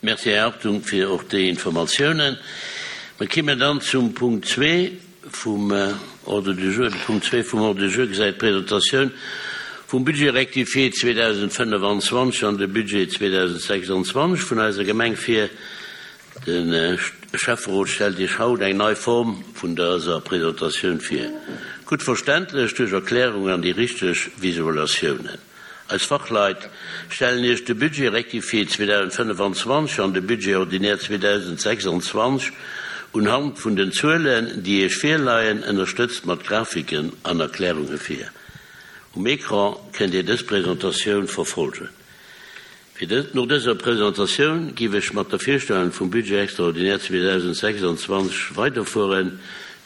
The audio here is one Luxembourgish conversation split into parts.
Merci, Här Hartung, fir och déi Informatiounen. Mir kimmen dann zum Punkt zwee vum Ordre du jour. De Punkt zwee vum Ordre du jour gesäit d'Presentatioun vum Budget rectifié 2025 an de Budget 2026 vun eiser Gemeng vir. De Schäfferot stellt Iech haut eng nei Form vun dëser Presentatioun vir, gutt verständlech duerch Erklärungen an déi richteg Visualatiounen. Eis Fachleit stellen Iech de Budget rectifié 2025 an de Budget ordinaire 2026 unhand vun den Zuelen, déi Iech virleien, ënnerstëtzt mat Grafiken an Erklärunge vir. Um Ecran kënnt Dir dës Presentatioun verfolgen. Fir dës, no dëser Presentatioun giff ech mat der Virstellung vum Budget extraordinaire 2026 weiderfueren.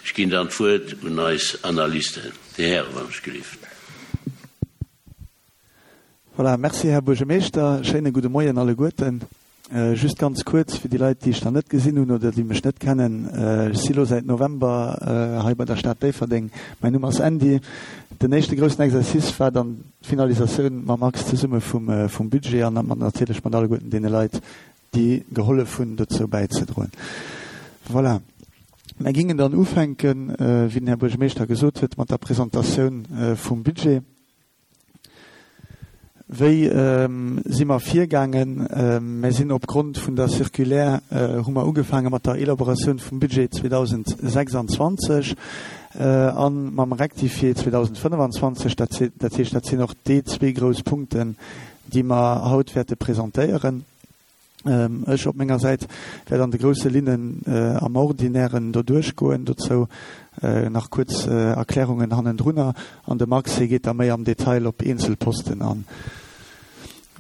Ech ginn dann d'Wuert un eis Analysten. Déi Häre wann ech gelift. Voilà, merci Här Buergermeeschter. Schéine gudde Moien alleguerten. Just ganz kuerz fir déi Leit, déi ech nach net gesinn hunn oder déi mech net kennen, Ech si lo säit November hei bei der Stad Déifferdeng. Mäin Numm ass Andy. Den éischte groussen Exercice war dann d'Finalisatioun mam Max zesumme vum Budget an natierlech mat alleguerten deene Leit, déi gehollef hunn, dozou bäizedroen. Voilà. Mär gingen dann ufänken, wéi den Här Buergermeeschter gesot huet, mat der Presentatioun vum Budget. Wéi si mer virgaangen? Mär sinn opgrond vun der Circulaire hu mer ugefaange mat der Elaboratioun vum Budget 2026 a mam Rectifié 2025. Dat heescht, dat sinn och déi zwee grouss Punkten, déi mer haut wäerte presentéieren. Ech op menger Säit wäert an de grousse Linnen am Ordinären do duerchgoen, dozou nach kuerz Erklärungen hannendrunner, an de Max, hie geet da méi am Detail op eenzel Posten an.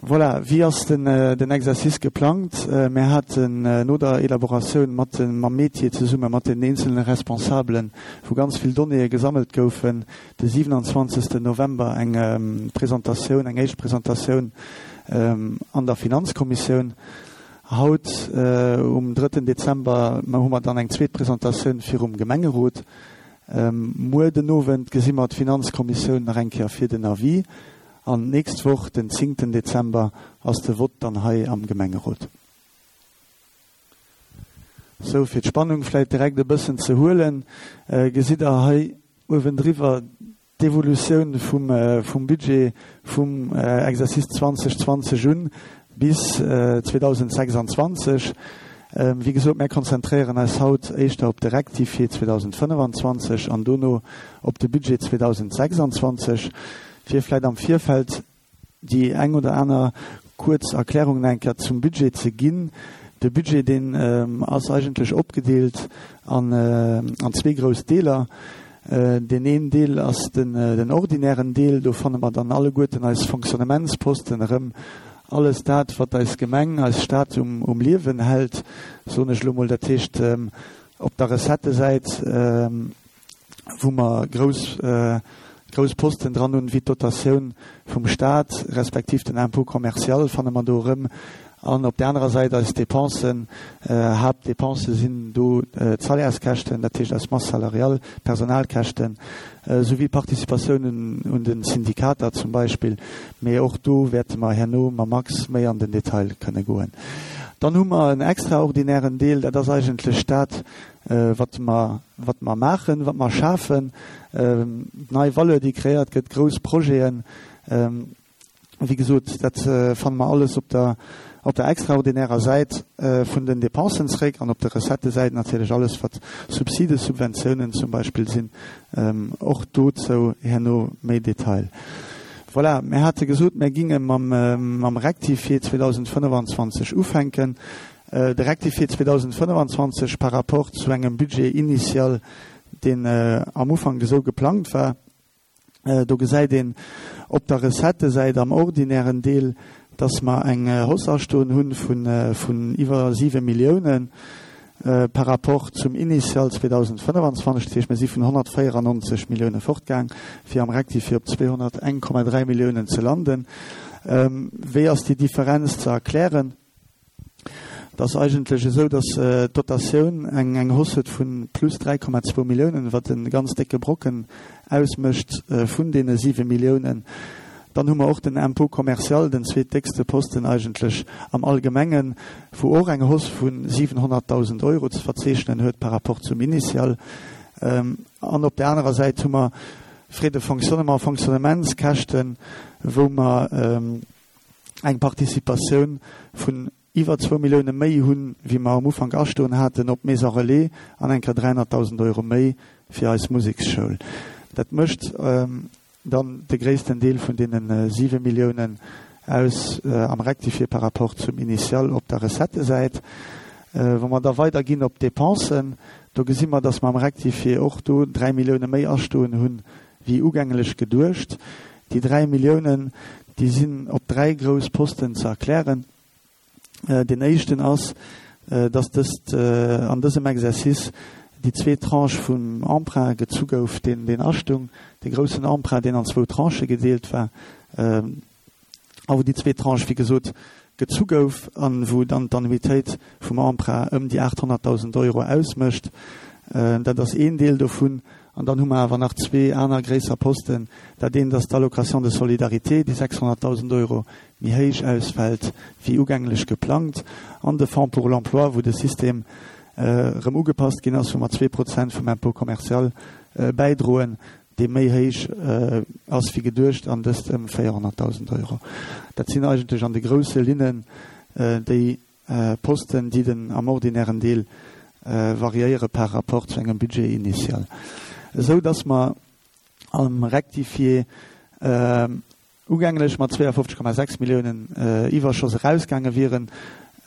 Voilà, wéi ass den Exercice geplangt? Mär haten no der Elaboratioun mat mam Métier zesumme mat den eenzelne Responsabelen, wou ganz vill Donnéeë gesammelt goufen, de 27 November eng Presentatioun, eng éischt Presentatioun an der Finanzkommissioun. Haut um drëtten Dezember hu mer dann eng zweet Presentatioun virum Gemengerot. Muer den Owend gesi mer d'Finanzkommissioun nach eng Kéier fir den Avis. An d'nächst Woch, den zéngten Dezember, ass de Vott dann hei am Gemengerot. Sou, fir d'Spannung vläit direkt e bëssen ze huelen, gesitt Der hei uewendriwwer d'Evolutioun vum Budget vum Exercice 2020 un bis 2026. Wéi gesot, mär konzentréieren eis haut éischter op de Rectifié 2025 an dono op de Budget 2026, fir vläit am Virfeld déi eng oder aner kuerz Erklärung nach eng Kéier zum Budget ze ginn. De Budget, deen ass eigentlech opgedeelt an zwee grouss Deeler. Deen een Deel ass den ordinären Deel, do fanne mer dann alleguerten eis Fonctionnementsposten erëm, alles dat, wat eis Gemeng, eis Stad um Liewen hält, soen ech elo mol. Dat heescht, op der Recettësäit, wou mer grouss, grouss Posten dran hunn, wéi d'Dotatioun vum Stat respektiv den Impôt commercial fanne mer do erëm. An op där anerer Säit eis Dépensen, Haaptdépense sinn do d'Salaires-käschten, dat heescht eis Masse salariale, d'Personalkäschten, souwéi d'Participatiounen un de Syndikater zum Beispill. Mee och do wäerte mer herno mam Max méi an den Detail kënne goen. Dann hu mer en extraordinären Deel, dat ass eigentlech dat, wat mer, wat mer maachen, wat mer schafen, nei Valeur, déi kreéiert gëtt, grouss Projeten. Wéi gesot, dat fanne mer alles op der, op der extraordinärer Säit vun den Dépensen zréck an op der Recettësäit natierlech alles, wat Subsiden, Subventiounen zum Beispill sinn. Och dozou herno méi Detail. Voilà, mir hate gesot, mir ginge mam, mam Rectifié 2025 ufänken. De Rectifié 2025 par rapport zu engem Budget initial, deen am Ufank esou geplangt war, do gesäit een op der Recettësäit am ordinären Deel, dass mer eng Hausse astoen hu vun iwwer 7 Milliounen par rapport zum Initial 2025. Dat heescht, mir si vun 194 Millioune fortgaang, fir am Rectifié op 201,3 Milliounen ze landen. Wéi ass déi Differenz ze erklären? Et ass eigentlech esou, datt d'Dotatioun eng Hausse huet vu plus 3,2 Milliounen, wat e ganz décke Brocken ausmécht vun deene 7 Milliounen. Dann hu mer och den Impôt commercial, den zweetdéckste Posten eigentlech am Allgemengen, wou och eng Hausse vu 700.000 Euro ze verzeechnen huet par rapport zum Initial. An op där anerer Säit hu mer Frais de fonctionnement, Fonctionnementskäschten, wou mer eng Participatioun vun iwwer zwou Millioune méi hunn, wéi mer am Ufank astoen haten op d'Maison Relais an eng Kéier 300.000 Euro méi fir eis Museksschoul. Dat mécht dann de gréissten Deel vun deene siwe Milliounen aus am Rectifié par rapport zum Initial op der Recettësäit. Wa mer da weiderginn op d'Dépensen, do gesi mer, dass mer am Rectifié och do 3 Millioune méi astoen hunn, wéi ugänglech geduecht. Déi 3 Milliounen, déi sinn op dräi grouss Posten ze erklären. Deen éischten ass, dass dëst an dësem Exercice déi zweet Tranche vum Emprunt gezu gouf, deen deen astung, dee groussen Emprunt, deen an zwou Tranchë gedeelt war, a wou déi zweet Tranche, wéi gesot, gezu gouf a wou dann d'Annuitéit vum Emprunt ëm déi 800.000 Euro ausmécht. Dat ass een Deel dovun. An dann hu mer awer nach zwee aner gréisser Posten. Dat eent ass d'Allocation de solidarité, déi 600.000 Euro méi héich ausfält wéi ugänglech geplangt, an de Fonds pour l'emploi, wou de System erëm ugepasst ginn ass, wou mer 2% vum Impôt commercial bäidroen, dee méi héich ass wéi geduecht, an dëst ëm 400.000 Euro. Dat sinn eigentlech an de grousse Linnen déi Posten, déi den am ordinären Deel variéiere par rapport zu engem Budget initial, esou dass mer am Rectifié ugänglech mat 52,6 Milliounen Iwwerschoss erausgaange wieren,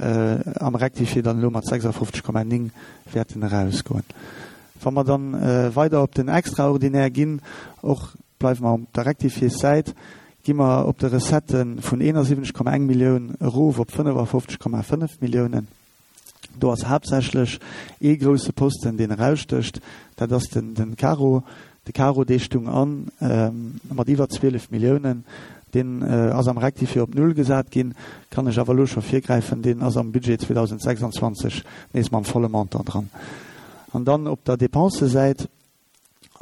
am Rectifié dann elo mat 56,9 wäerten erausgoen. Wa mer dann weider op den Extraordinaire ginn, och bleiwe mer op der Rectifiéssäit, gi mer op de Recettë vun 71,1 Millioun erof op 55,5 Milliounen. Do ass haaptsächlech ee grousse Posten, deen erausstécht, dat ass den Caro. De Caro, dee stung an mat iwwer 12 Milliounen. Deen ass am Rectifié op Null gesat ginn, kann ech awer elo scho virgräifen, deen ass am Budget 2026 nees mam volle Montant dran. An dann op der Dépensësäit.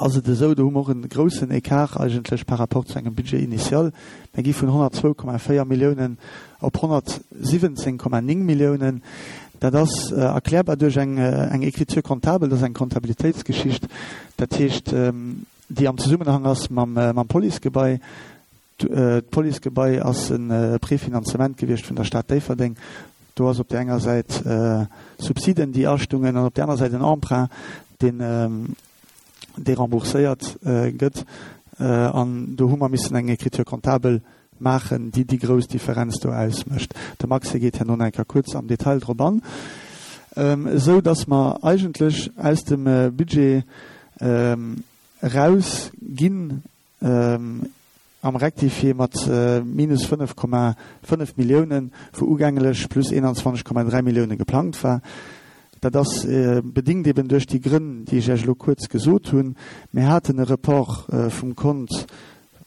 ass et esou, do hu mer och e groussen Ecart eigentlech par rapport zu engem Budget initial. Mir gi vun 102,4 Milliounen op 117,9 Milliounen. Dat ass erklärbar duerch eng eng Écriture comptable, dat ass eng Kontabilitéitsgeschicht, dat heescht, déi am Zesummenhang ass mam mam Policegebai. D'Policegebai ass e Prefinanzement gewiescht vun der Stad Déifferdeng. Do ass op där enger Säit Subsiden, déi astungen, an op där aner Säit en Emprunt, deen, dee rembourséiert gëtt. An do hu mer missen eng Écriture comptable maachen, déi déi grouss Differenz do ausmécht. De Maxe geet herno nach eng Kéier kuerz am Detail drop an. Esou datt mer eigentlech aus dem Budget erausginn, am Rectifié mat minus 5,5 Milliounen, wou ugänglech plus 21,3 Millioune geplangt war. Dat ass bedingt eben duerch déi Grënn, déi ech Iech elo kuerz gesot hunn. Mir haten e Report vum Kont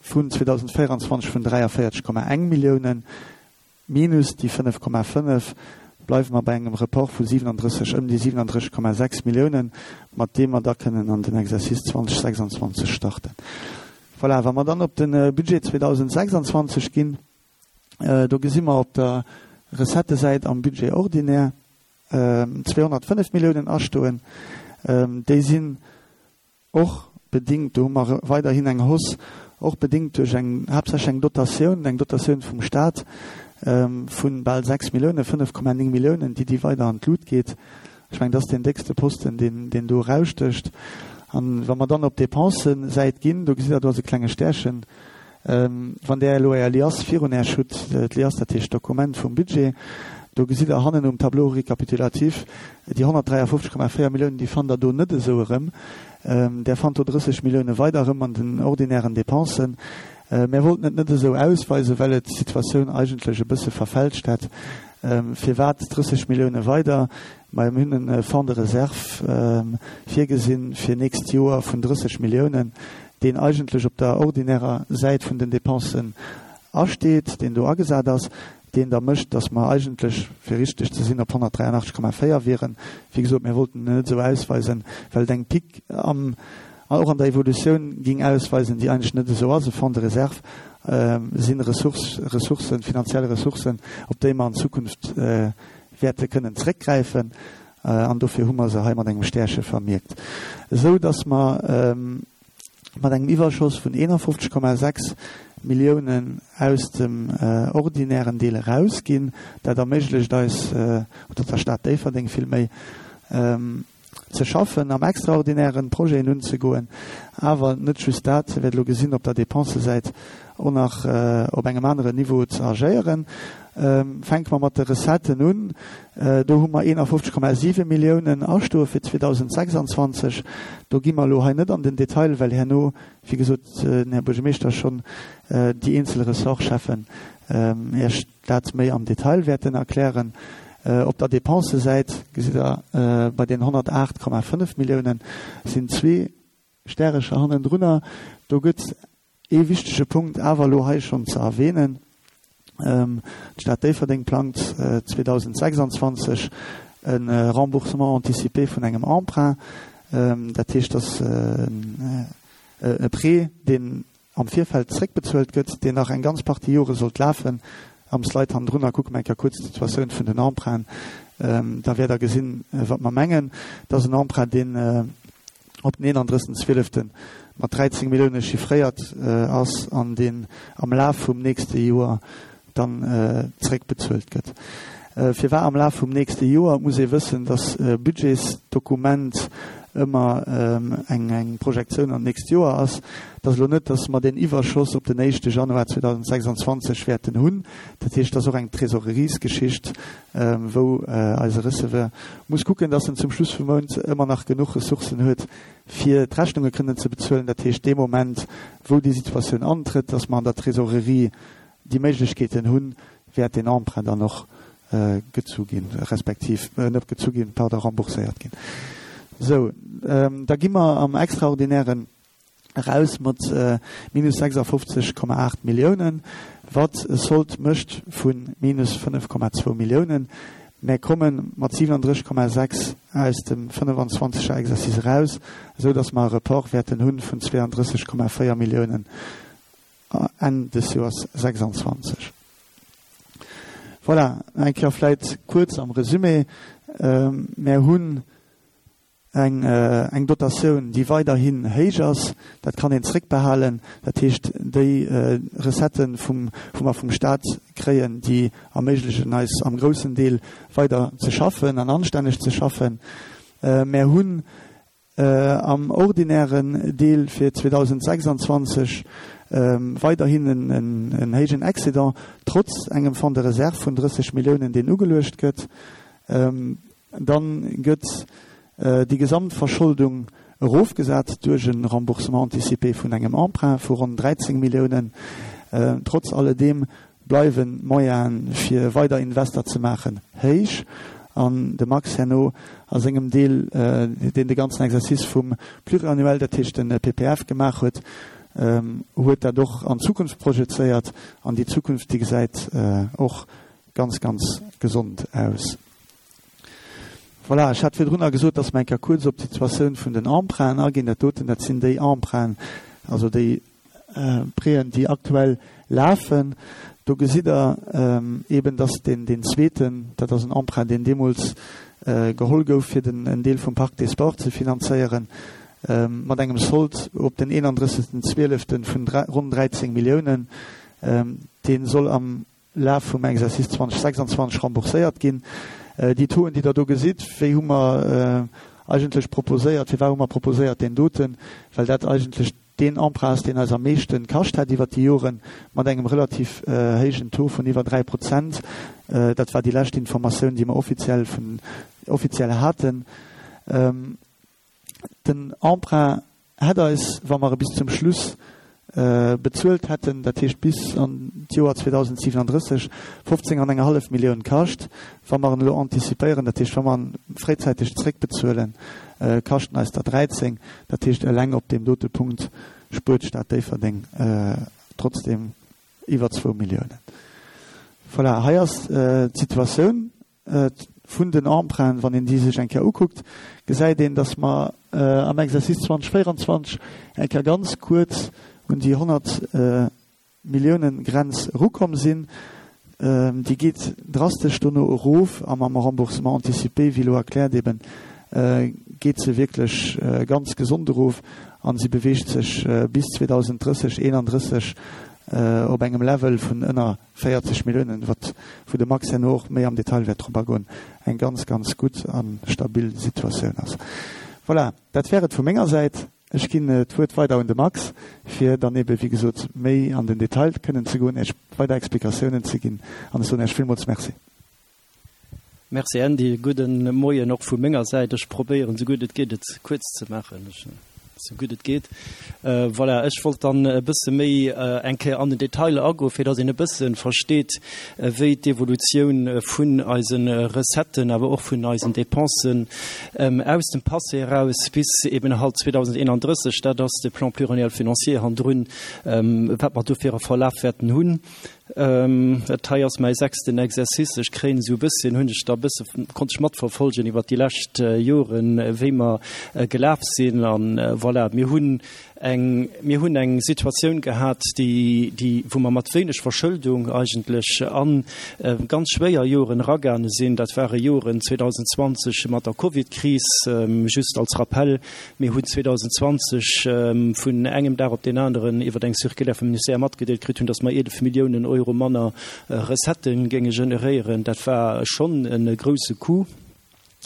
vun 2024 vun 43,1 Milliounen. Minus déi 5,5 bleiwe mer bei engem Report vu 37, ëm déi 37,6 Milliounen, mat deem mer da kënnen an den Exercice 2026 starten. Voilà, wa mer dann op de Budget 2026 ginn, do gesi mer op der Recettësäit am Budget ordinaire 205 Milliounen astoen. Déi sinn Och bedingt, do hu mer weiderhin eng Hausse, och bedingt duerch eng, haaptsächlech eng Dotatioun, eng Dotatioun vum Stat vu bal 6 Milliounen, 5,9 Milliounen, déi, déi weider an d'Lut geet. Ech mengen, dat ass deen déckste Posten, deen, deen do erausstécht. An wa mer dann op d'Dépensësäit ginn, do gesitt Der, do ass e klenge Stärchen, Wann Der elo Är Liasse virun Äech hutt, d'Liasse, dat heescht d'Dokument vum Budget, do gesitt Der hannen um Tableau récapitulatif déi 153,4 Milliounen, déi fannt Der do net esou erëm. Der fannt do 30 Millioune weider erëm an den ordinären Dépensen. Mär wollten et net esou ausweisen, well et d'Situatioun eigentlech e bësse verfälscht hätt. Firwat 30 Millioune weider? Majo, mir hunn e Fonds de réserve virgesinn fir nächst Joer vun 30 Milliounen, deen eigentlech op der ordinärer Säit vun den Dépensen asteet, deen do agesat ass, deen da mécht, datt mer eigentlech, fir richteg ze sinn, op 183,4 wieren. Wéi gesot, mir wollten en net esou ausweisen, well et eng Pique am, och an der Evolutioun ging ausweisen, déi eigentlech net esou ass. E Fonds de réserve. si Ressourcen, finanziell Ressourcen, op déi mer an Zukunft wäerte kënnen zréckgräifen. An dofir hu mer se hei mat engem Stärche vermierkt, esou dass mer mat engem Iwwerschoss vun 51,6 Milliounen aus dem ordinären Deel erausginn. Dat erméiglecht eis, oder der Stad Déifferdeng villméi, ze schaffen, am Extraordinären Projeten unzegoen, awer net just dat, Dir wäert elo gesinn, op der Dépensesäit och nach op engem aneren Niveau ze agéieren. Fänke mer mat de Recetten un. Do hu mer 51,7 Milliounen astoe fir 2026. Do gi mer elo hei net an den Detail, well herno, wéi gesot, den Här Buergermeeschter schonn déi eenzel Ressortcheffen Iech dat méi am Detail wäerten erklären. Op der Dépensesäit gesitt Der, bei den 108,5 Milliounen sinn zwee Stärecher hannendrunner. Do gëtt ee wichtege Punkt awer elo hei schonn ze erwähnen, D'Stad Déifferdeng plangt 2026 e Remboursement anticipé vun engem Emprunt. Dat heescht, dass e Prêt, deen am Virfeld zréckbezuelt gëtt, deen nach eng ganz Partie Jore sollt lafen. Am Slide hannendrunner kucke mer eng Kéier kuerz d'Situatioun vun den Emprunten. Da wäert Der gesinn, wat mer mengen. Dat ass en Emprunt, deen op den 31. Zwielefte mat 13 Millioune chiffréiert ass an deen am Laf vum nächste Joer dann zréckbezuelt gëtt. Firwat am Laf vum nächste Joer? Et muss ee wëssen, dass e Budgetsdokument ëmmer eng Projektioun an d'nächst Joer ass. Et ass elo net, dass mer deen Iwwerschoss op den éischte Januar 2026 wäerten hunn. Dat heescht, et ass och eng Trésoreriesgeschicht, wou eise Receveur muss kucken, dass en zum Schluss vum Mount ëmmer nach genuch Ressourcen huet, fir d'Rechnunge kënnen ze bezuelen. Dat heescht, dee Moment, wou déi Situatioun antrëtt, dass mer an der Trésorerie déi Méiglechkeeten hunn, wäert deen Emprunt dann och gezu ginn, respektiv net gezu ginn, pardon, rembourséiert ginn. Sou, da gi mer am Extraordinären eraus mat minus 56,8 Milliounen, wat e Sold mécht vu minus 5,2 Milliounen. Mär komme mat 37,6 aus dem 25 er Exercice eraus, esou datt mer e Report wäerten hu vun 32,4 Milliounen Enn des Joers 26. Voilà, eng Kéier vläit kuerz am Resumé, Mär hunn eng eng Dotatioun, déi weiderhin héich ass. Dat kann een zréckbehalen. Dat heescht, déi Recetten, vum, wou mer vum Stat kréien, déi erméiglechen eis am groussen Deel weider ze schaffen an anstänneg ze schaffen. Mär hunn am ordinären Deel fir 2026 weiderhin en héijen Excédent, trotz engem Fonds de réserve vun 30 Milliounen, deen ugeluecht gëtt. Dann gëtt déi Gesamtverscholdung erofgesat duerch e Remboursement anticipé vun engem Emprunt vu ronn 13 Milliounen. Trotz alledeem bleiwen d'Moyene fir weider Invester ze maachen héich an de Max herno a sengem Deel, deen de ganzen Exercice vum Pluriannuel, dat heescht de PPF gemaach huet, huet dat och an d'Zukunft projezéiert an déi Zukunft, déi gesäit och ganz, ganz gesond aus. Voilà, ech hat virdrunner gesot, dass mer eng Kéier kuerz op d'Situatioun vun den Emprunten aginn. Dat doten, dat sinn déi Emprunten, also déi Préen, déi aktuell lafen. Do gesitt Der eeben, dass deen, deen zweeten, dat ass en Emprunt, deen deemools geholl gouf, fir den, en Deel vum Parc des Sports ze finanzéieren, mat engem Sold op den 31. Zwieleften vun ronn 13 Milliounen, dee soll am Laf vum Exercice 2026 rembourséiert ginn. Déi Tauxen, déi Der do gesitt, wéi hu mer eigentlech proposéiert, firwat hu mer proposéiert deen doten? Well dat eigentlech deen Emprunt ass, deen eis am meeschte kascht hätt iwwert déi Joren, mat engem relativ héijen Taux vun iwwer 3%. Dat war déi lescht Informatioun, déi mer offiziell vun, offiziell haten. Den Emprunt hätt eis, wa mer e bis zum Schluss bezuelt hätten, dat heescht bis an d'Joer 2037, 15 an eng hallef Millioun kascht. Wa mer en elo antizipéieren, dat heescht wa mer en fréizäiteg zréckbezuelen, kascht en eis der 13. Dat heescht eleng op deem dote Punkt spuert d'Stad Déifferdeng trotzdeem iwwer zwou Milliounen. Voilà, hei ass d'Situatioun. Vun den Emprunten, wann een déi sech eng Kéier ukuckt, gesäit een, dass mer am Exercice 2024 eng Kéier ganz kuerz un déi 100. Milliounen Grenz erukomm sinn. Déi geet drastesch dono erof a mam Remboursement anticipé, wéi elo erkläert eben, geet se wierklech ganz gesond erof a si beweegt sech bis 2030, 31 op engem Level vun ënner 40 Milliounen, wat, wou de Max herno och méi am Detail wäert drop agoen, eng ganz, ganz gutt a stabil Situatioun ass. Voilà, dat wär et vu menger Säit. Ech ginn d'Wuert weider un de Max, fir dann ebe wéi gesot méi an den Detail kënnen ze goen, Iech weider Explikatiounen ze ginn. An ech soen Iech villmools Merci. Merci Andy. Gudde Moien och vu menger Säit. Ech probéieren esou gutt et geet et kuerz ze maachen, esou gutt et geet. Voilà, ech wollt dann e bësse méi eng Kéier an den Detail agoen, fir datt een e bësse versteet, wéi d'Evolutioun vun eise Recetten, awer och vun eisen Dépensen aus dem Passé eraus bis eben halt 2031, dat ass de Plan pluriannuel financier hannendrun, wat mer do fir e Verlaf wäerten hunn. Dat hei ass mäi sechsten Exercice. Ech kréien esou e bësschen, hunn ech da e bësse, konnt ech matverfolgen iwwert déi lescht Joren, wéi mer gelaf sinn. An voilà, mir hunn eng, mir hunn eng Situatioun gehat, déi, déi, wou mer mat wéineg Verschëldung eigentlech a ganz schwéier Joren eragaange sinn. Dat ware Joren 2020 mat der Covidkris. Just als Rappell, Mir hunn 2020 vun engem Dag op deen aneren iwwer eng Circulaire vum Ministère matgedeelt kritt hunn, datt mer 11 Milliounen Euro manner Recettë géinge generéieren. Dat war schonn e grouse Coup.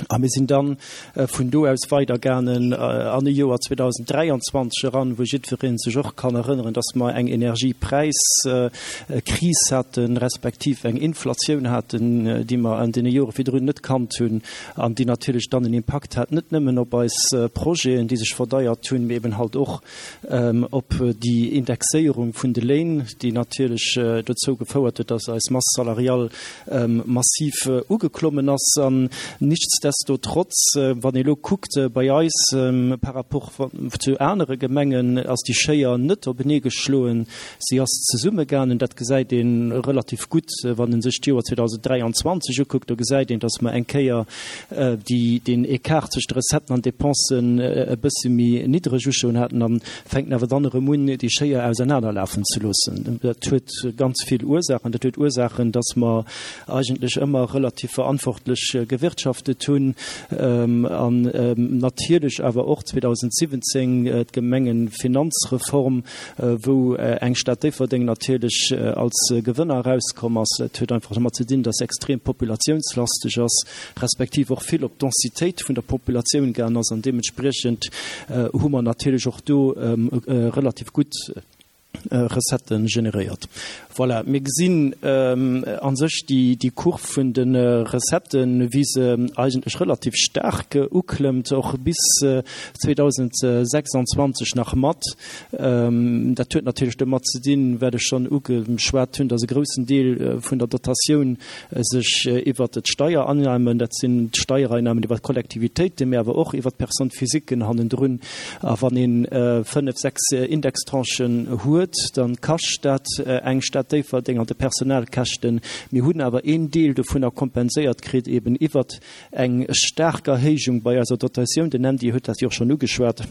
A mir sinn dann vun do aus weidergaangen an e Joer 2023 eran, wou jiddweree sech och kann erënneren, dass mer eng Energiepräiskris haten, respektiv eng Inflatioun haten, déi mer an deene Jore virdrun net kannt hunn an déi natierlech dann en Impakt hat, net nëmmen op eis Projeten, déi sech verdeiert hunn, mee eben halt och op déi Indexéierung vun de Léin, déi natierlech dozou gefouert huet, dass eis Masse salariale massiv ugeklommen ass. An nichtsdestotrotz, wann ee lo kuckt bei eis par rapport zu anere Gemengen, ass déi Schéier net openee geschloen, si ass zesummegaangen. Dat gesäit ee relativ gutt, wann ee sech d'Joer 2023 ukuckt. Do gesäit een, dass mer eng Kéier déi deen Ecart zwëscht de Recetten an Dépensen e bësse méi niddreg uschloen haten an fänken awer dann erëm un, déi Schéier ausernanerlafen ze loossen. Dat huet ganz vill Ursaachen. Dat huet Ursaachen, dass mer eigentlech ëmmer relativ verantwortlech gewirtschaftet hunn an natierlech awer och 2017 d'Gemengefinanzreform, wou eng Stad Déifferdeng natierlech als Gewënner erauskomm ass. Et huet einfach domat ze dinn, dass extrem populatiounslasteg ass, respektiv och vill op d'Densitéit vun der Populatioun gaangen ass an deementspriechend hu mer natierlech och do relativ gutt Recettë generéiert. Voilà, mir gesinn a sech déi Kurv vun de Recetten, wéi se eigentlech relativ staark uklëmmt, och bis 2026 nach mat. Dat huet natierlech domat ze dinn, wat ech schonn ugeschwat hunn, datt e groussen Deel vun der Dotatioun sech iwwert d'Steiereinnahmen, dat sinn d'Steiereinnahmen iwwert d'Kollektivitéiten, mä awer och iwwert d'Personnes-physiquen hannendrun. A wann ee fënnef, sechs Indextranchen huet, da kascht dat eng Stad Déifferdeng an de Personalkäschten. Mir hunn awer een Deel dovunner kompenséiert kritt eben iwwert eng staark Erhéijung bei eiser Dotatioun. Den Andy huet dat jo och schonn ugeschwat.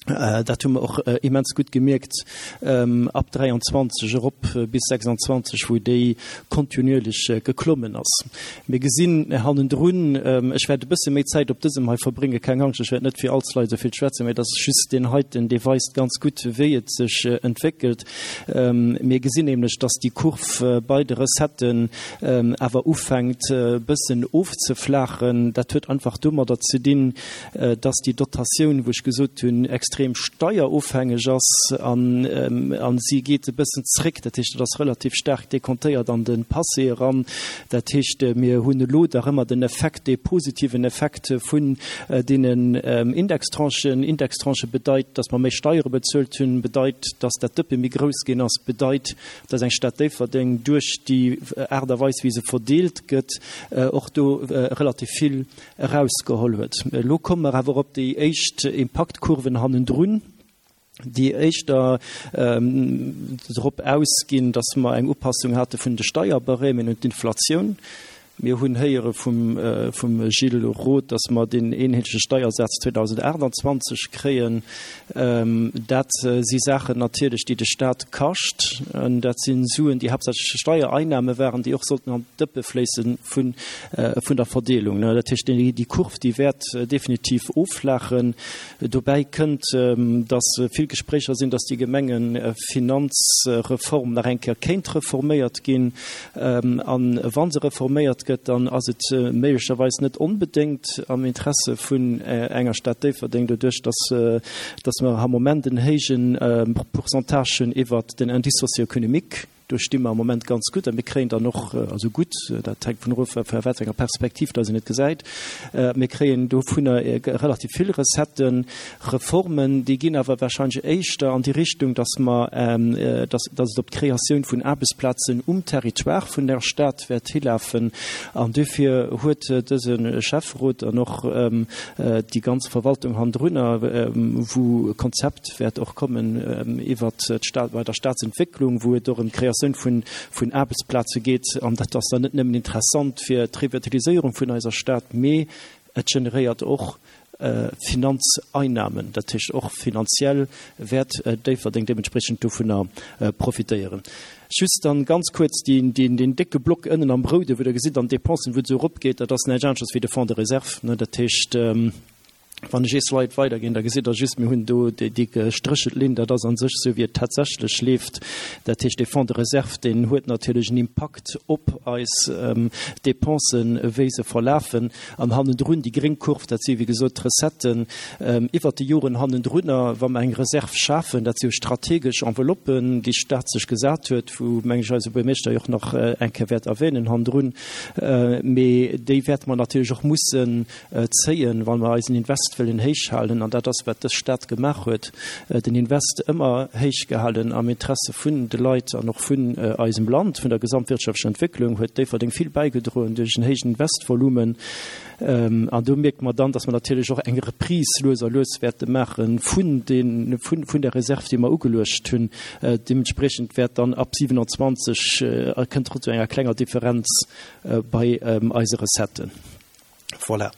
Dat hu mer och immens gutt gemierkt ab 23 erop bis 26, wou déi kontinuierlech geklommen ass. Mir gesinn hannendrun, ech wäert e bësse méi Zäit op dësem hei verbréngen, keng Angscht, ech wäert net fir all Slide esou vill schwätzen, mä et ass just deen heiten, dee weist ganz gutt, wéi et sech entwéckelt. Mir gesinn nämlech, dass déi Kurv bei de Recetten awer ufänkt e bëssen ofzeflaachen. Dat huet einfach domadder ze dinn, dass déi Dotatioun, wou ech gesot hunn, extrem steierofhängeg ass an si geet e bëssen zréck. Dat heescht, dat ass relativ staark dekontéiert an de Passé eran. Dat heescht, mir hunn elo dach ëmmer den Effekt, dee positiven Effekt vun deenen Indextranchen. Indextranche bedeit, dass mer méi Steiere bezuelt hunn, bedeit, dass dat Dëppe méi grouss ginn ass, bedeit, dass eng Stad Déifferdeng duerch déi Aart a Weis, wéi se verdeelt gëtt, och do relativ vill erausgeholl huet. Elo komme mer awer op déi éischt Impaktkurven hannendrun, déi éischter drop ausginn, dass mer eng Upassung hate vun de Steierbarèmen un d'Inflatioun. Mir hunn héiere vum Gilles Roth, dass mer deen eenheetleche Steiersaz 2028 kréien. Dat si Saachen natierlech, déi de Stat kascht. Dat si Suen, déi haaptsächlech Steiereinnahme waren, déi och sollten an d'Dëppe fléisse vun der Verdeelung. Dat heescht, déi Kurv, déi wäert definitiv offlaachen. Dobäi kënnt, dass vill Gespréicher sinn, dass déi Gemengefinanzreform nach eng Kéier kéint reforméiert ginn. A wa se reforméiert gëtt, dann ass et méiglecherweis net onbedéngt am Interesse vun enger Stad Déifferdeng, doduerch dass dass mer am Moment en héije Pourcentage hunn iwwert den Indice socio-économique. Do sti mer am Moment ganz gutt a mir kréien dann och, also gutt, dat hänkt vun erof, vu wat fir enger Perspektiv dass een et gesäit, mir kréien dovunner relativ vill Recetten. Reformen, déi ginn awer wahrscheinlech éischter an déi Richtung, dass mer, dass, dass et op d'Kreatioun vun Aarbechtsplazen um Territoire vun der Stad wäert hilafen. An duerfir huet dëse Schäfferot an och déi ganz Verwaltung hannendrunner, wou e Konzept, wäert och kommen iwwert d'Stad, bei der Statsentwécklung, wou et och ëm d'Kreatioun vun, vun Aarbechtsplaze geet. An dat ass dann net nëmmen interessant fir d'Revitaliséierung vun eiser Stad, mee et generéiert och Finanzeinnahmen. Dat heescht, och finanziell wäert Déifferdeng deementspreechend dovunner profitéieren. Just dann ganz kuerz deen, deen, deen décke Block ënnen am Roude, wou Der gesitt an Dépensen, wou et esou eropgeet, dat ass näischt aneschters wéi de Fonds de réserve. Dat heescht, Wann ech ee Slide weiderginn, da gesitt Der just, mir hunn do déi gestréchelt Linn, dat ass a sech esou, wéi et tatsächlech leeft. Dat heescht, dee Fonds de réserve, deen huet natierlech en Impakt op eis Dépensen, wéi se verlafen. An hannendrun déi gréng Kurv, dat si wéi gesot d'Recetten iwwert déi Joren hannendrunner, wa mer eng Reserv schafen. Dat si jo strategesch Enveloppen, déi d'Stad sech gesat huet, wou, meng ech, eise Buermeeschter jo och nach eng Kéier wäert erwänen hannendrun. Mee déi wäerte mer natierlech och mussen zéien, wa mer eisen Invest wëllen héich halen, an dat ass, wat dës Stad gemaach huet, den Invest ëmmer héich gehalen am Interesse vun de Leit an och vun eisem Land, vun der gesamtwirtschaftlecher Entwécklung, huet Déifferdeng vill bäigedroen duerch en héijen Investvolumen. An do mierkt mer dann, dass mer natierlech och eng Reprise lues a lues wäerte maache vun den, vun der Reserv, déi mer ugeluecht hunn. Deementspriechend wäert dann ab 27, kënnt et zu enger klenger Differenz bei eise Recetten. Voilà.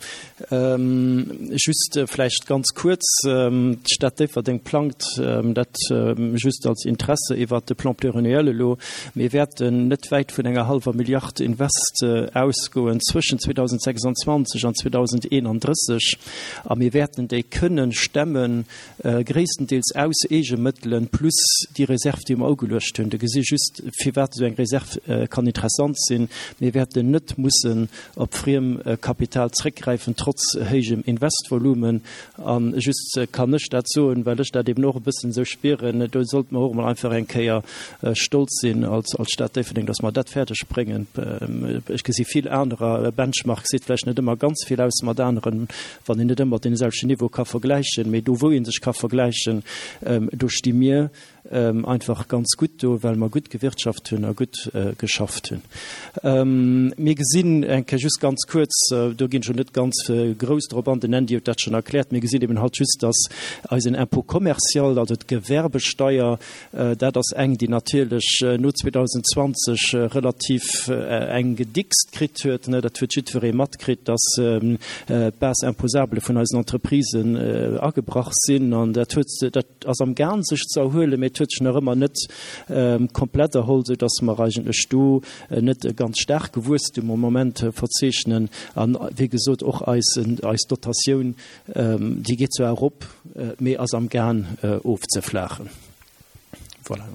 Just vläicht ganz kuerz, D'Stad Déifferdeng plangt, dat just als Interesse iwwert de Plan pluriannuel elo, mir wäerten net wäit vun enger hallwer Milliard Invest ausgoen zwëschen 2026 an 2031 a mir wäerten déi kënnen stemmen, gréisstendeels aus Eegemëttelen plus déi Reserv, déi mer ugeluecht hunn. Do gesi just, firwat esou eng Reserv kann interessant sinn. Mir wäerten net mussen op Friemkapital zréckgräifen, trotz héijem Investvolumen. A just kann ech dat soen, well ech dat eben och e bëssen esou spieren, do sollte mer och emol einfach eng Kéier stolz sinn als Stad Déifferdeng, dass mer dat fäerdeg bréngen. Ech gesi vill anerer, Benchmark seet vläicht net ëmmer ganz vill aus mat aneren, wann een net ëmmer dee selwechten Niveau ka vergläichen, mee do wou ee sech ka vergläichen, do sti mir einfach ganz gutt do, well mer gutt gewirtschaft hunn a gutt geschafft hunn. Mir gesinn eng Kéier just ganz kuerz, do ginn ech elo net ganz grouss drop an, den Andy huet dat schonn erkläert, mir gesinn eben halt just, dass eisen Impôt commercial, also d'Gewerbesteier, Dat ass eng, déi natierlech no 2020 relativ eng gedickst kritt huet. Dat huet jiddweree matkritt, dass d'Base imposable vun eisen Entreprisen agebrach sinn. An dat huet, dat ass amgaang sech ze erhuelen, mee et huet sech nach ëmmer net komplett erholl, soudass mer eigentlech do net e ganz staarke Wuesstum am Moment verzeechnen. An, wéi gesot, och eis, eis Dotatioun Déi geet zwar erop, mee ass am Gaang ofzeflaachen. Voilà.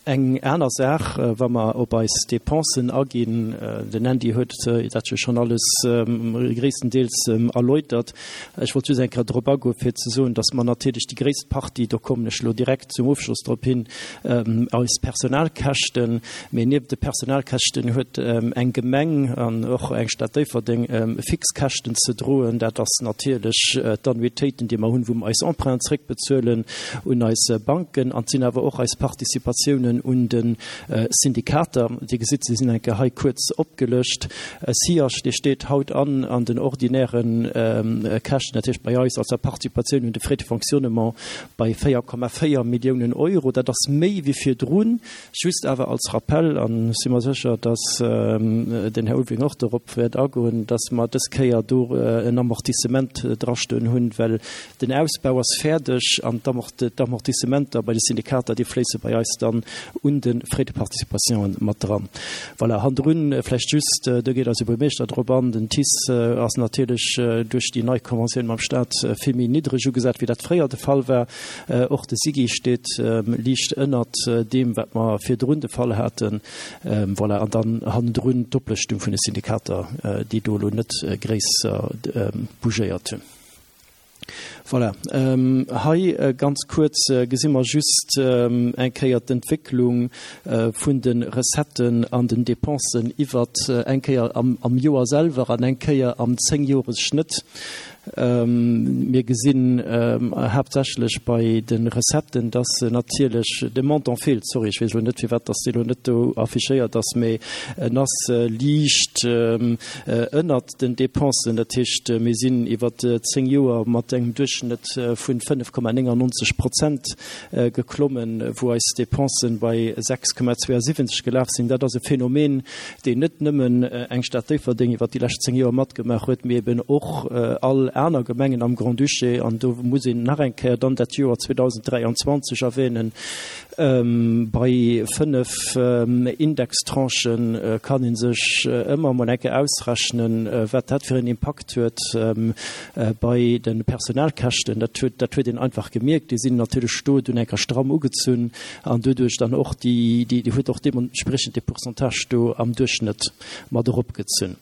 Eng aner Saach, wa mer op eis Dépensen aginn, den Andy huet dat jo schonn alles gréisstendeels erläutert. Ech wollt just eng Kéier drop agoen, fir ze soen, dass mer natierlech déi gréisst Partie, do kommen ech elo direkt zum Ofschloss drop hin, eis Personalkäschten, Mee nieft de Personalkäschten huet eng Gemeng an och eng Stad Déifferdeng fix Käschten ze droen. Dat ass natierlech d'Annuitéiten, déi mer hunn, wou mer eis Emprunten zréckbezuelen un eis Banken. kréien an et sinn awer och eis Participatiounen un de Syndikater. Dir gesitt, se sinn eng Kéier hei kuerz opgelëscht. SIAS, dee steet haut an an den ordinäre Käschten, dat heescht bei eis als der Participatioun un de Frais de fonctionnement bei 4,4 Milliounen Euro. Dat ass méi wéi virdrun. Just awer als Rappell, an ech si mer sécher, dass den Här Ulveling och dorop wäert agoen, dass mer dës Kéier do en Amortissement drastoen hunn, well den Ausbau ass fäerdeg an d'Amortissementer bei de Syndikater, déi fléisse bei eis dann un de Frais de participation mat dran. Voilà, hannendrun vläicht just, do geet eise Buermeeschter drop an, den TICE ass natierlech duerch déi nei Conventioun mam Stat vill méi niddreg ugesat, wéi dat fréier de Fall war. Och de SIGI steet liicht ënnert deem, wat mer virdrun de Fall haten. Voilà, an dann hannendrun d'Oplëschtung vun de Syndikater, déi do elo net gréisser bougéiert hunn. Voilà, hei ganz kuerz gesi mer just eng Kéier d'Entwécklung vun de Recetten an den Dépensen iwwert eng Kéier am Joer selwer an eng Kéier am Zéngjores-Schnëtt. Mir gesinn haaptsächlech bei de Recetten, dass natierlech de Montant feelt. Sorry, ech weess elo net, firwat dass dee elo net do affichéiert ass, mee en ass liicht ënnert den Dépensen. Dat heescht, mir sinn iwwer 10 Joer mat engem Duerchschnëtt vun 5,99 Prozent geklommen, wou eis Dépensen bei 6,72 gelaf sinn. Dat ass e Phänomen, deen net nëmmen eng Stad Déifferdeng iwwert déi lescht 10 Joer matgemaach huet, mee eben och all aner Gemengen am Grand-Duché, an do muss een nach eng Kéier dann dat Joer 2023 erwähnen, bei 5 Indextranchen kann ee sech ëmmer emol eng Kéier ausrechnen, wat dat fir en Impakt huet bei de Personalkäschten. Dat huet, dat huet een einfach gemierkt. Déi sinn natierlech do dunn eng Kéier stramm ugezunn. An doduerch dann och déi, déi huet och deementspriechend dee Pourcentage do am Duerchschnëtt mat eropgezunn.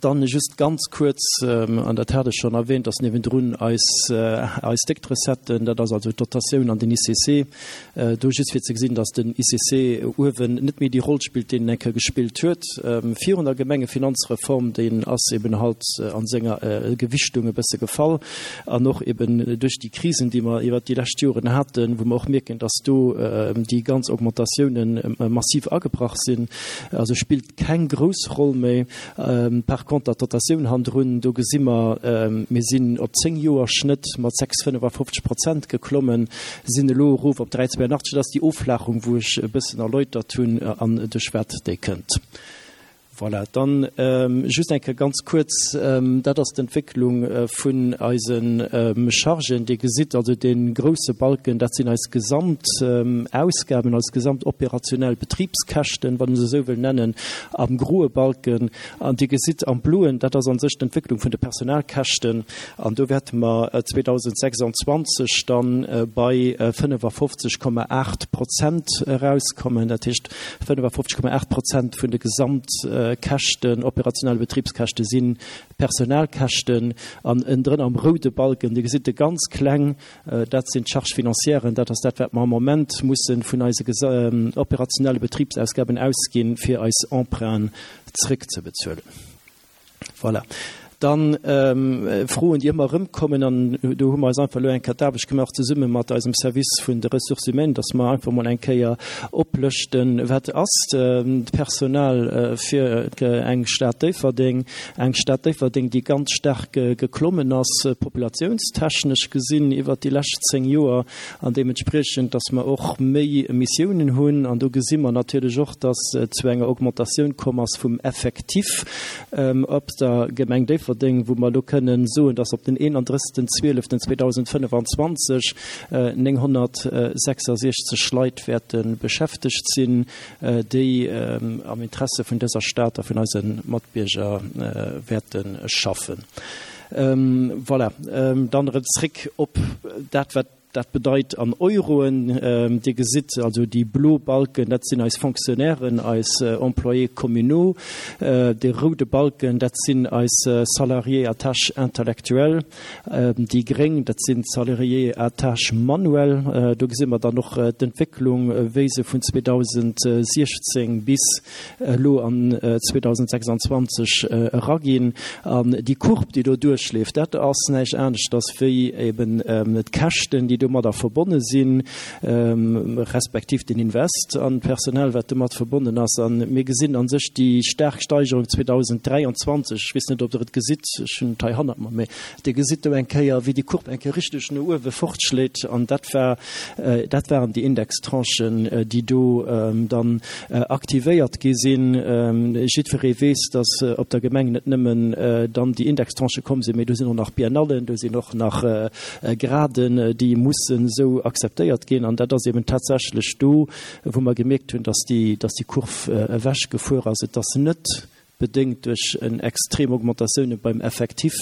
Dann just ganz kuerz, an dat hat ech schonn erwähnt, dass niewendrun eis, eis déckt Recetten, dat ass also d'Dotatioun an den ICC, do just fir ze gesinn, dass den ICC uewen net méi déi Roll spillt, déi en eng Kéier gespillt huet virun der Gemengefinanzreform. Deen ass eben halt a senger Gewichtung e bësse gefall. An och eben duerch déi Krisen, déi mer iwwert déi lescht Joren haten, wou mer och mierken, dass do déi ganz Augmentatiounen massiv agebrach sinn, also spillt keng grouss Roll méi. Par conter d'Dotatioun handrun, do gesi mer, mir sinn op 10 Joer Schnëtt mat 6,55 Prozent geklommen, sinn elo erof op 3,82. Dat ass déi Offlaachung, wou ech e bëssen erläutert hunn an duerch wat déi kënnt. Voilà, dann just eng Kéier ganz kuerz, dat ass d'Entwécklung vun eise Chargen. Dir gesitt also dee grouse Balken, dat sinn eis gesamt Ausgaben, eis gesamt operationell Betribskäschten, wann ee se esou wëll nennen, am groe Balken. An Dir gesitt am bloen, dat ass a sech d'Entwécklung vun de Personalkäschten. An do wäerte mer 2026 dann bei 55,8 Prozent erauskommen. Dat heescht, 55,8 Prozent vun de Gesamtkäschten, operationelle Betribskäschte si Personalkäschten. An ënnendrënner am roude Balken, Dir gesitt e ganz kleng, dat sinn d'Charges financièren, dat ass dat, wat mer am Moment musse vun eise operationelle Betribsausgaben ausginn, fir eis Emprunten zréckzebezuelen. Voilà. Dann Froen, déi ëmmer erëmkommen, an do hu mer eis einfach elo eng Kéier d'Aarbecht gemaach zesumme mat eisem Service vun de Ressources humaines, dass mer einfach emol eng Kéier oplëschten, wat ass d'Personal fir eng Stad Déifferdeng, eng Stad Déifferdeng, déi ganz staark geklommen ass, populatiounstechnesch gesinn iwwert déi lescht 10 Joer, an deementspriechend, dass mer och méi Missiounen hunn. An do gesi mer natierlech och, dass et zu enger Augmentatioun komm ass vum Effectif op der Gemeng Déifferdeng, wou mer elo kënnen soen, dass op den 31.12.2025 966 Leit wäerte beschäftegt sinn, déi am Interesse vun dëser Stad a vun eise Matbierger wäerte schaffen. Voilà, dann erëm zréck op dat, wat dat bedeit an Euroen. Dir gesitt also déi blo Balken, dat sinn eis Fonctionnairen, eis Employés communaux. Dee roude Balken, dat sinn eis Salariés à tâches intellectuelles. Déi gréng, dat sinn d'Salariés à tâches manuelles. Do gesi mer dann och d'Entwécklung, wéi se vun 2016 bis elo an 2026 eraginn. An déi Courbe, déi do duerchleeft, dat ass näischt aneschters wéi eben d'Käschten, déi do. domadder verbonne sinn, respektiv den Invest an d'Personal, wat domat verbonnen ass. A mir gesinn a sech déi staark Steigerung 2023, ech weess net, ob Der et gesitt, ech hunn et hei hannert mer, mä Dir gesitt do eng Kéier, wéi déi Courbe eng Kéier richteg no uewe fortschléit. An dat war, dat waren déi Indextranchen, déi do dann aktivéiert gi sinn. Jiddweree weess, datt op der Gemeng net nëmmen dann déi Indextranchë komm sinn, mee do sinn och nach Biennallen, do sinn och nach Graden, déi mussen esou akzeptéiert ginn. An dat ass eben tatsächlech do, wou mer gemierkt hunn, datt déi, datt déi Kurv ewechgefuer ass. Et ass net bedéngt duerch en extrem Augmentatioune beim Effectif,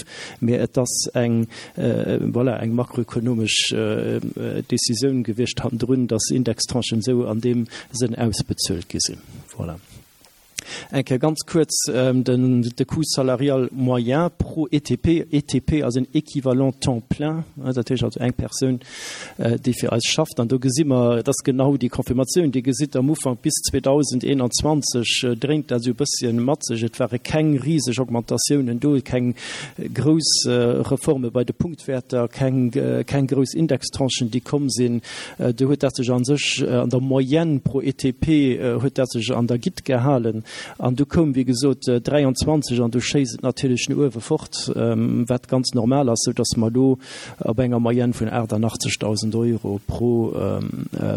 mee et ass eng, voilà, eng makroökonomesch Décisioun gewiescht hannendrun, datt Indextranchen esou an deem Sënn ausbezuelt gi sinn. Voilà. Eng Kéier ganz kuerz den de Coût salarial moyen pro ETP. ETP ass en Équivalent temps plein, dat heescht also eng Persoun, déi fir eis schafft. An do gesi mer, et ass genau déi Confirmatioun, Dir gesitt am Ufank bis 2021 dréint dat esou e bësschen mat sech. Et ware keng riseg Augmentatiounen do, keng grouss Reforme bei de Punktwäerter, keng, keng grouss Indextranchen, déi komm sinn. Do huet dat sech a sech an der Moyenne pro ETP huet dat sech an der Gitt gehalen. An du koum, wéi gesot, 23 an du schéisst et natierlech no uewe fort, wat ganz normal ass, soudass mer elo op enger Moyenne vun 88.000 Euro pro,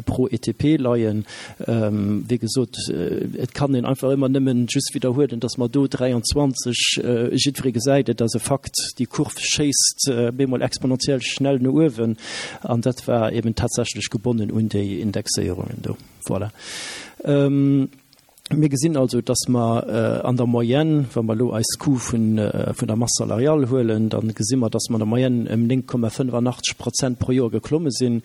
pro ETP leien. Wéi gesot, et kann een einfach ëmmer nëmmen just widderhuelen, dass mer do 23, jiddweree gesäit et ass e Fakt, déi Kurv schéisst bemol exponentiell schnell no uewen an dat war eben tatsächlech gebonnen un déi Indexéierungen do. Voilà. Mir gesinn also, dass mer an der Moyenne, wa mer elo eis Coût vun der Masse salariale huelen, da gesi mer, dass mer an der Moyenne ëm 9,85 Prozent pro Joer geklomme sinn.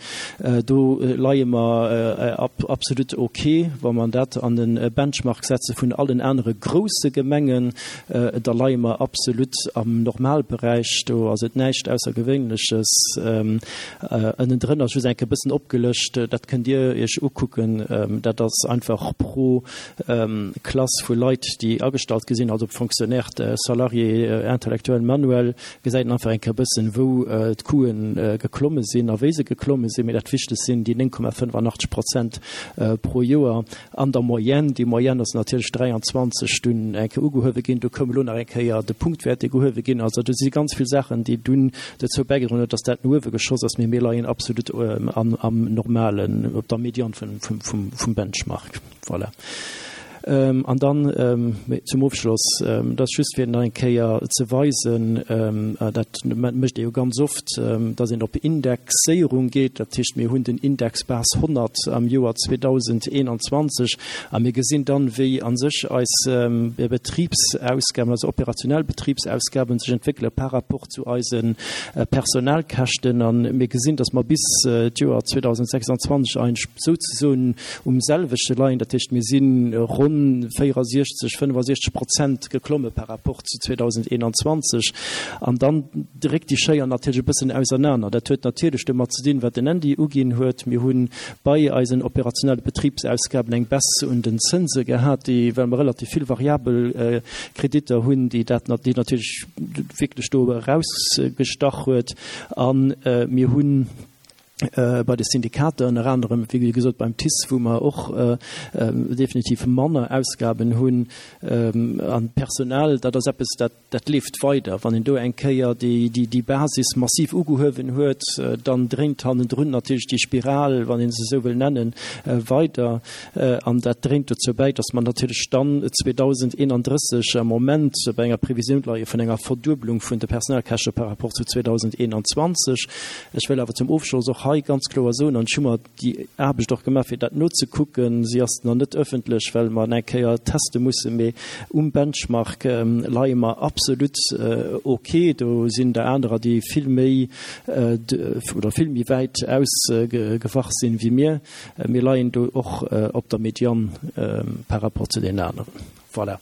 Do leie mer absolut ok. Wa mer dat an e Benchmark setze vun allen anere grousse Gemengen, da leie mer absolut am Normalberäich. Do ass et näischt Aussergewéinleches. Ënnendrënner ass just eng Kéier e bëssen opgelëscht, dat kënnt Dir Iech ukucken, dat ass einfach pro Klass vu Leit, déi agestallt gi sinn, also ob Fonctionnaire, Salarié, Intellectuel, Manuel, gesäit een einfach eng Kéier e bëssen, wou d'Coûten geklomme sinn a wéi se geklomme sinn. Mee dat Wichtegst sinn déi 9,85 Prozent pro Joer. An der Moyenne, déi Moyenne ass natierlech 23 dunn eng Kéier ugehuewe ginn, do koum elo nach eng Kéier de Punktwäert, dee gehuewe ginn ass. Also do si ganz vill Saachen, déi dunn dozou bäigedroen huet, datt dat no uewe geschoss ass, mee mir leien absolut am normalen, op der Median vum Benchmark. Voilà. An dann zum Ofschloss, dat ass just fir nach eng Kéier ze weisen, dat mécht ee jo ganz oft, datt een op Indexéierung geet. Dat heescht, mir hunn den Index Base 100 am Joer 2021 a mir gesinn dann, wéi a sech eis Betribsausgaben, also operationell Betribsausgaben sech entwéckele par rapport zu eise Personalkäschten. A mir gesinn, datt mer bis d'Joer 2026 eigentlech souzesoen um selwechte leien. Dat heescht, mir si ronn 64, 65 Prozent geklomme par rapport zu 2021. An dann dréckt déi Schéier natierlech e bëssen ausernaner. Dat huet natierlech domat ze dinn, wat den Andy uginn huet. Mir hu bei eisen operationelle Betribsausgaben eng Baisse un den Zënse gehat, déi, well mer relativ vill variabel Kreditter hunn, déi dat, déi natierlech wierklech do erausgestach huet. A mir hunn bei de Syndikater ënner anerem, wéi gesot beim TICE, wou mer och definitiv manner Ausgaben hunn. An d'Personal, dat ass eppes, dat, dat leeft weider. Wann een do eng Kéier déi, déi Basis massiv ugehuewen huet, dann dréint hannendrun natierlech déi Spiral, wann ee se esou wëll nennen, weider. An dat dréint dozou bäi, datt mer natierlech dann 2031 am Moment bei enger Previsioun leie vun enger Verduebelung vun de Personalkäschte par rapport zu 2021. Ech wëll awer zum Ofschloss och hei ganz kloer soen, an ech hu mer déi Aarbecht och gemaach, fir dat nozekucken, si ass nach net öffentlech, well mer eng Kéier teste mussen, mee um Benchmark leie mer absolut ok. Do sinn der anerer, déi vill méi oder vill méi wäit ausgewach sinn wéi mir. Mir leien do och op der Median par rapport zu deenen aneren. Voilà.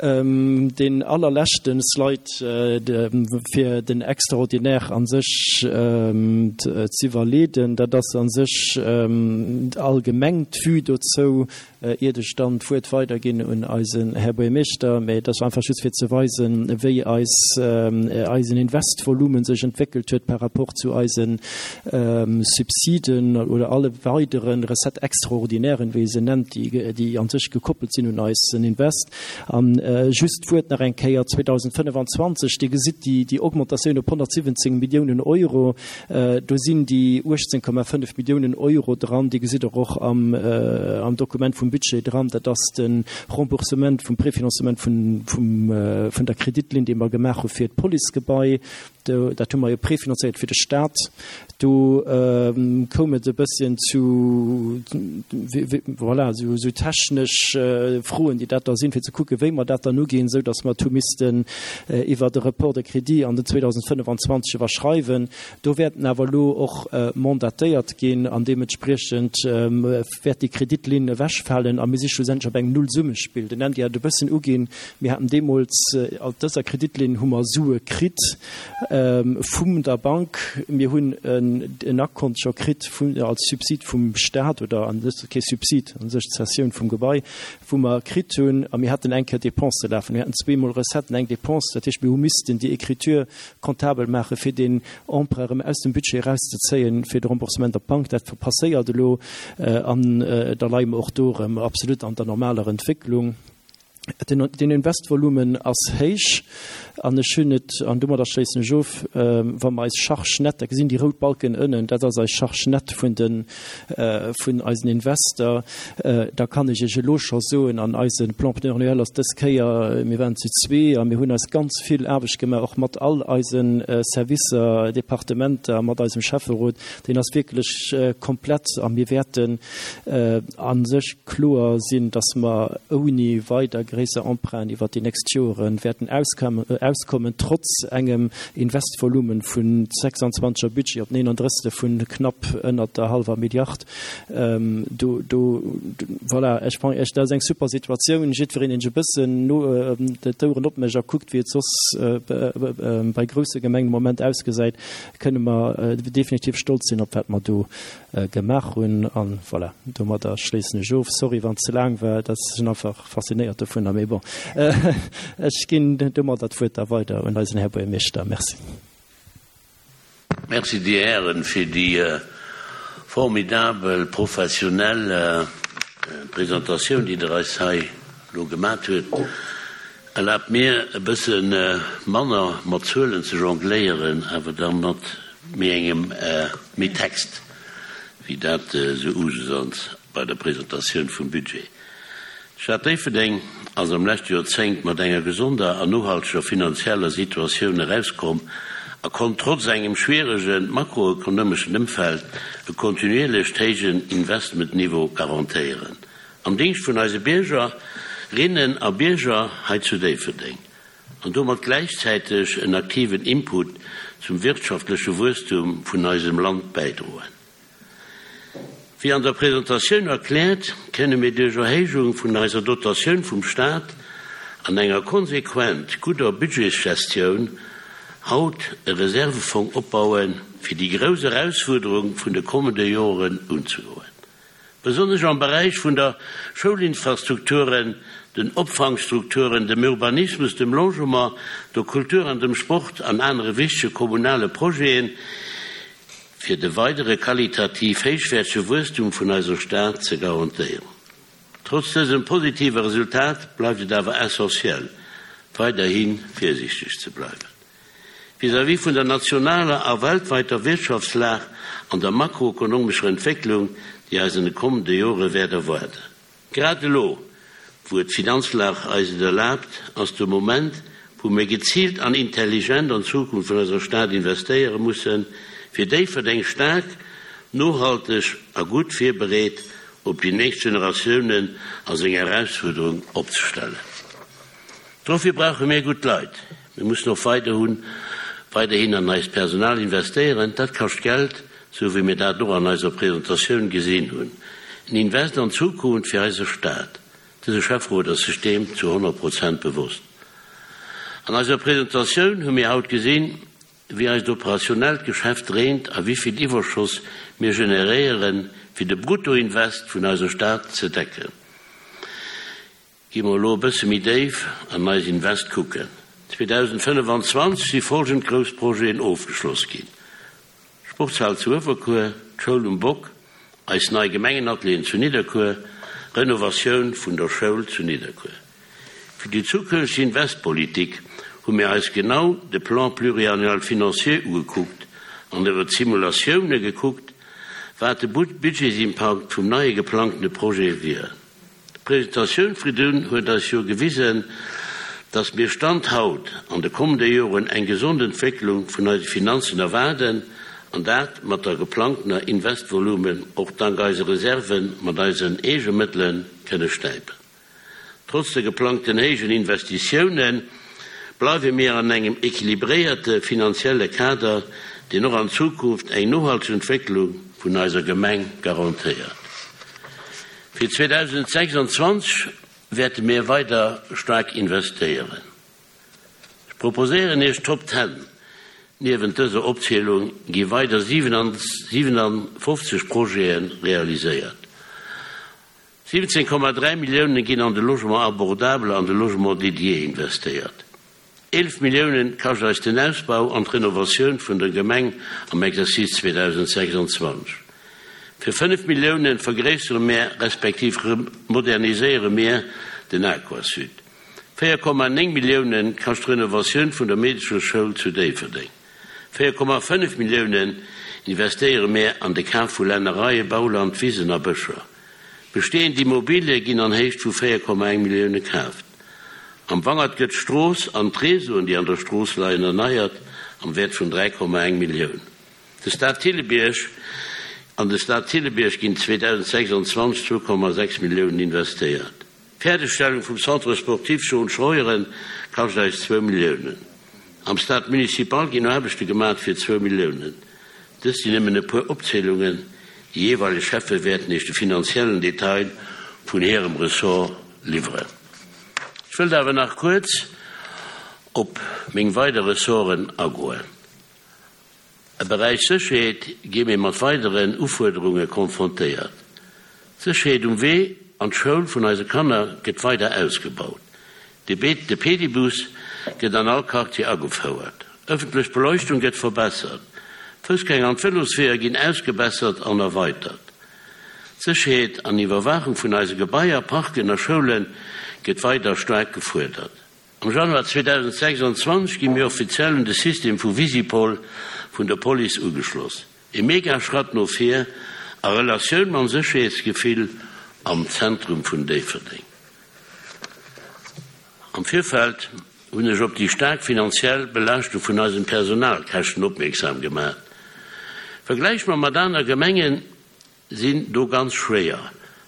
Deen allerleschte Slide, fir den Extraordinaire a sech z'iwwerleeden, dat ass a sech allgemeng d'Vue dozou. Iert ech dann d'Wuert weiderginn un eisen Här Buergermeeschter, mä et ass einfach just fir ze weisen, wéi eis, eisen Investvolumen sech entwéckelt huet par rapport zu eise Subsiden oder alle weidere Recettes extraordinairen, wéi ee se nennt, déi, déi a sech gekoppelt sinn un eisen Invest. A just d'Wuert nach eng Kéier 2025, Dir gesitt déi, déi Augmentatioun op 117 Milliounen Euro. Do sinn déi 18,5 Milliounen Euro dran, déi gesitt Der och am Dokument vum Budget dran. Dat ass de Remboursement vum Préfinancement vun der Kreditlinn, déi mer gemaach hu fir d'Policegebai. Dat hu mer jo préfinancéiert fir de Stat. Do koum et e bësschen zu, voilà, esou technesch Froen, déi dat da sinn, fir ze kucken, wéi mer dat dann uginn, esou datt mer et hu missten iwwert e Report de crédit an den 2025 iwwerschreiwen. Do wäerten awer elo och mandatéiert ginn an deementspriechend wäert déi Kreditlinn ewechfalen a mir si schlussendlech op engem Nullsummespill. Den Andy hat et e bëssen uginn, mir haten deemools, alt dëser Kreditlinn hu mer Sue kritt vum der Bank, mir hunn en Akkont scho kritt vun, als Subsid vum Stat oder an sech, kee Subsid, an sech d'Cessioun vum Gebai, wou mer kritt hunn, a mir haten eng Kéier Dépense lafen, mir haten zweemol Recetten, eng Dépense, dat heescht, mir hu missten déi Écriture comptable maache fir deen Emprunt erëm aus dem Budget erauszezéien fir de Remboursement op d'Bank. Dat passéiert elo an da leie mer och do erëm absolut an der normaler Entwécklung. Den Investvolumen ass héich an ech hunn et, an domadder schléissen ech of, wa mer eis Charge nette, da gesinn déi rout Balken ënnen, dat ass eis Charge nette vun de vun eisen Invester, da kann ech Iech elo scho soen, an eise Plan pluriannuel ass dës Kéier, mir waren zu zwee a mir hunn eis ganz vill Aarbecht gemaach, och mat all eise Servicer, Departementer, mat eisem Schäfferot, deen ass wierklech komplett a mir wäerten a sech kloer sinn, dass mer ouni weider gréisser Emprunten iwwert déi nächst Jore wäerten auskommen, trotz engem Investvolumen vun 26er Budget op 39 vun knapp ënnert der hallwer Milliard. Do, do, voilà, ech mengen, dat ass eng super Situatioun. Jiddwereen, deen sech e bëssen no d'Oueren opmécht a kuckt, wéi et soss bei grousse Gemengen de Moment ausgesäit, kënne mer definitiv stolz sinn op wat mer do gemaach hunn. An voilà, domadder schléissen ech of. Sorry wann et ze laang war, dat sinn einfach faszinéiert dovunner, mee bon, ech ginn domadder d'Wuert da weider un eisen Här Buergermeeschter. Merci. Merci Dir Hären fir déi formidabel professionell Presentatioun, déi Der eis hei elo gemat huet. Erlaabt mir e bësse manner mat Zuelen ze jongléieren, awer da mat méi engem méi Text, wéi dat esou Usus ass bei der Presentatioun vum Budget. D'Stad Déifferdeng ass am leschte Joerzéngt mat enger gesonder an nohalteger finanzieller Situatioun erauskomm a konnt trotz engem schwierege makroekonomeschen Ëmfeld e kontinuierlecht héijen Investmentniveau garantéieren. Am Dingscht vun eise Bierger, rinnen a Bierger hei zu Déifferdeng an domat gläichzäiteg en aktiven Input zum wirtschaftleche Wuesstum vun eisem Land bäidroen. Wéi an der Presentatioun erkläert, kënne mir duerch Erhéijung vun eiser Dotatioun vum Staat an enger konsequent gudder Budgetsgestioun haut e Reservefong opbauen, fir déi grouss Erausfuerderung vun de kommende Joren unzegoen. Besonnesch am Beräich vun der Schoulinfrastrukturen, den Opfangstrukturen, dem Urbanismus, dem Logement, der Kultur an dem Sport an anere wichtege kommunale Projeten, fir de weidere qualitativ héichwäertege Wuesstum vun eiser Stad ze garantéieren. Trotz dësem positive Resultat bleift et awer essentiell, weiderhi virsiichteg ze bleiwen. Vis-à-vis vun der nationaler a weltweiter Wirtschaftslag an der makroekonomescher Entwécklung, déi eis an de kommende Jore wäert erwaarden. Grad elo, wou et d'Finanzlag eis et erlaabt, ass de Moment, wou mir geziilt an intelligent an d'Zukunft vun eiser Stad investéiere mussen, fir Déifferdeng staark, nohalteg a gutt virbereet op déi nächst Generatiounen a seng Erausfuerderung opzestellen. Dofir brauche mir gutt Leit. Mir mussen och weiderhun weiderhin an eist Personal investéieren. Dat kascht Geld, sou wéi mir dat och an eiser Presentatioun gesinn hunn. En Invest an d'Zukunft fir eise Staat. Dëse Schäfferot ass sech deem zu 100 Prozent bewosst. An eiser Presentatioun hu mir haut gesinn, wéi eist operationellt Geschäft dréint a wéi vill Iwwerschoss mir generéieren, fir de Bruttoinvest vun eiser Stad ze decken. Gi mer elo e bësse méi déif an eis Invest kucken. 2025 si folgend grouss Projeten ofgeschloss ginn, Sportshal zu Uewerkuer, d'Schoul um Bock, eis nei Gemengenatelieren zu Nidderkuer, Renovatioun vun der Schoul zu Nidderkuer. Fir déi zukünfteg Investpolitik hu mir eis genau de Plan pluriannuel financier ugekuckt an iwwer d'Simulatioune gekuckt, wat de Budgetsimpakt vum neie geplangtene Projet wier. D'Presentatioun vridun huet eis jo gewisen, dass mir Stand haut an de kommende Joren eng gesond Entwécklung vun eise Finanzen erwaarden, an dat mat der geplangtener Investvolumen och dank eise Reserven mat eisen eege Mëttele kënne stäipen. Trotz de geplangten héijen Investitioune bleiwe mir an engem équilibréierte finanzielle Kader, deen och an Zukunft eng nohalteg Entwécklung vun eiser Gemeng garantéiert. Fir 2026 wäerte mir weider staark investéieren. Ech proposéieren Iech d'Top Ten. Niewent dëser Opzielung gi weider 57 Projete realiséiert. 17,3 Millioune ginn an de Logement abordable an de Logement dédié investéiert. 11 Milliounen kascht eis den Ausbau an d'Renovatioun vun der Gemeng am Exercice 2026. Fir 5 Milliounen vergréissere mär respektiv moderniséiere mir den Aquasud. 4,9 Milliounen kascht d'Renovatioun vun der Meedecherschoul zu Déifferdeng. 4,5 Milliounen investéiere mär an de Kaf vu Lännereien, Bauland, Wisen a Bëscher. Bestehend Immobilie ginn an Héicht vu 4,1 Millioune kaaft. Am Wangert gëtt d'Strooss an d'Reseauen, déi an der Strooss leien, erneiert am Wäert vun 3,1 Millioun. De Stade Thillebierg An de Stade Thillebierg ginn 2026 2,6 Milliounen investéiert. D'Fäerdegstellung vum Centre sportif Jean Scheuren kascht eis zwou Milliounen. Am Stade municipal ginn Aarbechte gemat fir zwou Milliounen. Dëst sinn nëmmen e puer Opzielungen. Déi jeeweileg Schäffe wäerten Iech de finanziellen Detail vun hirem Ressort liwweren. Ech wëllt awer nach kuerz op meng weider Ressorten agoen. Am Beräich Sécherheet gi mir mat weideren Ufuerderunge konfrontéiert. D'Sécherheet um Wee an d'Schoul vun eise Kanner gëtt weider ausgebaut. De Pedibus gëtt an all Quartier agefouert. Ëffentlech Beleuchtung gëtt verbessert. D'Foussgänger an d'Vëlosweeër ginn ausgebessert an erweitert. D'Sécherheet an Iwwerwaachung vun eise Gebaier, Parken a Schoule gëtt weider staark gefuerdert. Am Januar 2026 gi mir offiziell un de System vu Visipol vun der Police ugeschloss. E mega Schratt no vir a Relatioun mam Sécherheetsgefill am Zentrum vun Déifferdeng. Am Virfeld hunn ech op déi staark finanziell Belaaschtung vun eisen Personalkäschten opmierksam gemaach. Vergläich mer mat aner Gemengen sinn do ganz schwéier,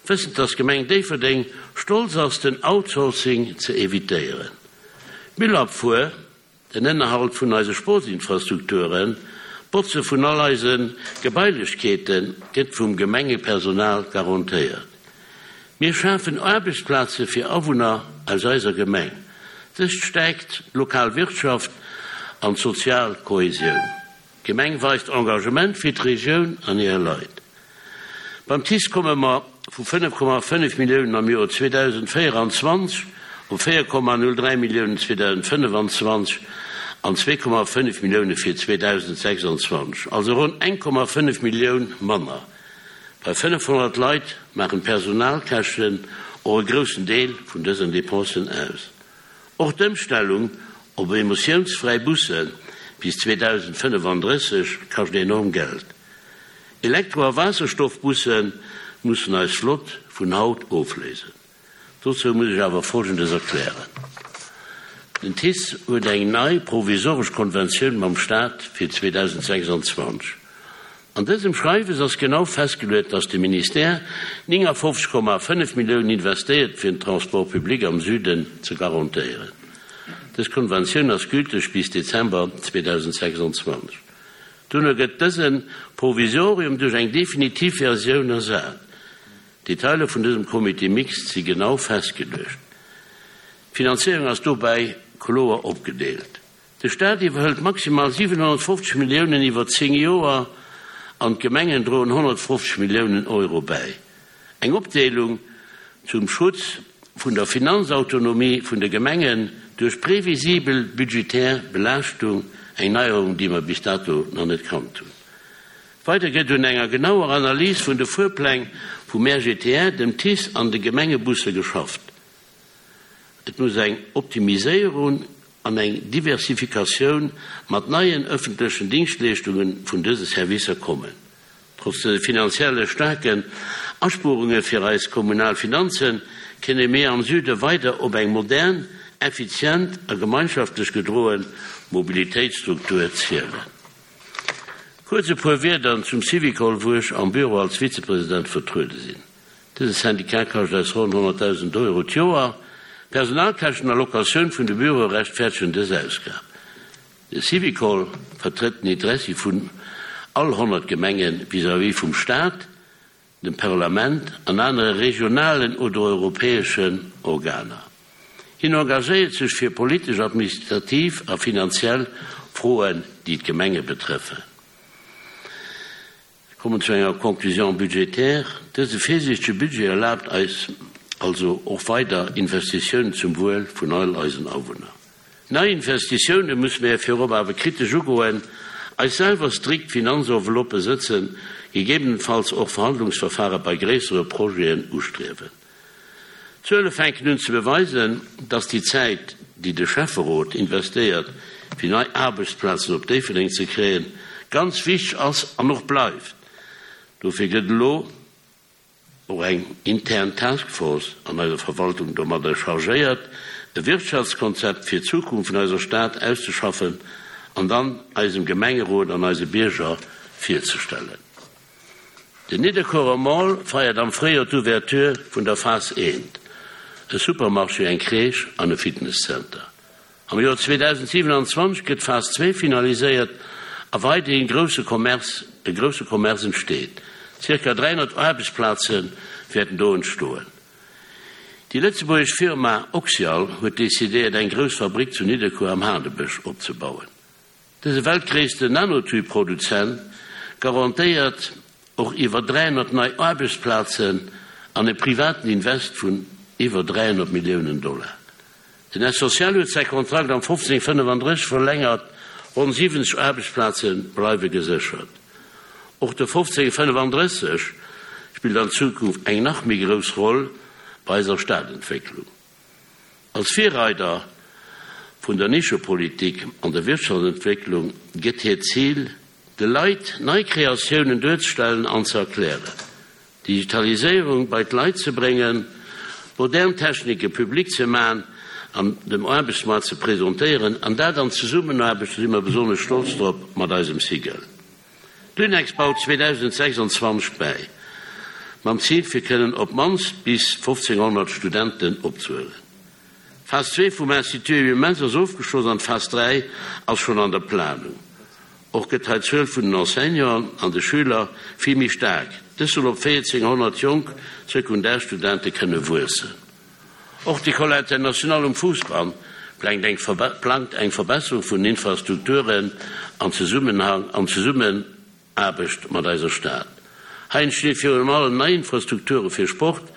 wëssend dass d'Gemeng Déifferdeng stolz ass den Outsourcing ze evitéieren. D'Müllabfuhr, den Ënnerhalt vun eise Sportsinfrastrukturen, d'Botze vun all eise Gebailechkeete gëtt vum Gemengepersonal garantéiert. Mir schafen Aarbechtsplaze fir Awunner aus eiser Gemeng. Dëst stäikt d'lokal Wirtschaft an d'sozial Kohesioun. D'Gemeng weist Engagement fir d'Regioun an hir Leit. Beim TICE komme mer vu 5,5 Milliounen am Joer 2024 op 4,03 Milliounen 2025 an 2,5 Millioune fir 2026, also ronn 1,5 Millioun manner. Bei 500 Leit maachen d'Personalkäschten och e groussen Deel vun dësen Dépensen aus. Och d'Ëmstellung op emissiounsfräi Busse bis 2035 kascht enorm Geld. Elektro a Waasserstoffbusse mussen eis Flott vun haut ofléisen. Dozou muss ech awer Folgendes erklären, Den TICE huet eng nei provisoresch Konventioun mam Staat fir 2026. An dësem Schreiwes ass genau festgeluet, dass de Ministère 59,5 Milliounen investéiert, fir den Transport public am Süden ze garantéieren. Dës Konventioun ass gülteg bis Dezember 2026. Duerno gëtt dëse Provisorium duerch eng definitiv Versioun ersat. D'Detailer vun dësem Comité mixte si genau festgeluecht. D'Finanzéierung ass dobäi kloer opgedeelt. De Staat iwwerhëlt maximal 750 Milliounen iwwer 10 Joer an d'Gemengen droen 150 Milliounen Euro bäi. Eng Opdeelung zum Schutz. vun der Finanzautonomie vun de Gemengen duerch previsibel budgetär Belaaschtung, eng Neierung, déi mer bis dato nach net kannt hunn. Weider gëtt un enger genauer Analys vun de Fuerpläng vum RGTR, dem TICE an de Gemengebusse geschafft. Et muss eng Optimiséierung an eng Diversifikatioun mat neien ëffentlechen Dingschtleeschtunge vun dëse Servicer kommen. Trotz de finanzielle staarken Aspuerunge fir eis kommunal Finanzen, kënne mir am Süde weider op eng modern, effizient a gemeinschaftlech gedroe Mobilitéitsstruktur zielen. Kuerz e puer Wierder zum Syvicol, wou ech am Büro als Vizepresident vertruede sinn. Dëse Syndicat kascht eis ronn 100.000 Euro d'Joer. Personalkäschten a Locatioun vun de Büroe rechtfäerdegen dës Ausgab. De Syvicol vertrëtt den Interessi vun all 100 Gemenge vis-à-vis vum Staat, dem Parlament an anere regionalen oder europäeschen Organer. Hien engagéiert sech fir politesch, administrativ a finanziell Froen, déi d'Gemenge betrëffen. Ech kommen zu enger Conclusion budgétaire. Dëse virsiichtege Budget erlaabt eis also och weider Investitiounen zum Wuel vun all eisen Awunner. Nei Investitioune musse mir virop awer kritesch ugoen, eis selwer strikt Finanzenveloppe sëtzen, gegebenenfalls och Verhandlungsverfahre bei gréissere Projeten ustriewen. D'Zuele fänken un ze beweisen, dass déi Zäit, déi de Schäfferot investéiert, fir nei Aarbechtsplazen op Déifferdeng ze kréien, ganz wichteg ass an och bleift. Dofir gëtt elo och eng intern Task Force an eiser Verwaltung domadder chargéiert, e Wirtschaftskonzept fir d'Zukunft vun eiser Stad auszeschaffen an dann eisem Gemengerot an eise Bierger virzestellen. Den Nidderkuerer Mall feiert am Fréijoer d'Ouverture vun der Phas I, e Supermarché, eng Crèche an e Fitnesscenter. Am Joer 2027 gëtt d'Phas 2 finaliséiert a weiderhin grousse Commerce, e grousse Commerce entsteet. Zirka 300 Aarbechtsplaze wäerten do entstoen. Déi lëtzebuergesch Firma Oxyal huet decidéiert eng grouss Fabrick zu Nidderkuer am Haardebësch opzebauen. Dëse weltgréissten Nanotube-Produzent garantéiert och iwwer 300 nei Aarbechtsplazen an e privaten Invest vun iwwer 300 Milliounen Dollar. Den Essentiel huet säi Kontrakt am 1535 verlängert, ronn 70 Aarbechtsplaze bleiwe geséchert. Och de 1535 spillt an Zukunft eng nach méi grouss Roll bei eiser Stadentwécklung. Als Virreider vun der Nischepolitik an der Wirtschaftsentwécklung gëtt hiert Zil, de Leit nei Kreatiounen duerzestellen an ze erklären, d'Digitaliséierung bei d'Leit ze bréngen, modern Technike public ze man an dem Aarbechtsmoart ze presentéieren, an dat an Zesummenaarbecht, do si mer besonnesch stolz drop, mat eisem SIGEL. D'Unex baut 2026 bäi, mam Zil fir kënnen op d'mannst bis 1.500 Studenten opzehuelen. D'Phas 2 vum Institut Emile Mentz ass ofgeschloss an d'Phas 3 ass schonn an der Planung. Och gëtt hei d'Zuel vun den Enseignanten an de Schüler vill méi staark, dës soll op 1.400 jonk Sekundarstudente kënne wuessen. Och d'École internationale um Fousbann plangt eng plangt eng Verbesserung vun den Infrastrukturen an Zesummenhang an Zesummenaarbecht mat eiser Stad. Hei entstinn virun allem nei Infrastrukture fir Sport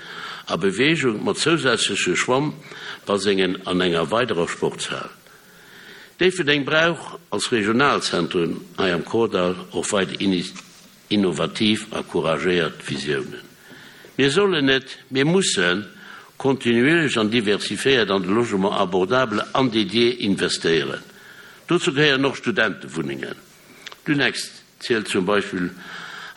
a Beweegung mat zousätzleche Schwammbasengen an enger weiderer Sportshal. Déifferdeng brauch als Regionalzentrum hei am Kordall och weider Innovativ a couragéiert Visiounen. Mir sollen net, mir mussen kontinuierlech an diversifiéiert an de Logement abordable an dédié investéieren. Dozou gehéieren och Studentewunnengen. D'Unex zielt zum Beispill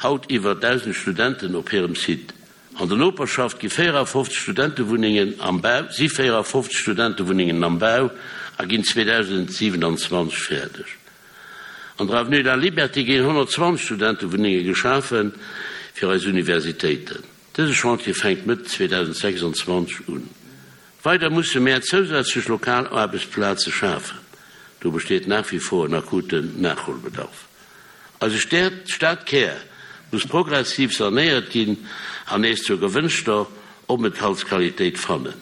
haut iwwer 1.000 Studenten op hirem Site. An der Noperschaft gi 54 Studentewunnengen am Bau, si 54 Studentewunnengen am Bau a ginn 2027 fäerdeg. An der Avenue de la Liberté ginn 120 Studentewunnenge geschafe fir eis Universitéiten. Dëse Chantier fänkt Mëtt 2026 un. Weider musse mär zousätzlech lokal Aarbechtsplaze schafen. Do besteet nach wie vor en akuten Nachholbedarf. Eise Stadkär muss progressiv sanéiert ginn an nees zur gewënschter Openthaltsqualitéit fannen.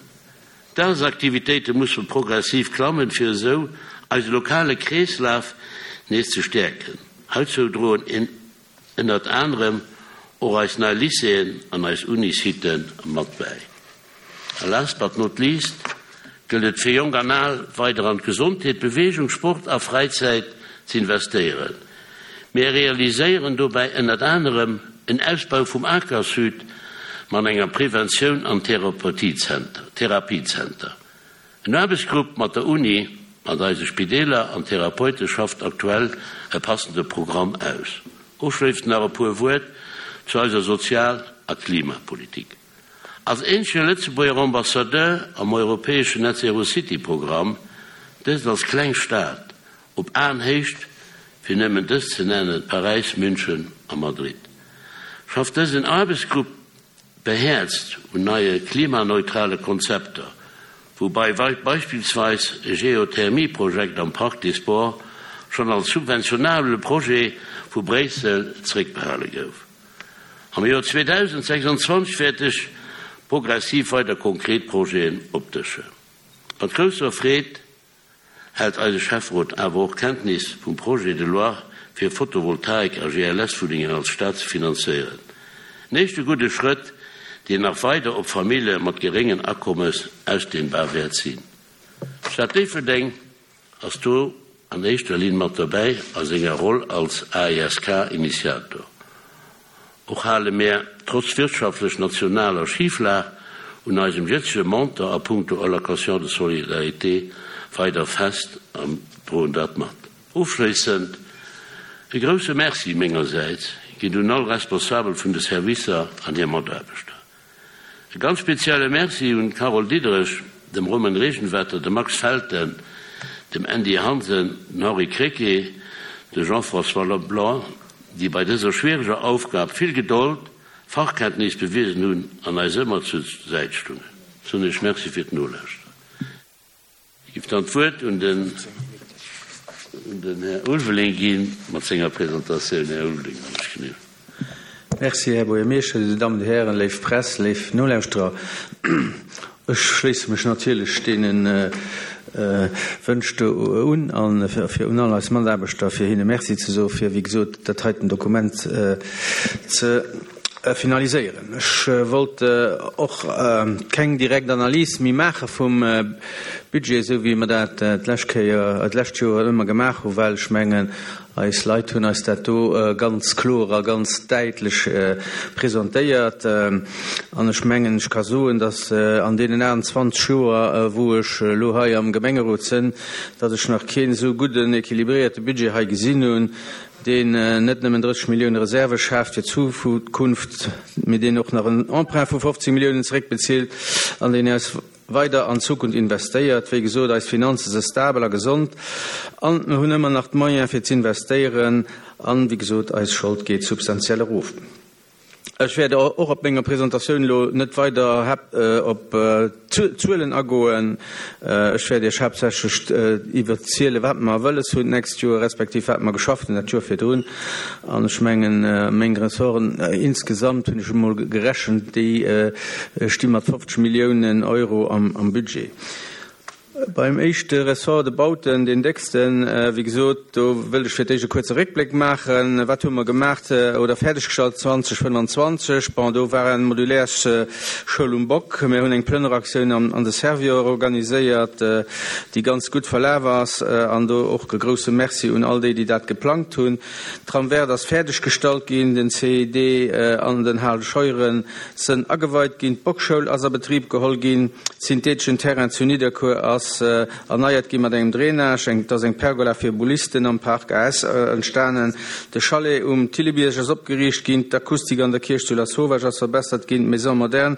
D'Dagesaktivitéite musse progressiv klammen, fir esou eise lokale Kreeslaf nees ze stäerken. Heizou droen ënnert anerem och eis nei Lycéeën an eis Unisiten mat bäi. A last but not least gëllt et fir Jonk an Al weider an d'Gesondheet, Beweegung, Sport a Fräizäit z'investéieren. Mir realiséieren dobäi ënnert anerem en Ausbau vum Aquasud mat enger Preventioun an Therapiezenter. En Aarbechtsgrupp mat der Uni, mat eise Spideeler an Therapeute schafft aktuell e passende Programm aus. Ofschléissend nach e puer Wuert zu eiser Sozial a Klimapolitik. Als eenzege Lëtzebuerger Ambassadeur am europäeschen Net Zero City Programm, dëst als kleng Stad op Aenhéicht, fir nëmmen dës ze nennen, Paräis, München a Madrid, schafft dësen Aarbechtsgrupp behäerzt un neie klimaneutrale Konzepter, woubai beispillsweis e Geothermie-Projekt am Parc des Sports schonn als subventionabele Projet vu Bréissel zeréckbehale gouf. Am Joer 2026 wäert ech progressiv weider konkret Projeten opdëschen. Mat grousser Freed hält eise Schäfferot awer och Kenntnis vum Projet de loi fir Photovoltaik a GLS-Wunnengen als Stad ze finanzéieren. En éischte gudde Schrëtt, deen nach weider op Famille mat geréngen Akommes ausdehnbar wäert sinn. D'Stad Déifferdeng ass do an éischter Linn mat dobäi a senger Roll als AESK-Initiator. Och hale mär, trotz wirtschaftlech nationaler Schiflag, un eisem jëtzege Montant a puncto Allocation de solidarité weider fest an droen dat mat. Ofschléissend e grousse Merci mengersäits geet un all Responsabel vun de Servicer an hir Mataarbechter. E ganz spezielle Merci un d'Carole Diderich, dem Romain Regenwetter, dem Max Felten, dem Andy Hansen, den Henri Krecké, de Jean-François Leblanc, déi bei dëser schwiereger Aufgab vill Gedold, Fachkenntnis bewisen hunn an eis ëmmer zur Säit stungen. Soen ech Merci fir d'Nolauschteren. Ech géif dann d'Wuert un den Här Ulveling gi mat senger Presentatioun. Här Ulveling, wann ech genee. Merci, Här Buergermeeschter, Dir Dammen, Dir Hären, léif Press, léif Nolauschterer. Ech schléisse mech natierlech deene Wënsch do un a fir un all eis Mataarbechter, fir hinne Merci ze soe fir, wéi gesot, dat heiten Dokument ze finaliséieren. Ech wollt och keng direkt Analys méi maache vum Budget, esou wéi mer dat d'lescht Kéier, d'lescht Joer ëmmer gemaach hunn, well ech mengen, eis Leit hunn eis dat do ganz kloer a ganz däitlech presentéiert. An ech mengen, ech ka soen, datt an deenen 28 Joer, wou ech elo hei am Gemengerot sënn, datt ech nach keen esou gudden, équilibréierte Budget hei gesinn hunn, deen net nëmmen 30 Millioune Reserve schaaft fir d'Zukunft, mee deen och nach en Emprunt vu 15 Milliounen zeréckbezilt an deen eis weider an d'Zukunft investéiert. Wéi gesot, eis Finanze se stabel a gesond an mer hunn ëmmer nach d'Moyens fir z'investéieren an, wéi gesot, eis Schold geet substantiell erof. Ech wäert och op menger Presentatioun elo net weider op d'Zuelen agoen. Ech wäert Iech haaptsächlech iwwerzielen, wat mer wëlles hunn d'nächst Joer, respektiv wat mer geschafft hunn dat Joer virdrun. An ech mengen, meng Ressorten insgesamt, hunn ech emol gerechent, déi sti mat 50 Milliounen Euro am Budget. Beim éischte Ressort, de Bauten, deen décksten, wéi gesot, do wëllt ech fir d'éischt e kuerze Réckbléck maachen. Wat hu mer gemaach oder fäerdeggestallt 2025? Bon, do war eng Modulärsschoul um Bock. Mir hunn eng Plënneraktioun an de Servior organiséiert, déi ganz gutt verlaf ass. An do och e grouse Merci un all déi, déi dat geplangt hunn. D'Trame verte ass fäerdeggestallt ginn, den CID an den Hal Scheuren sënn ageweit ginn, d'Bockschoul ass a Betrib geholl ginn, Syntheteschen Terrain zu Nidderkuer ass erneiert gi mat engem Drainage, eng et ass eng Pergola fir Boulisten am Park AS entstanen, de Chalet um Thillebierg ass opgeriicht ginn, d'Akustik an der Kierch zu Lasauvage ass verbessert ginn, d'Maison moderne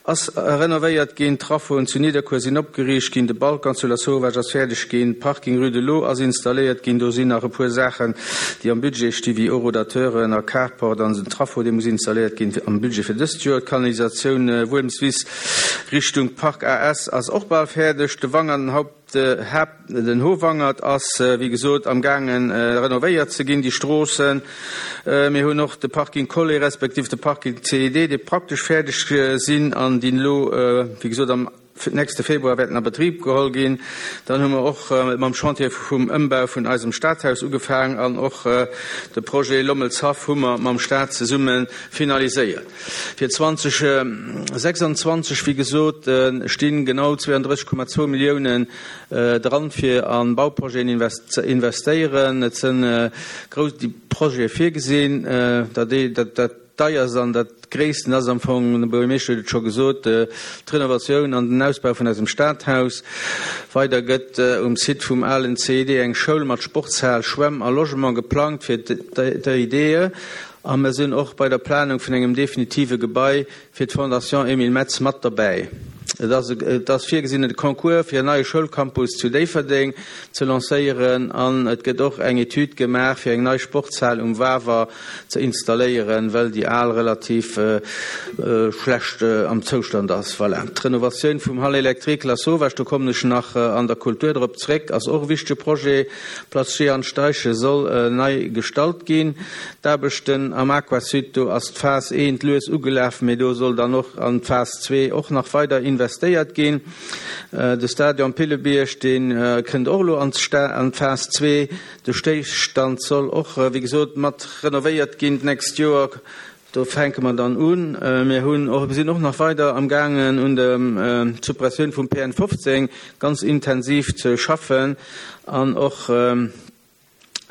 ass renovéiert ginn, d'Traffoen zu Nidderkuer sinn opgeriicht ginn, de Balcon zu Lasauvage ass fäerdeg ginn, Parking rue de l'Eau ass installéiert ginn, do sinn nach e puer Saachen déi am Budget sti wéi Horodateuren a Carport an den Traffo dee muss installéiert ginn am Budget fir dëst Joer, d'Kanalisatioun Wuelmswiss Richtung Park AS ass och bal fäerdeg. De Wangert, den Haupt, Haapt, den Howangert ass wéi gesot am gaangen renovéiert ze ginn, déi Stroossen. Mir hunn och de Parking Collé respektiv de Parking CED, déi praktesch fäerdeg sinn an déi elo wéi gesot am. nächste Februar wäerten a Betrib geholl ginn. Dann hu mer och mam Chantier vum Ëmbau vun eisem Stadhaus ugefaang an och de Projet Lommelshaff hu mer mam Staat zesumme finaliséiert. Fir 2026, wéi gesot, sti genau 32,2 Milliounen dran, fir a Bauprojeten ze investéieren. Et sënn grouss Projete virgesinn. Dat deierst an dat gréissten ass am Fong, de Buergermeeschter huet et scho gesot, d'Renovatioun an den Ausbau vun eisem Stadhaus. Weider gëtt um Site vum alen CID eng Schoul mat Sportshal, Schwämm a Logement geplangt fir d'EIDE. A mer sinn och bei der Planung vun engem definitive Gebai fir d'Fondation Emile Metz mat derbäi. Et ass et ass virgesinn, e Concours fir en neie Schoulcampus zu Déifferdeng ze lancéieren an et gëtt och eng Etüd gemaach, fir eng nei Sportshal um Wawer ze installéieren, well déi al relativ schlecht am Zoustand ass. Voilà. D'Renovatioun vum Hall électrique Lasauvage, do kommen ech nach an der Kultur drop zréck, ass och e wichtege Projet. D'Place Jehan Steichen soll nei gestalt ginn. D'Aarbechten am Aquasud, do ass d'Phas eent lues ugelaf, mee do soll dann och an d'Phas zwee och nach weider investéiert ginn. De Stadion Pillebierg, dee kënnt och elo an d'Phas zwee. De Stéisstand soll och, wéi gesot, mat renovéiert ginn d'nächst Joer. Do fänke mer dann un. Mir hunn och, sinn och nach weider amgaangen un der Suppressioun vum PN 15 ganz intensiv ze schaffen an och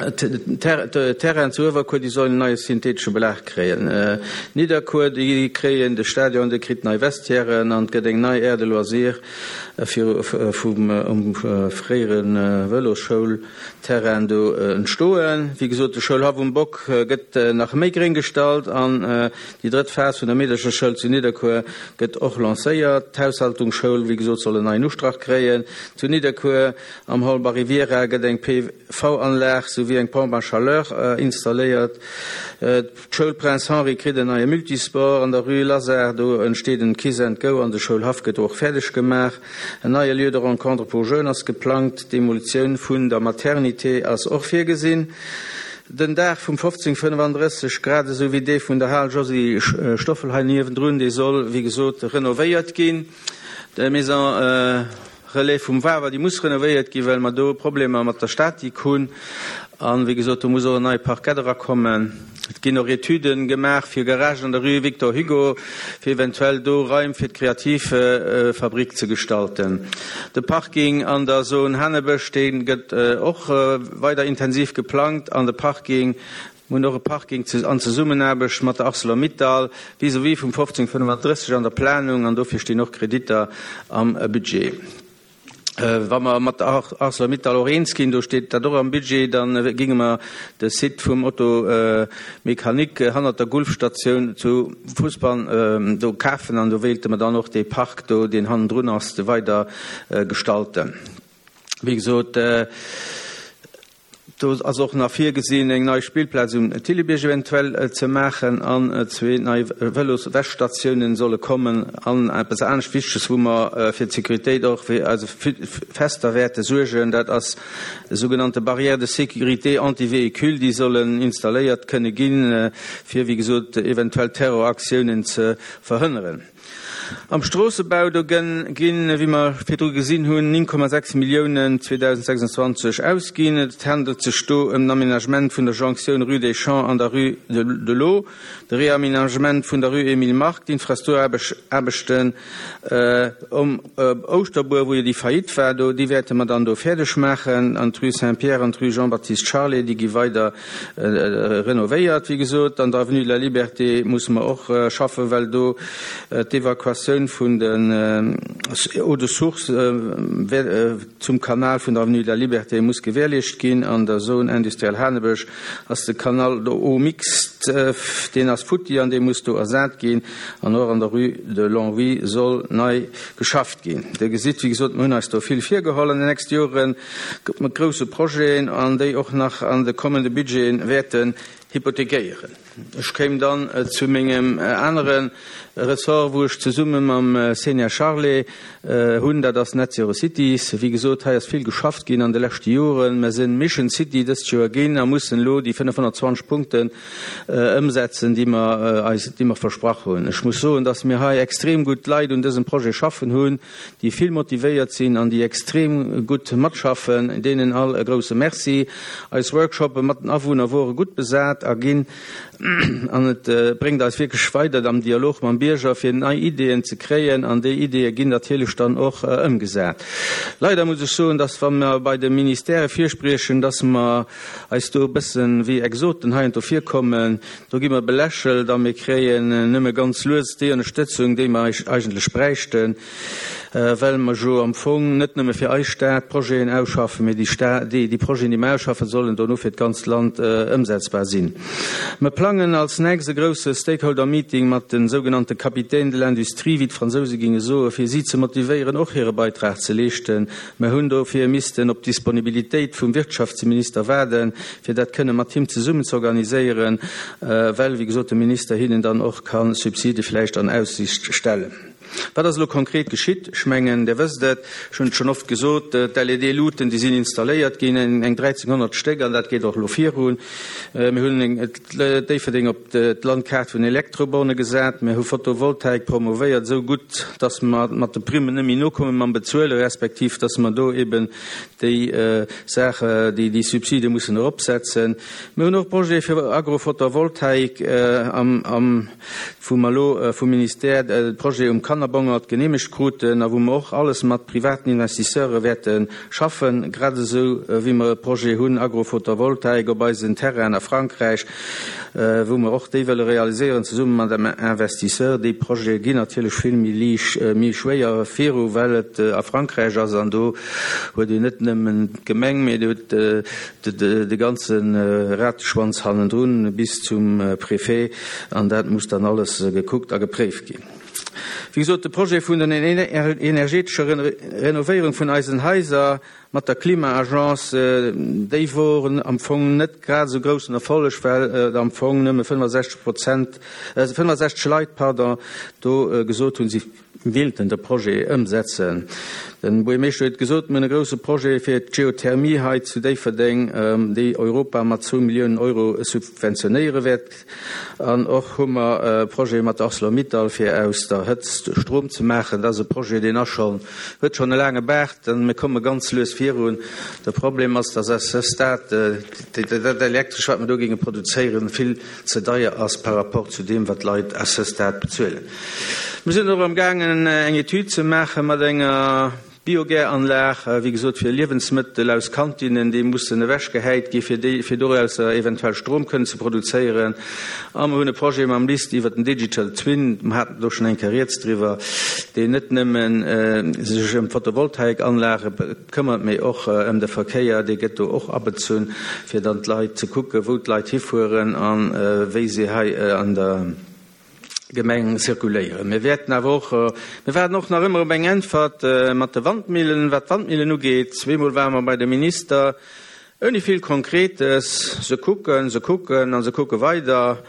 d'Terrainen zu Uewerkuer, déi sollen en neie synthetesche Belag kréien. Nidderkuer, déi kréien de Stadion, dee kritt nei Vestiairen an et gëtt eng nei Aire de loisirs fir vum um fréiere Vëlosschoulterrain do entstoen. Wéi gesot, de Schoulhaff um Bock gëtt nach méi gréng gestallt an déi drëtt Phas vun der Meederchersschoul zu Nidderkuer gëtt och lancéiert. D'Haushaltungsschoul, wéi gesot, soll en neien Ustrach kréien. Zu Nidderkuer am Hall Baryviera gëtt eng PV-Anlag souwéi eng Pompe à chaleur installéiert. D'Schoul Prince Henri kritt en neie Multisport. An der Rue Lazare, do entsteet en Kiss and Go an de Schoulhaff gëtt och fäerdeg gemaach. En neie Lieu de rencontre pour jeunes ass geplangt. D'Demolitioun vun der Maternité ass och virgesinn. Den Daach vum 1535, grad esou wéi dee vun der Hal Josy Stoffel hei niewendrun, dee soll, wéi gesot, renovéiert ginn. D'Maison Relais vum Wawer, déi muss renovéiert ginn, well mer do Problemer mat der Statik hunn. An, wéi gesot, do muss och en neie Parkett erakommen. Et ginn och Etüden gemaach fir Garagen an der Rue Victor Hugo, fir eventuell do Raim fir d'Kreativfabrik ze gestalten. De Parking an der Zone Hanebësch, dee gëtt och weider intensiv geplangt. An de Parking Mir hunn och e Parking an Zesummenaarbecht mat der Arcelor-Mittal vis-à-vis vum 1535 an der Planung an dofir stinn och Kreditter am Budget. Wa mer mat der Arcelor-Mittal och eens ginn, do steet dat och am Budget, da géinge mer de Site vum Auto-Mécanique hannert der Gulfstatioun zu Fousbann do kafen an do wéilte mer dann och dee Park do, deen hannendrun ass, weider gestalten. Wéi gesot, Do ass och nach virgesinn, eng nei Spillplaz um Thillebierg eventuell ze maachen an zwee nei Vëloswäschstatiounen solle kommen. An eppes anescht Wichteges, wou mer fir d'Sécuritéit och fir eise Fester wäerte suergen, dat ass sougenannte Barrières de sécurité anti-véhicules, déi sollen installéiert kënne ginn, fir, wéi gesot, eventuell Terroraktiounen ze verhënneren. Am Stroossebau, do ginn, wéi mer virdru gesinn hunn, 9,6 Milliounen 2026 ausginn. Et handelt sech do ëm den Aménagement vun der Jonktioun Rue des Champs an der Rue de l'Eau, de Réaménagement vun der Rue Émile Mark, d'Infrastrukturaarbechten um Ouschterbuer, wou jo déi Faillite war do, déi wäerte mer dann do fäerdeg maachen, an d'Rue Saint-Pierre an d'Rue Jean-Baptiste Charlé, déi gi weider Renovéiert, wéi gesot. An der Avenue de la Liberté musse mer och schaffen, well do d'Evakuatioun vun den Eaux de source zum Kanal vun der Avenue de la Liberté muss gewährleescht ginn. An der Zone industrielle Hanebësch ass de Canal d'eau mixte, deen ass futti an dee muss do ersat ginn. An och an der Rue de Longwy soll nei geschafft ginn. Dir gesitt, wéi gesot, mer hunn eis do vill virgeholl an den nächste Joren. Mat grousse Projeten an déi och nach an de kommende Budgeten wäerten hypothekéieren. Ech kéim dann zu mengem anere Ressort, wou ech zesumme mam Xenia Charlé hunn, dat ass Net Zero Cities. Wéi gesot, hei ass vill geschafft ginn an de leschte Joren. Mer sinn Mission City dëst Joer ginn a mussen elo déi 520 Punkten ëmsetzen, déi mer eis, déi mer versprach hunn. Ech muss soen, dass mir hei extrem gutt Leit un dësem Projet schaffen hunn, déi vill motivéiert sinn an déi extrem gutt matschaffen. Deenen all e grouse Merci. Eis Workshoppe mat den Awunner wore gutt besat a ginn an et bréngt eis wierklech weider am Dialog mam Bierger fir nei Ideeën ze kréien an déi Ideeë ginn natierlech dann och ëmgesat. Leider muss ech soen, dass wa mer bei de Ministèrë virspriechen, dass mer eis do e bësse wéi Exoten heiansdo virkommen. Do gi mer belächelt a mir kréien nëmme ganz lues déi Ënnerstëtzung, déi mer eigentlech bräichten, well mer jo am Fong net nëmme fir eis Stad Projeten ausschaffen, mee déi déi Projeten, déi mer ausschaffen, sollen dono fir d'ganzt Land ëmsetzbar sinn. Mer plangen als nächst e grousse Stakeholder-Meeting mat de sougenannte Capitaines de l'industrie, wéi d'Fransouse géinge soen, fir si ze motivéieren, och hire Beitrag ze leeschten. Mer hunn dofir missten op d'Disponibilitéit vum Wirtschaftsminister waarden, fir dat kënne mat him zesummen ze organiséieren, well, wéi gesot, de Minister hinnen dann och ka Subside vläicht an Aussicht stellen. Wat ass elo konkret geschitt? Ech mengen, Dir wësst et, ech hunn et schonn oft gesot, D'LED-Luuten, déi sinn installéiert ginn, eng 1.300 Stéck, an dat geet och elo virun. Mir hunn Déifferdeng op d'Landkaart vun Elektroborne gesat. Mir hu Photovoltaik promovéiert, esou gutt, dass mer mat de Primmen net méi nokomme mam Bezuelen, respektiv dass mer do eben déi Saach, déi Subside mussen eropsetzen. Mir hunn och Projete fir Agrophotovoltaik am, wou mer elo vum Ministère de Projet um Kannerbongert geneemegt kruten a wou mer och alles mat privaten Investisseure wäerte schaffen, grad esou wéi mer e Projet hunn, Agrophotovoltaik op eisen Terrainen a Frankräich, wou mer och déi wëlle realiséieren zesumme mat engem Investisseur. Déi Projete ginn natierlech vill méi liicht, méi schwéier viru, well et a Frankräich ass an do huet een net nëmmen d'Gemeng, mee et huet de ganze Rateschwanz hannendrun bis zum Préfet an dat muss dann alles gekuckt a gepréift ginn. Wéi gesot, de Projet vun der energetescher Renovéierung vun eisen Haiser mat der Klima-Agence, déi wor am Fong net grad esou groussen Erfolleg, well et am Fong nëmme 65 Prozent, 65 Leit, pardon, do gesot hunn, si wéilten de Projet ëmsetzen. Den Buergermeeschter huet gesot, mir hunn e grousse Projet fir d'Geothermie hei zu Déifferdeng, déi Europa mat zwou Milliounen Euro subventionéiere wäert. An och hu mer e Projet mat der Arcelor-Mittal, fir aus der Hëtzt Strom ze maachen. Dat ass e Projet, deen ass schonn, huet schonn e laange Baart an mir komme ganz lues virun. De Problem ass, dass à ce stade dat Elektresch, wat mer do géinge produzéieren, vill ze deier ass par rapport zu deem, wat d'Leit à ce stade bezuelen. Mir sinn och amgaangen, eng Etüd ze maache mat enger Biogäranlag, wéi gesot, fir Liewensmëttel aus Kantinnen, déi mussen ewechgehäit gi fir déi, fir dorausser eventuell Strom kënnen ze produzéieren. A mer hunn e Projet mam LIST iwwert den Digital Twin, mer haten do schonn eng Kéier rieds driwwer, deen net nëmmen sech ëm d'Photovoltaikanlage këmmert, mee och ëm de Verkéier, dee gëtt do och abezunn, fir dann d'Leit ze kucken, wou d'Leit hifueren a wéi se hei an der Gemeng zirkuléieren. Mir wäerten awer och, mir waarden och nach ëmmer op eng Äntwert mat de Wandmillen, wat d'Wandmillen ugeet. Zweemol ware mer bei de Minister, ouni vill Konkretes. Se kucken, se kucken a se kucke weider.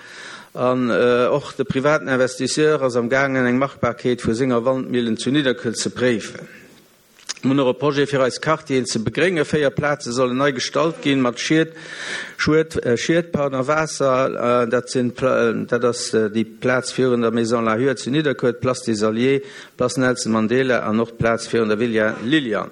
An och de privaten Investisseur ass am gaangen, eng Machbarkeet vu senger Wandmillen zu Nidderkuer ze préifen. Mir hunn och e Projet fir eis Quartieren ze begréngen. 4 Plaze sollen nei gestalt ginn mat Schied, Schued, Schied, pardon, Waasser. Dat sinn, dat ass déi Plaz virun der Maison Lahure zu Nidderkuer, d'Place des Alliés, d'Place Nelson Mandela an och d'Plaz virun der Villa Liliane.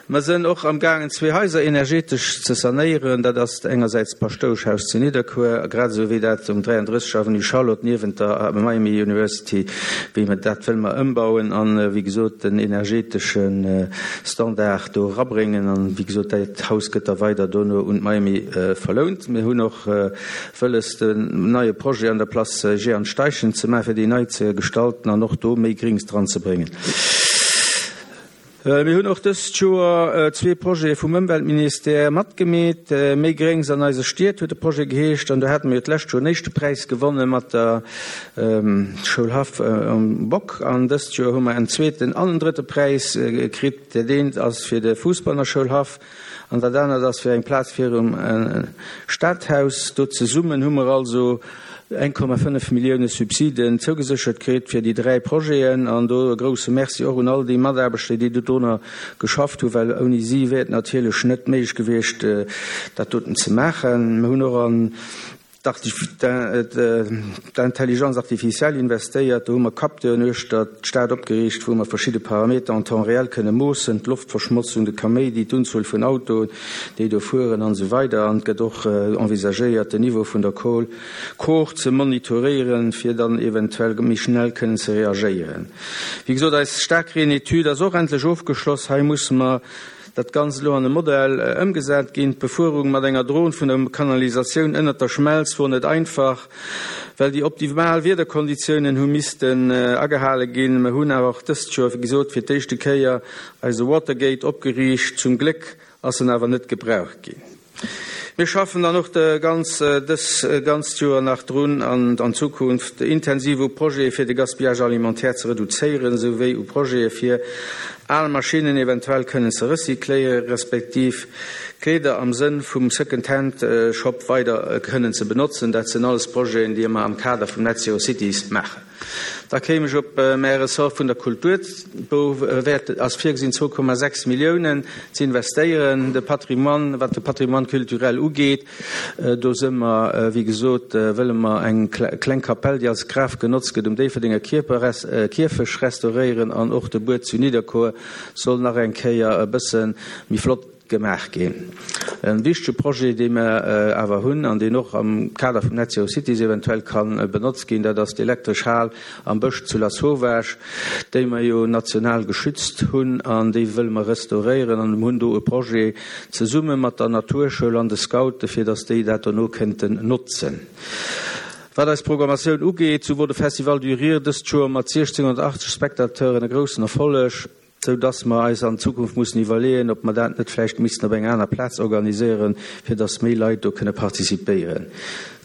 Mer sënn och am gaangen zwee Haiser energetesch ze sanéieren. Dat ass engersäits d'Paschtoueschhaus zu Nidderkuer, grad esou wéi dat um 33 Avenue Charlotte niewent der Miami University, wéi mer dat wëlle mer ëmbauen an, wéi gesot, den energetesche Standard do erabréngen. An, wéi gesot, dat Haus gëtt da weider dono un d'Miami verlount. Mir hunn och wëlles, den neie Projet an der Place Jehan Steichen ze maachen, fir déi nei ze gestalten an och do méi Grings dran ze bréngen. Mir hunn och dëst Joer zwee Projete vum Ëmweltministère matgemeet. Méi Gréngs an eise Stied huet de Projet geheescht an do hate mir jo d'lescht Joer den éischte Präis gewonne mat der Schoulhaff um Bock an dëst Joer hu mer en zweeten an en drëtte Präis kritt. Dat eent ass fir de Fussball an der Schoulhaff an dat anert ass fir eng Plaz virum Stadhaus. Do zesummen hu mer also 1,5 Millioune Subsiden zougeséchert kritt fir déi 3 Projeten. An do e grouse Merci och un all déi Mataarbechter, déi dodrunner geschafft hunn, well ouni si wär et natierlech net méiglech gewiescht, dat doten ze maachen. Mir hunn och an d'Intelligence artificielle investéiert. Do hu mer Capteuren uechter d'Stad opgeriicht, wou mer verschidde Parameter en temps réel kënne moossen, d'Loftverschmotzung, de Kaméidi, d'Unzuel vun Autoen, déi do fueren an esou weider An et gëtt och envisagéiert, den Niveau vun der Kohl Kor ze monitoréieren, fir dann eventuell méi schnell kënnen ze reagéieren. Wéi gesot, eis Staarkreen-Etüd ass och endlech ofgeschloss. Hei musse mer dat Ganzt elo an e Modell ëmgesat ginn. D'Befuerung mat enger Dron vun der Kanalisatioun ënnert der Schmelz wor net einfach, well déi optimal Wiederkonditiounen hu missten agehale ginn. Mer hunn awer och dëst Joer, wéi gesot, fir d'éischte Kéier eise Watergate opgeriicht. Zum Gléck ass en awer net gebraucht ginn. Mir schaffen dann och de ganz dës ganzt Joer nach drun an an Zukunft intensiv u Projete fir de Gaspillage alimentaire ze reduzéieren, esou wéi u Projete fir al Maschinnen eventuell kënnen ze recycléieren, respektiv Kleeder am Sënn vum Second Hand Shop weider kënnen ze benotzen. Dat sinn alles Projeten, déi mer am Kader vum Net Zero Cities maachen. Da kéim ech op mäi Ressort vun der Kultur. Do wäert, ass virgesinn 2,6 Milliounen ze investéieren. De Patrimoine, wat de Patrimoine culturel ugeet, do si mer, wéi gesot, wëlle mer eng kleng Kapell, déi als Graf genotzt gëtt, um Déifferdenger Kierfech restauréieren an och de Buet zu Nidderkuer soll nach eng Kéier e bësse méi flott Gemaach ginn. E wichtege Projet, dee mer awer hunn an deen och am Kader vum Net Zero Cities eventuell ka benotzt ginn, dat ass d'elektresch Hal am Bësch zu Lasauvage, déi mer jo national geschützt hunn an déi wëlle mer restauréieren an hunn do e Projet zesumme mat der Naturschoul an de Scoute fir datt déi dat dono kënnten notzen. Wat eis Programmatioun ugeet, sou wor de Festival du Rire dëst Joer mat 1.680 Spectateuren e groussen Erfolleg. sou dass mer eis an Zukunft mussen iwwerleeën, ob mer dat net vläicht missten op enger aner Plaz organiséieren, fir dass méi Leit do kënne participéieren.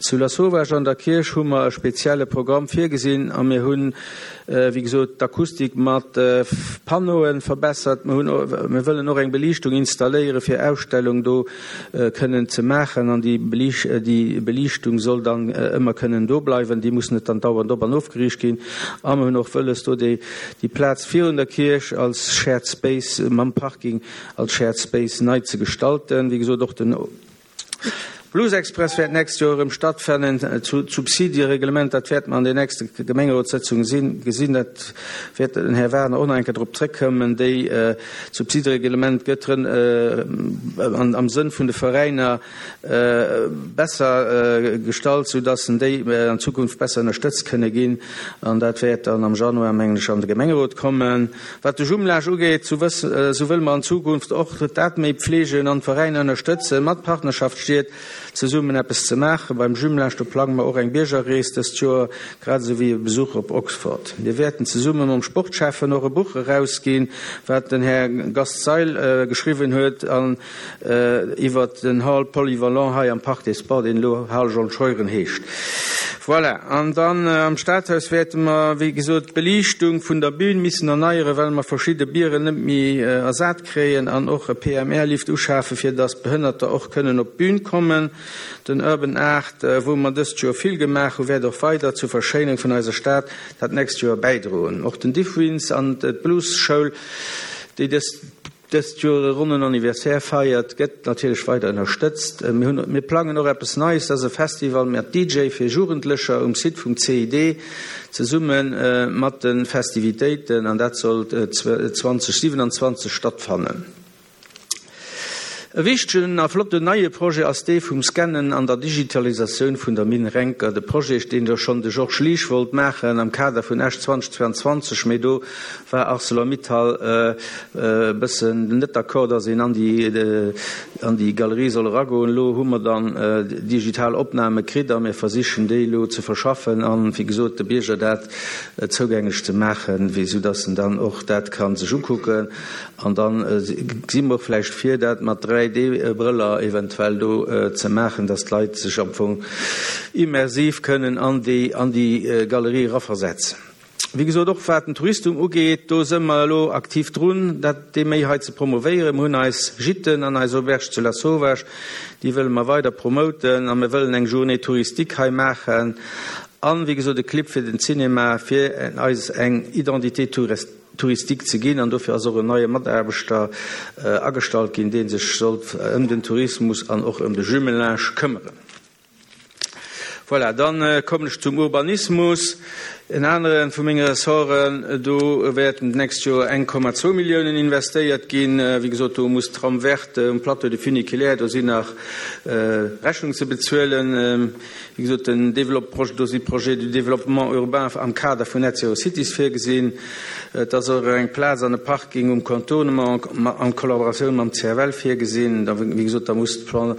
Zu Lasauvage an der Kierch hu mer e spezielle Programm virgesinn a mir hunn, wéi gesot, d'Akustik mat Panneaue verbessert. Mir hunn, mir wëllen och eng Beliichtung installéieren, fir Ausstellung do kënnen ze maachen an déi Beliichtung soll dann ëmmer kënnen do bleiwen, déi muss net dann dauernd op an ofgeriicht ginn. A mer hunn och wëlles, do déi Déi Plaz virun der Kierch als Shared Space mam Parking als Shared Space nei ze gestalten. Wéi gesot, och den Blues Express wäert d'nächst Joer erëm stattfannen. D'Subsidiereglement, dat wäerte mer an den nächste Gemengerotssëtzunge gesinn. Dat wäert den Här Wagner och nach eng Kéier drop zrëckkommen. Déi Subsidereglement gëtt am Sënn vun de Veräiner besser gestallt, sou dass en déi an Zukunft besser ënnerstëtzt kënne ginn. An dat wäert dann am Januar, mengen ech, an de Gemengerot kommen. Wat de Jumelage ugeet, sou wëss, sou wëlle mer an Zukunft och dat méi pflegen an d'Veräiner ënnerstëtzen, mat Partnerschaftsstied zesummen eppes ze maachen. Beim Jumelage, do plange mer och eng Biergerrees dëst Joer, grad esou wéi e Besuch op Oxford. Mir wäerten zesumme mam Sportschäffen och e Buch erausginn, wat den Här Gast Seil geschriwwen huet an Iwwert den Hall polyvalent hei am Parc des Sports, deen elo Hal John Scheuren heescht. Voilà. An dann am Stadhaus wäerte mer, wéi gesot, d'Beliichtung vun der Bühn missen erneieren, well mer verschidde Bieren net méi ersat kréien an och e PMR-Lift uschafen, fir dass Behënnerter och kënnen op d'Bühn kommen. Den Urban Art, wou mer dëst Joer vill gemaach hunn, wäert och weider zur Verschéinung vun eiser Stad dat nächst Joer bäidroen. Och den Diffwins an d'Blues-Schoul, déi dëst. Dëst Joer e ronnen Anniversaire feiert, gëtt natierlech weider ënnerstëtzt. Mir hunn, mir plangen och eppes Neies, dat ass e Festival mat DJ fir Jugendlecher um Site vum CID, zesumme mat de Festivitéiten, an dat soll 2027 stattfannen. E wichtegen a flotten neie Projet ass dee vum Scannen an der Digitalisatioun vun der Minn Renker. De Projet, deen jo schonn de Georges Liesch wollt maachen am Kader vun Esch 2022, mee do war Arcelor-Mittal e bëssen net d'accord, dass een an déi an déi Galerie soll eragoen. Elo hu mer dann digital Opname kritt a mir versichen déi elo ze verschaffen an, wéi gesot, de Bierger dat zougänglech ze maachen, wéi soudass en dann och dat ka sech ukucken. An da gesi mer och vläicht vir, dat mat 3D-Brëller eventuell do ze maachen, dass d'Leit sech am Fong immersiv kënnen an déi an déi Galerie eraversetzen. Wéi gesot, och wat den Touristum ugeet, do së mer elo aktiv drun, dat dee méi hei ze promovéieren. Mer hunn eis Gîten an eis Auberge zu Lasauvage, déi wëlle mer weider promoten a mir wëllen eng Journée touristique hei maachen an, wéi gesot, e Clip fir den Cinema, fir eis eng Identité touristique ze ginn. An dofir ass och en neie Mataarbechter agestallt ginn, dee sech sollt ëm den Tourismus an och ëm de Jumelage këmmeren. Voilà, dann kommen ech zum Urbanismus, en anere vu menge Ressorten. Do wäerten d'nächst Joer 1,2 Milliounen investéiert ginn. Wéi gesot, do muss d'Trame verte um Plateau de Funiculaire, do sinn nach Rechnungen ze bezuelen. Wéi gesot, den Développe, do si Projets de développement urbain am Kader vun Net Zero Cities virgesinn. Et ass och eng Plaz an e Parking um Contournement an Kollaboratioun mam CFL virgesinn. Da, wéi gesot, da muss d'Plan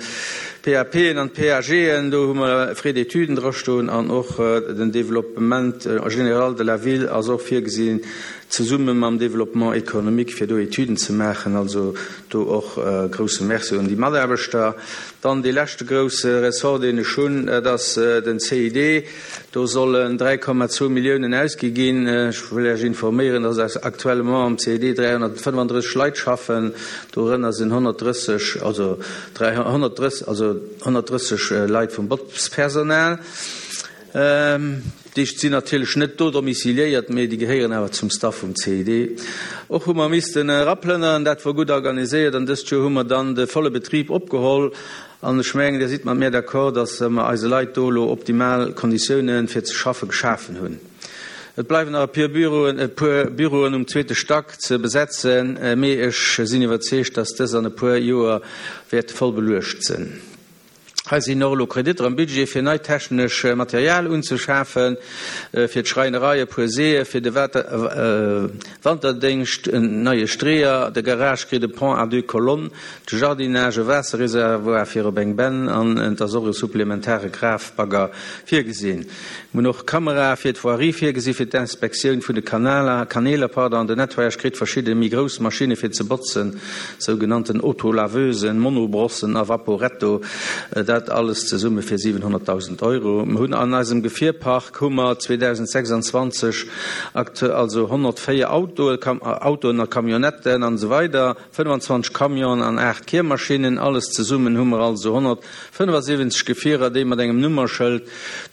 PAPen an d'PAGen, do hu mer Frais d'études drastoen an och den Développement général de la ville ass och virgesinn, zesumme mam Développement économique, fir do Etüden ze maachen. Also do och e grouse Merci un déi Mataarbechter. Dann dee leschte grouse Ressort, deen ech hunn, dat ass den CID. Do sollen 3,2 Milliounen ausgi ginn. Ech wëll Iech informéieren, dass actuellement am CID 335 Leit schaffen. Dorënner sinn 130, also 130, also 130 Leit vum Botzpersonal. Déi sinn natierlech net do domiciliéiert, mee déi gehéieren awer zum Staff vum CID. Och hu mer missten eraplënneren. Dat wor gutt organiséiert an dëst Joer hu mer dann de volle Betrib opgeholl. An ech mengen, Dir sidd mat mir d'accord, dass mer eise Leit do elo optimal Konditiounen fir ze schaffe geschafen hunn. Et bleiwen nach e puer Büroen, e puer Büroen um zweete Stack ze besetzen, mee ech sinn iwwerzeegt, dass dës an e puer Joer wäerte voll beluecht sinn. Hei sinn och elo Kreditter am Budget, fir neit technesch Material unzeschafen, fir d'Schräinerei e puer Seeë, fir de Wanterdéngscht en neie Streeër, de Garage kritt e Pont à deux colonnes, de Jardinage e Waasserreservoir fir op eng Benn an et ass och e supplementare Grafbagger virgesinn. Mir hunn och Kamerae fir d'Voirie virgesi fir d'Inspektioun vun de Kanaler, Kaneeler, pardon, den Nettoyage kritt verschidde méi grouss Maschinne fir ze botzen, sougenannten Autolaveusen, Monobrossen a Vaporetto, dat alles zesumme fir 700.000 Euro. Mir hunn an eisem Gefierpark hu mer 2026 aktu also 104 Autoe, Autoen a Camionnetten an esou weider, 25 Camionen an 8 Kiermaschinnen. Alles zesummen hu mer also 175 Gefierer, déi mat engem Nummerschëld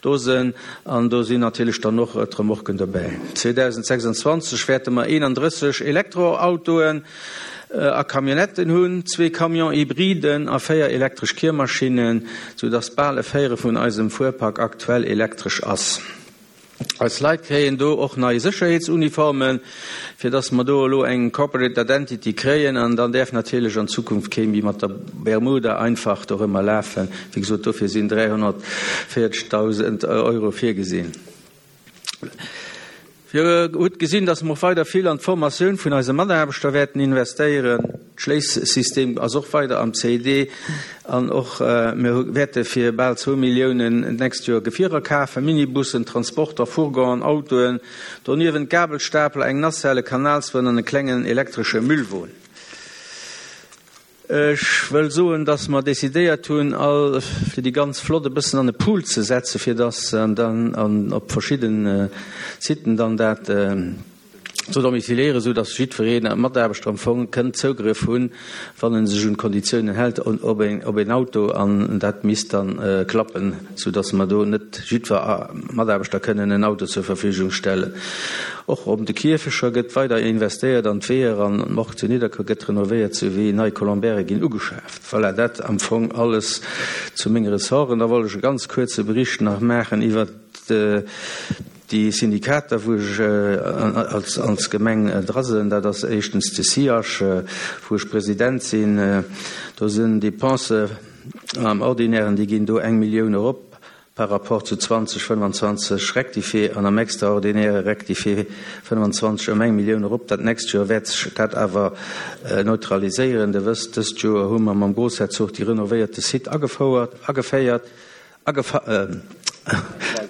do sënn, an do sinn natierlech dann och d'Remorquen dobäi. 2026 wäerte mer 31 Elektroautoen a Camionnetten hunn, zwee Camion-hybriden a véier elektresch Kiermaschinnen, soudass bal e Véierel vun eisem Fuerpark aktuell elektresch ass. Eis Leit kréien do och nei Sécherheetsuniformen, fir dass mer do elo eng Corporate Identity kréien. An dann däerf natierlech an Zukunft kee méi mat der Bermuda einfach dorëmmer lafen. Wéi gesot, dofir sinn 340.000 Euro virgesinn. Dir hutt gesinn, dass mer och weider vill an d'Formatioun vun eise Mataarbechter wäerten investéieren. D'Schléissystem ass och weider am CID an och mir wäerte fir bal zwou Milliounen d'nächst Joer Gefierer kafen, Minibussen, Transporter, Fourgonen, Autoen, doniewent Gabelstapler, eng Nacelle, e Kanalswon an e klengen elektresche Müllwon. Ech wëll soen, dass mer decidéiert hunn, all fir déi ganz Flott e bëssen an e Pool ze setzen, fir dass dann op verschidden Siten dann dat ze domiciliéieren, esou dass jiddweree Mataarbechter am Fong kënnt Zougrëff hunn, wann e sech un d'Konditiounen hält, op een Auto. An dat misst dann klappen, esou dass mer do net jiddwer Mataarbechter kënnen en Auto zur Verfügung stellen. Och op de Kierfecher gëtt weider investéiert an d'Weeër an d'Morgue zu Nidderkuer gëtt renovéiert souwéi nei Colombièrë ginn ugeschaaft. Voilà, dat am Fong alles zu menge Ressorten. Da wollt ech e ganz kuerze Bericht nach maachen iwwert. Déi Syndikater, wou ech als als Gemeng dra sinn, dat ass éischtens de SIAS, wou ech President sinn. Do sinn Dépensen am Ordinairen, déi ginn do eng Millioun erop par rapport zu 2025 rectifié an am Extraordinaire rectifié 25 ëm eng Millioun erop. Dat nächst Joer wäert sech dat awer neutraliséieren. Der wësst, dëst Joer hu mer mam Groussherzog déi renovéierte Site agefouert, ageféiert.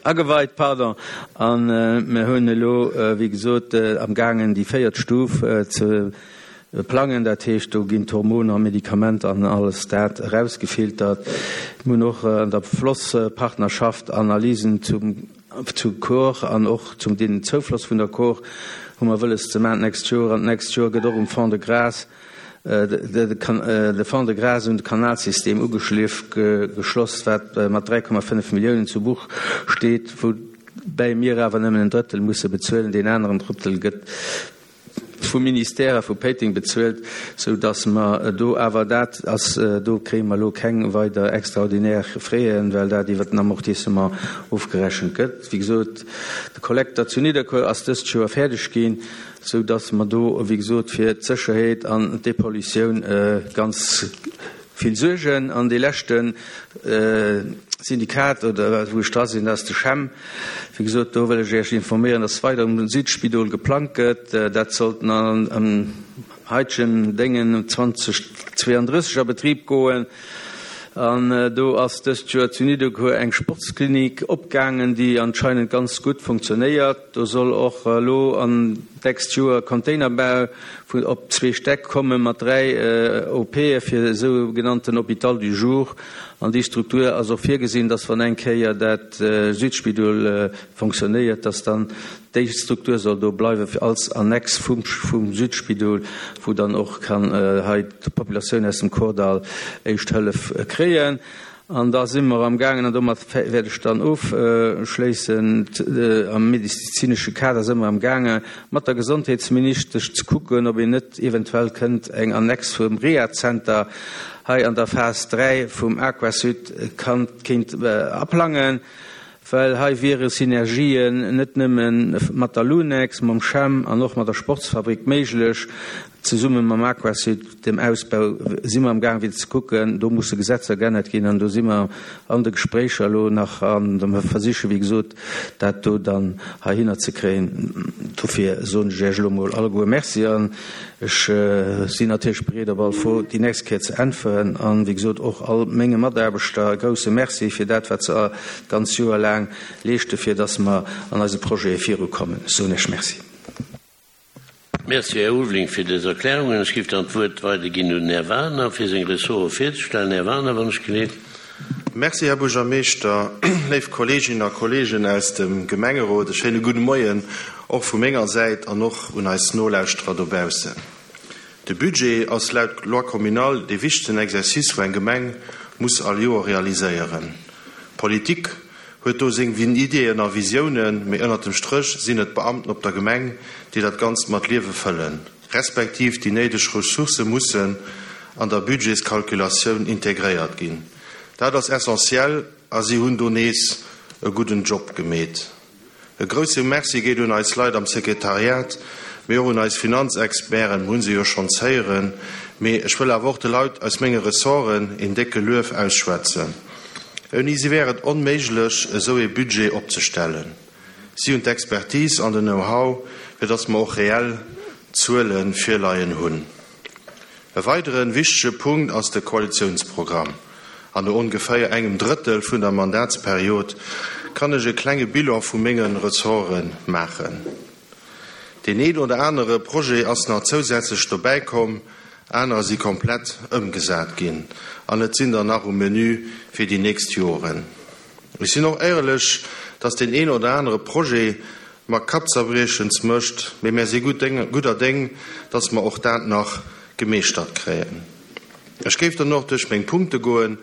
Ageweit, pardon, a mir hunn elo, wéi gesot, amgaangen déi véiert Stuf ze plangen. Dat heescht, do ginn d'Hormoner, Medikamenter an alles dat erausgefiltert. Mir hunn och an der Flosspartnerschaft Analysen zum zu Kor an och zum den Zoufloss vun der Kor hu mer wëlles ze maachen d'nächst Joer. An d'nächst Joer gëtt och um Fond de Gras de Fond de Gras un de Kanalsystem ugeschliff geschloss, wat mat 3,5 Milliounen zu Buch steet, woubäi mir awer nëmmen en Drëttel musse bezuelen. Deen aneren Drëttel gëtt vum Ministère a vu Péiteng bezuelt, sou datt mer do awer, dat ass, do kréie mer elo keng weider extraordinär Fräen, well dat iwwert den Amortissement ofgerechent gëtt. Wéi gesot, de Kollekter zu Nidderkuer ass dëst Joer fäerdeg ginn, sou datt mer do, wéi gesot, fir d'Sécherheet an d'Depollutioun ganz vill suergen. An dee leschte Syndikat, oder wou ech dra sinn, dat ass de CHEM. Wéi gesot, do wëll ech Iech informéieren, datt weider um Südspidol geplangt gëtt. Dat sollt am heitegen Déngen 2032 a Betrib goen. An do ass dëst Joer zu Nidderkuer eng Sportsklinik opgaangen, déi anscheinend ganz gutt funktionéiert. Do soll och elo an d'nächst Joer Containerbau vun op zwee Stäck komme mat 3 OPe fir e sougenannten Hôpital du jour. An déi Struktur ass och virgesinn, dass wann eng Kéier dat Südspidol fonctionnéiert, dass dann Déi Struktur soll do bleiwe fir als Annex vum vum Südspidol, wou dann och kann hei d'Populatioun aus dem Kordall éischt Hëllef kréien. An da si mer amgaangen, an domat wäert ech dann ofschléissen, am medezinesche Kader si mer amgaange mat der Gesondheetsministesch ze kucken, ob een net eventuell kënnt eng Annex vum Rehazenter hei an der Phas 3 vum Aquasud kann kéint aplangen. Well hei wiere Synergien net nëmme mat der Lunex, mam CHEM an och mat der Sportsfabrik méiglech. Zesumme mam Aquasud, dem Ausbau, si mer am gaang fir ze kucken. Do musse Gesetzer geännert ginn an do si mer an de Gespréicher elo nach an mer versiche wéi gesot dat do dann heihinner ze kréien. Dofir soen ech Iech elo mol alleguer Merci an Ech sinn natierlech bereet op all Fro déi nächst Kéier ze äntweren. An, wéi gesot, och all menge Mataarbechter e grouse Merci fir dat, wat se d'ganz Joer laang leeschte fir dass mer an eise Projete virukommen. Ech soen Iech Merci. Merci, Här Ulveling, fir dës Erklärungen. Ech géif dann d'Wuert weiderginn un den Här Wagener, fir seng Ressorte virzestellen. Här Wagener, wann ech geleet. Merci, Här Buergermeeschter. Léif Kolleeginnen a Kolleegen aus dem Gemengerot, e schéine gudde Moien och vu menger Säit an och un eis Nolauschterer dobaussen. De Budget ass laut Loi communale dee wichtegsten Exercice, wou eng Gemeng muss all Joer realiséieren. D'Politik huet do seng Ideeën a Visiounen, mee ënnert dem Stréch sinn et d'Beamten op der Gemeng, déi dat Ganzt mat Liewe fëllen, respektiv déi néideg Ressourcë mussen an der Budgetskalkulatioun integréiert ginn. Dat ass essentiell a si hunn do nees e gudden Job gemeet. E grousse Merci geet un eis Leit am Sekretariat, mee och un eis Finanzexperten, mer hu se jo schonns héieren. Mee ech wëll awer och de Leit aus menge Ressorten een décke Luef ausschwätzen. Ouni si wär et onméiglech, esou ee Budget opzestellen. Si hunn d'Expertise an den Know-how, fir dass mer och reell Zuele virleien hunn. E weidere wichtege Punkt ass de Koalitiounsprogramm. An no ongeféier engem Drëttel vun der Mandatsperiod kann ech e klenge Bilan vu menge Ressorte maachen. Deen een oder anere Projet ass nach zousätzlech dobäi komm, anerer si komplett ëmgesat ginn an et sinn der nach um Menu fir déi nächst Joren. Ech sinn och éierlech, dass deen een oder anere Projet mer Kappzerbriechens mécht, mee mär si gudder Déng, dass mer och dat nach gemeeschtert kréien. Ech géif dann och duerch meng Punkte goen,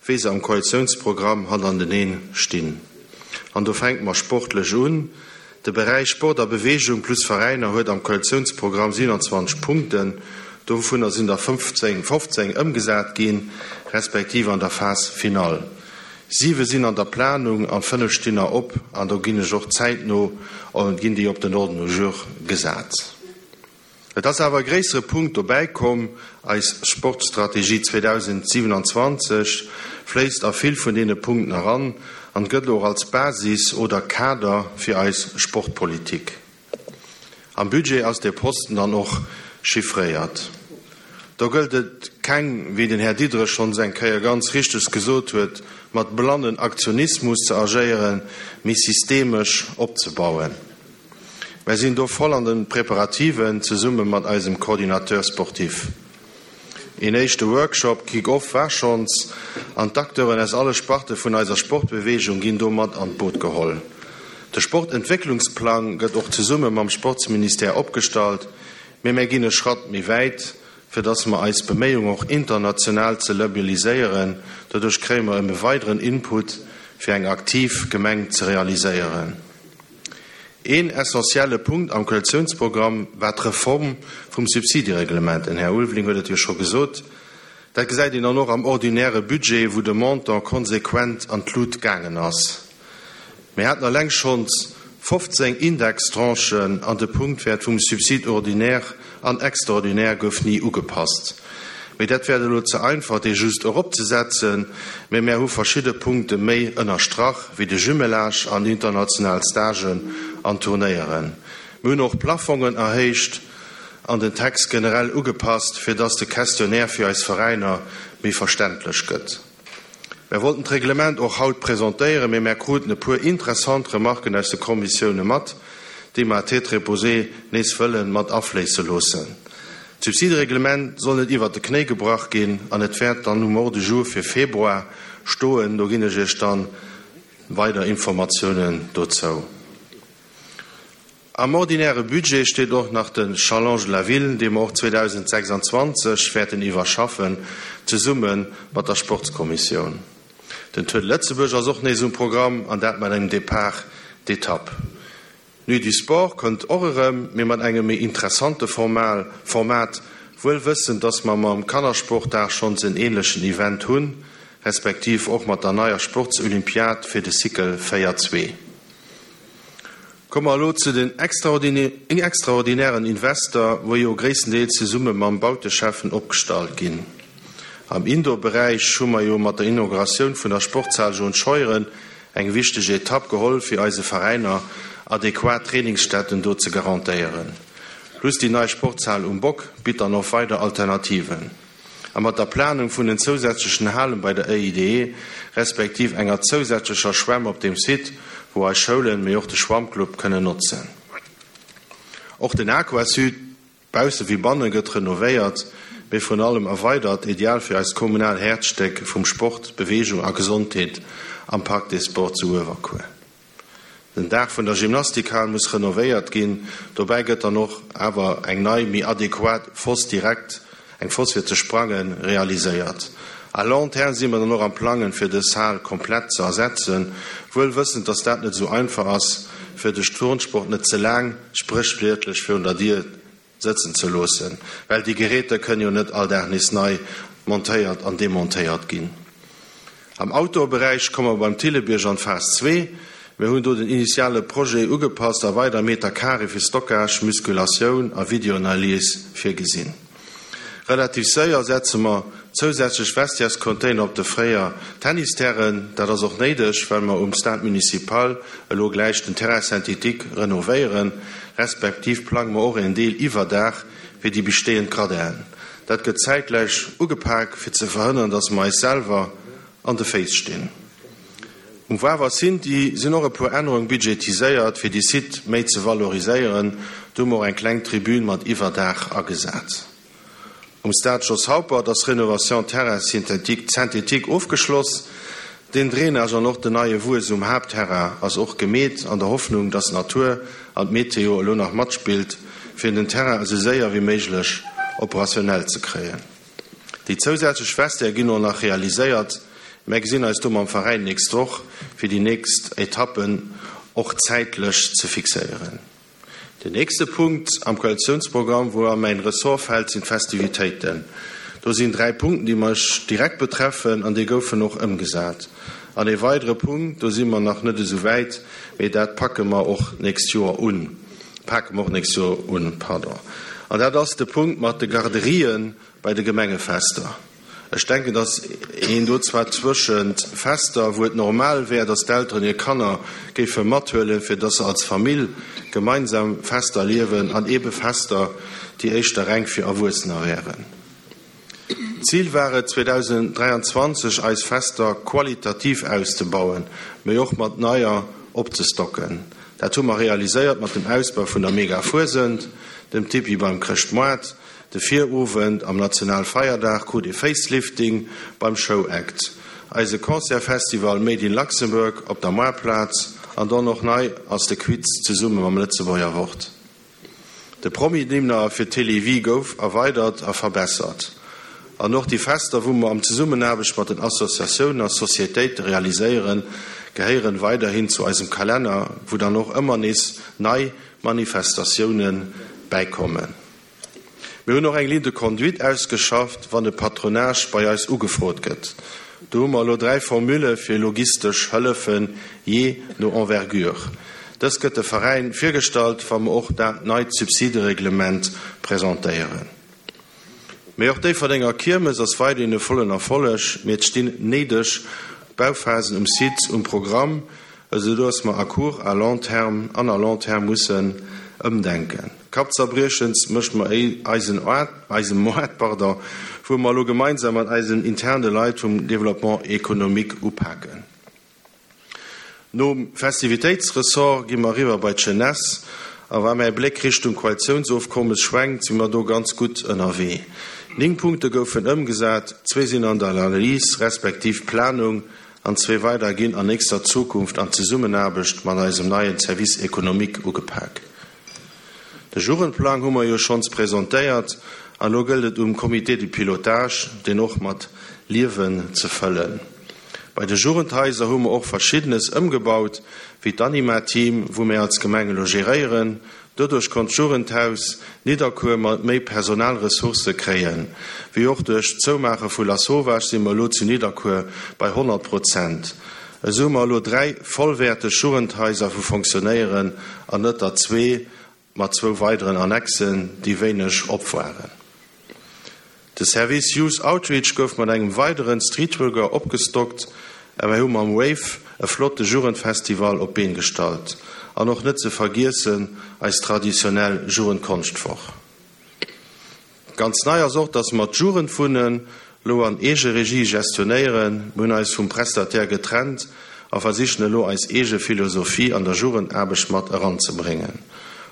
wéi se am Koalitiounsprogramm hannerteneen stinn. An do fänke mer sportlech un. De Beräich Sport a Beweegung plus Veräiner huet am Koalitiounsprogramm 27 Punkten. Dovunner sinn der 15, 15 ëmgesat ginn, respektiv an der Phase finale. Siwe sinn an der Planung an 5 stinn nach op an do ginn ech och zäitno, ginn déi op den Ordre du jour gesat. Et ass awer e gréissere Punkt dobäi komm, Eis Sportstrategie 2027 fléisst a vill vun deene Punkten eran an gëtt och als Basis oder Kader fir eis Sportpolitik. Am Budget ass dee Posten dann och chiffréiert. Do gëllt et keng, wéi den Här Diderich schonns eng Kéier ganz richteg gesot huet, mat blannen Aktionismus ze agéieren, mee systemesch opzebauen. Mär sinn do voll an de Preparativen, zesumme mat eisem Coordinateur sportif. Een éischte Workshop, Kick-Off, war schonns, an d'Acteuren aus alle Sparte vun eiser Sportbeweegung ginn do mat an d'Boot geholl. De Sportentwécklungsplang gëtt och zesumme mam Sportsministère opgestallt, mee mär ginn e Schratt méi wäit, fir dass mer eis Beméiung och international ze labeliséieren. Doduerch kréie mer e weideren Input, fir eng aktiv Gemeng ze realiséieren. Een essentielle Punkt am Koalitiounsprogramm war d'Reform vum Subsidiereglement. Den Här Ulveling huet et jo scho gesot. Dat gesäit een dann och am ordinäre Budget, wou de Montant konsequent an d'Lut gaangen ass. Mir haten eleng schonns 15 Indextranchen an de Punktwäert vum Subside ordinaire an extraordinaire gouf ni ugepasst. Mee dat wär elo ze einfach, dee just eropzesetzen, mee mär hu verschidde Punkte méi ënnerstrach, wéi de Jumelage an international Stagen an Turnéieren. Mir hunn och Plafongen erhéicht an den Text generell ugepasst, fir dass de Questionnaire fir eis Veräiner méi verständlech gëtt. Mär wollten d'Reglement och haut presentéieren, mee mär kruten e puer interessant Remarken aus de Kommissioune mat, déi mer à tête reposée nees wëlle mat afléisse loossen. D'Subsidereglement soll net iwwert de Knéi gebrach ginn an et wäert dann um Ordre du jour fir Februar stoen. Do ginn ech Iech dann weider Informatiounen dozou. Am ordinäre Budget steet och nach den Challenge de la Ville, dee mer och 2026 wäerten iwwerschaffen, zesumme mat der Sportskommissioun. Den Tour de Lëtzebuerg ass och nees um Programm, an dat mat engem Départ d'étape. D'Nuit du Sport kënnt och erëm, mee mat engem méi interessante Format, wuel wëssend, dass mer mam Kannersportdag schonns en änlechen Event hunn, respektiv och mat der neier Sportsolympiad fir de Cycle 4 zwee. Komme mer elo zu den extraordinären Invester, wou jo gréisstendeels zesumme mam Bauteschäffen opgestallt ginn. Am Indoor-Beräich hu mer jo mat der Inauguratioun vun der Sportshal Jaune Scheuren eng wichteg Etapp geholl, fir eise Veräiner adequat Trainingsstätten do ze garantéieren. Plus déi nei Sportshal um Bock bitt dann och weider Alternativen. A mat der Planung vun den zousätzlechen Halen bei der EIDE, respektiv enger zousätzlecher Schwämm op deem Site, wou eis Schoulen, mee och de Schwammclub kënnen notzen. Och den Aquasud, bausse wéi banne, gëtt renovéiert, mee vrun allem erweidert, ideal fir eist kommunal Häerzstéck vum Sport, Beweegung a Gesondheet am Parc des Sports zu Uewerkuer. Den Daach vun der Gymnastikhal muss renovéiert ginn. Dobäi gëtt dann och awer eng nei, méi adequat Foss direkt, eng Foss fir ze sprangen, realiséiert. À long terme si mer dann och am Plangen, fir dës Hal komplett ze ersetzen, wuel wëssend, dass dat net esou einfach ass, fir de Turnsport net ze laang spréchwiertlech virun der Dier sëtzen ze loossen, well déi Geräter kënnen jo net all Dag nees nei montéiert an demontéiert ginn. Am Outdoor-Beräich komme mer beim Thillebierg an d'Phas zwee. Mir hunn do den initiale Projet ugepasst a weider Meter carré fir Stockage, Musculatioun a Videoanalys virgesinn. Relativ séier setze mer zousätzlech Vestiairescontainer op de fréier Tennisterrainen. Dat ass och néideg, well mer um Stade Municipal elo gläich den Terrain synthétique renovéieren, respektiv plange mer och en Deel Iwwerdaach fir déi bestehend Gradinen. Dat gëtt zäitgläich ugepak, fir ze verhënneren, dass mer eis selwer an de Féiss stinn. Um Wawer Sinti sinn och e puer Ännerung budgetiséiert, fir déi Site méi ze valoriséieren. Do hu mer och eng kleng Tribün mat Iwwerdaach agesat. Um Stade Jos Haupert ass Rénovation terrain synthétique ofgeschloss. Den Drainage an och den neie Wues um Haaptterrain ass och gemeet, an der Hoffnung, dass d'Natur an d'Meteo elo nach matspillt, fir den Terrain esou séier wéi méiglech operationell ze kréien. Déi zousätzlech Vestiaire ginn och nach realiséiert. Mär gesinn eis do mam Veräin nächst Woch, fir déi nächst Etappen och zäitlech ze fixéieren. Den nächste Punkt am Koalitiounsprogramm, wou a mäin Ressort fält, sinn d'Festivitéiten. Do sinn 3 Punkten, déi mech direkt betreffen an déi goufen och ëmgesat. An ee weidere Punkt, do si mer nach net esou wäit, mee dat packe mer och d'nächst Joer un, pake mer och d'nächst Joer un, pardon, an dat ass de Punkt mat de Garderien bei de Gemengefester. Ech denken, dass een do zwar zwëschent Fester, wou et normal wär, dass d'Elteren hir Kanner géife mathuelen, fir dass se als Famill gemeinsam Fester erliewen, an eebe Fester, déi éischter reng fir Erwuessener wären. D'Zil war et, 2023 eis Fester qualitativ auszebauen, mee och mat neier opzestocken. Dat hu mer realiséiert mat dem Ausbau vun der Mega-Fuesent, dem Tipi beim Chrëschtmoart, De Virowend am Nationalfeierdag krut ee Facelifting beim Show Act, eise Concertfestival Made in Luxembourg op der Moartplaz an dann och nei ass de Quiz zesumme mam Lëtzebuerger Wort. De Promi-Dinner fir d'Télévie gouf erweidert a verbessert. An och déi Fester, wou mer am Zesummenaarbecht mat den Associatiounen a Sociétéite realiséieren, gehéieren weiderhin zu eisem Kalenner, wou dann och ëmmer nees nei Manifestatioune bäikommen. Mir hunn och eng Ligne de conduite ausgeschafft, wann e Patronage bei eis ugefrot gëtt. Do hu mer elo 3 Formule fir logistesch Hëllefen, jee no Envergure. Dës gëtt de Veräin virgestallt, wa mer och dat neit Subsidereglement presentéieren. Mee och d'Déifferdenger Kiermes ass weiderhin e vollen Erfolleg, mee et stinn néideg Bauphasen um Site um Programm, esou dass mer à court, à long terme an à long terme mussen ëmdenken. Kappzerbriechens mécht mer eisen eise Moart, pardon, wou mer elo gemeinsam mat eisen interne Leit vum Développement économique upaken. Nom Festivitéitsressort gi mer eriwwer bei d'Jeunesse a wa mäi Bléck Richtung Koalitiounsofkommes schwenkt, si mer do ganz gutt ënnerwee. 9 Punkte goufen ëmgesat, zwee sinn an der Analys respektiv Planung an zwee weider ginn an nächster Zukunft an Zesummenaarbecht mat eisem neien Service économique ugepak. De Jugendplang hu mer jo schonns presentéiert an elo gëllt et um Comité de pilotage, deen och mat Liewen ze fëllen. Bei de Jugendhaiser hu mer och Verschiddenes ëmgebaut, wéi d'Anima-Team, wou mir als Gemeng elo geréieren. Doduerch konnt d'Jugendhaus Nidderkuer mat méi Personalressourcë kréien. Wéi och duerch d'Zoumaache vu Lasauvage si mer elo zu Nidderkuer bei 100 Prozent. Esou hu mer elo 3 vollwäerteg Jugendhaiser wou fonctionnéieren an net der zwee mat zwou weideren Annexen, déi wéineg op waren. De Service Youth Outreach gouf mat engem weideren Streetworker opgestockt a mir hu mam Wave e flotte Jugendfestival op d'Been gestallt. An och net ze vergiessen eis traditionell Jugendkonschtwoch. Ganz nei ass och, dass mer d'Jugendwunnen elo an Eegeregie gestionéieren. Mir hunn eis vum Prestataire getrennt a versichen elo eis eege Philosophie an der Jugendaarbecht mat eranzebréngen.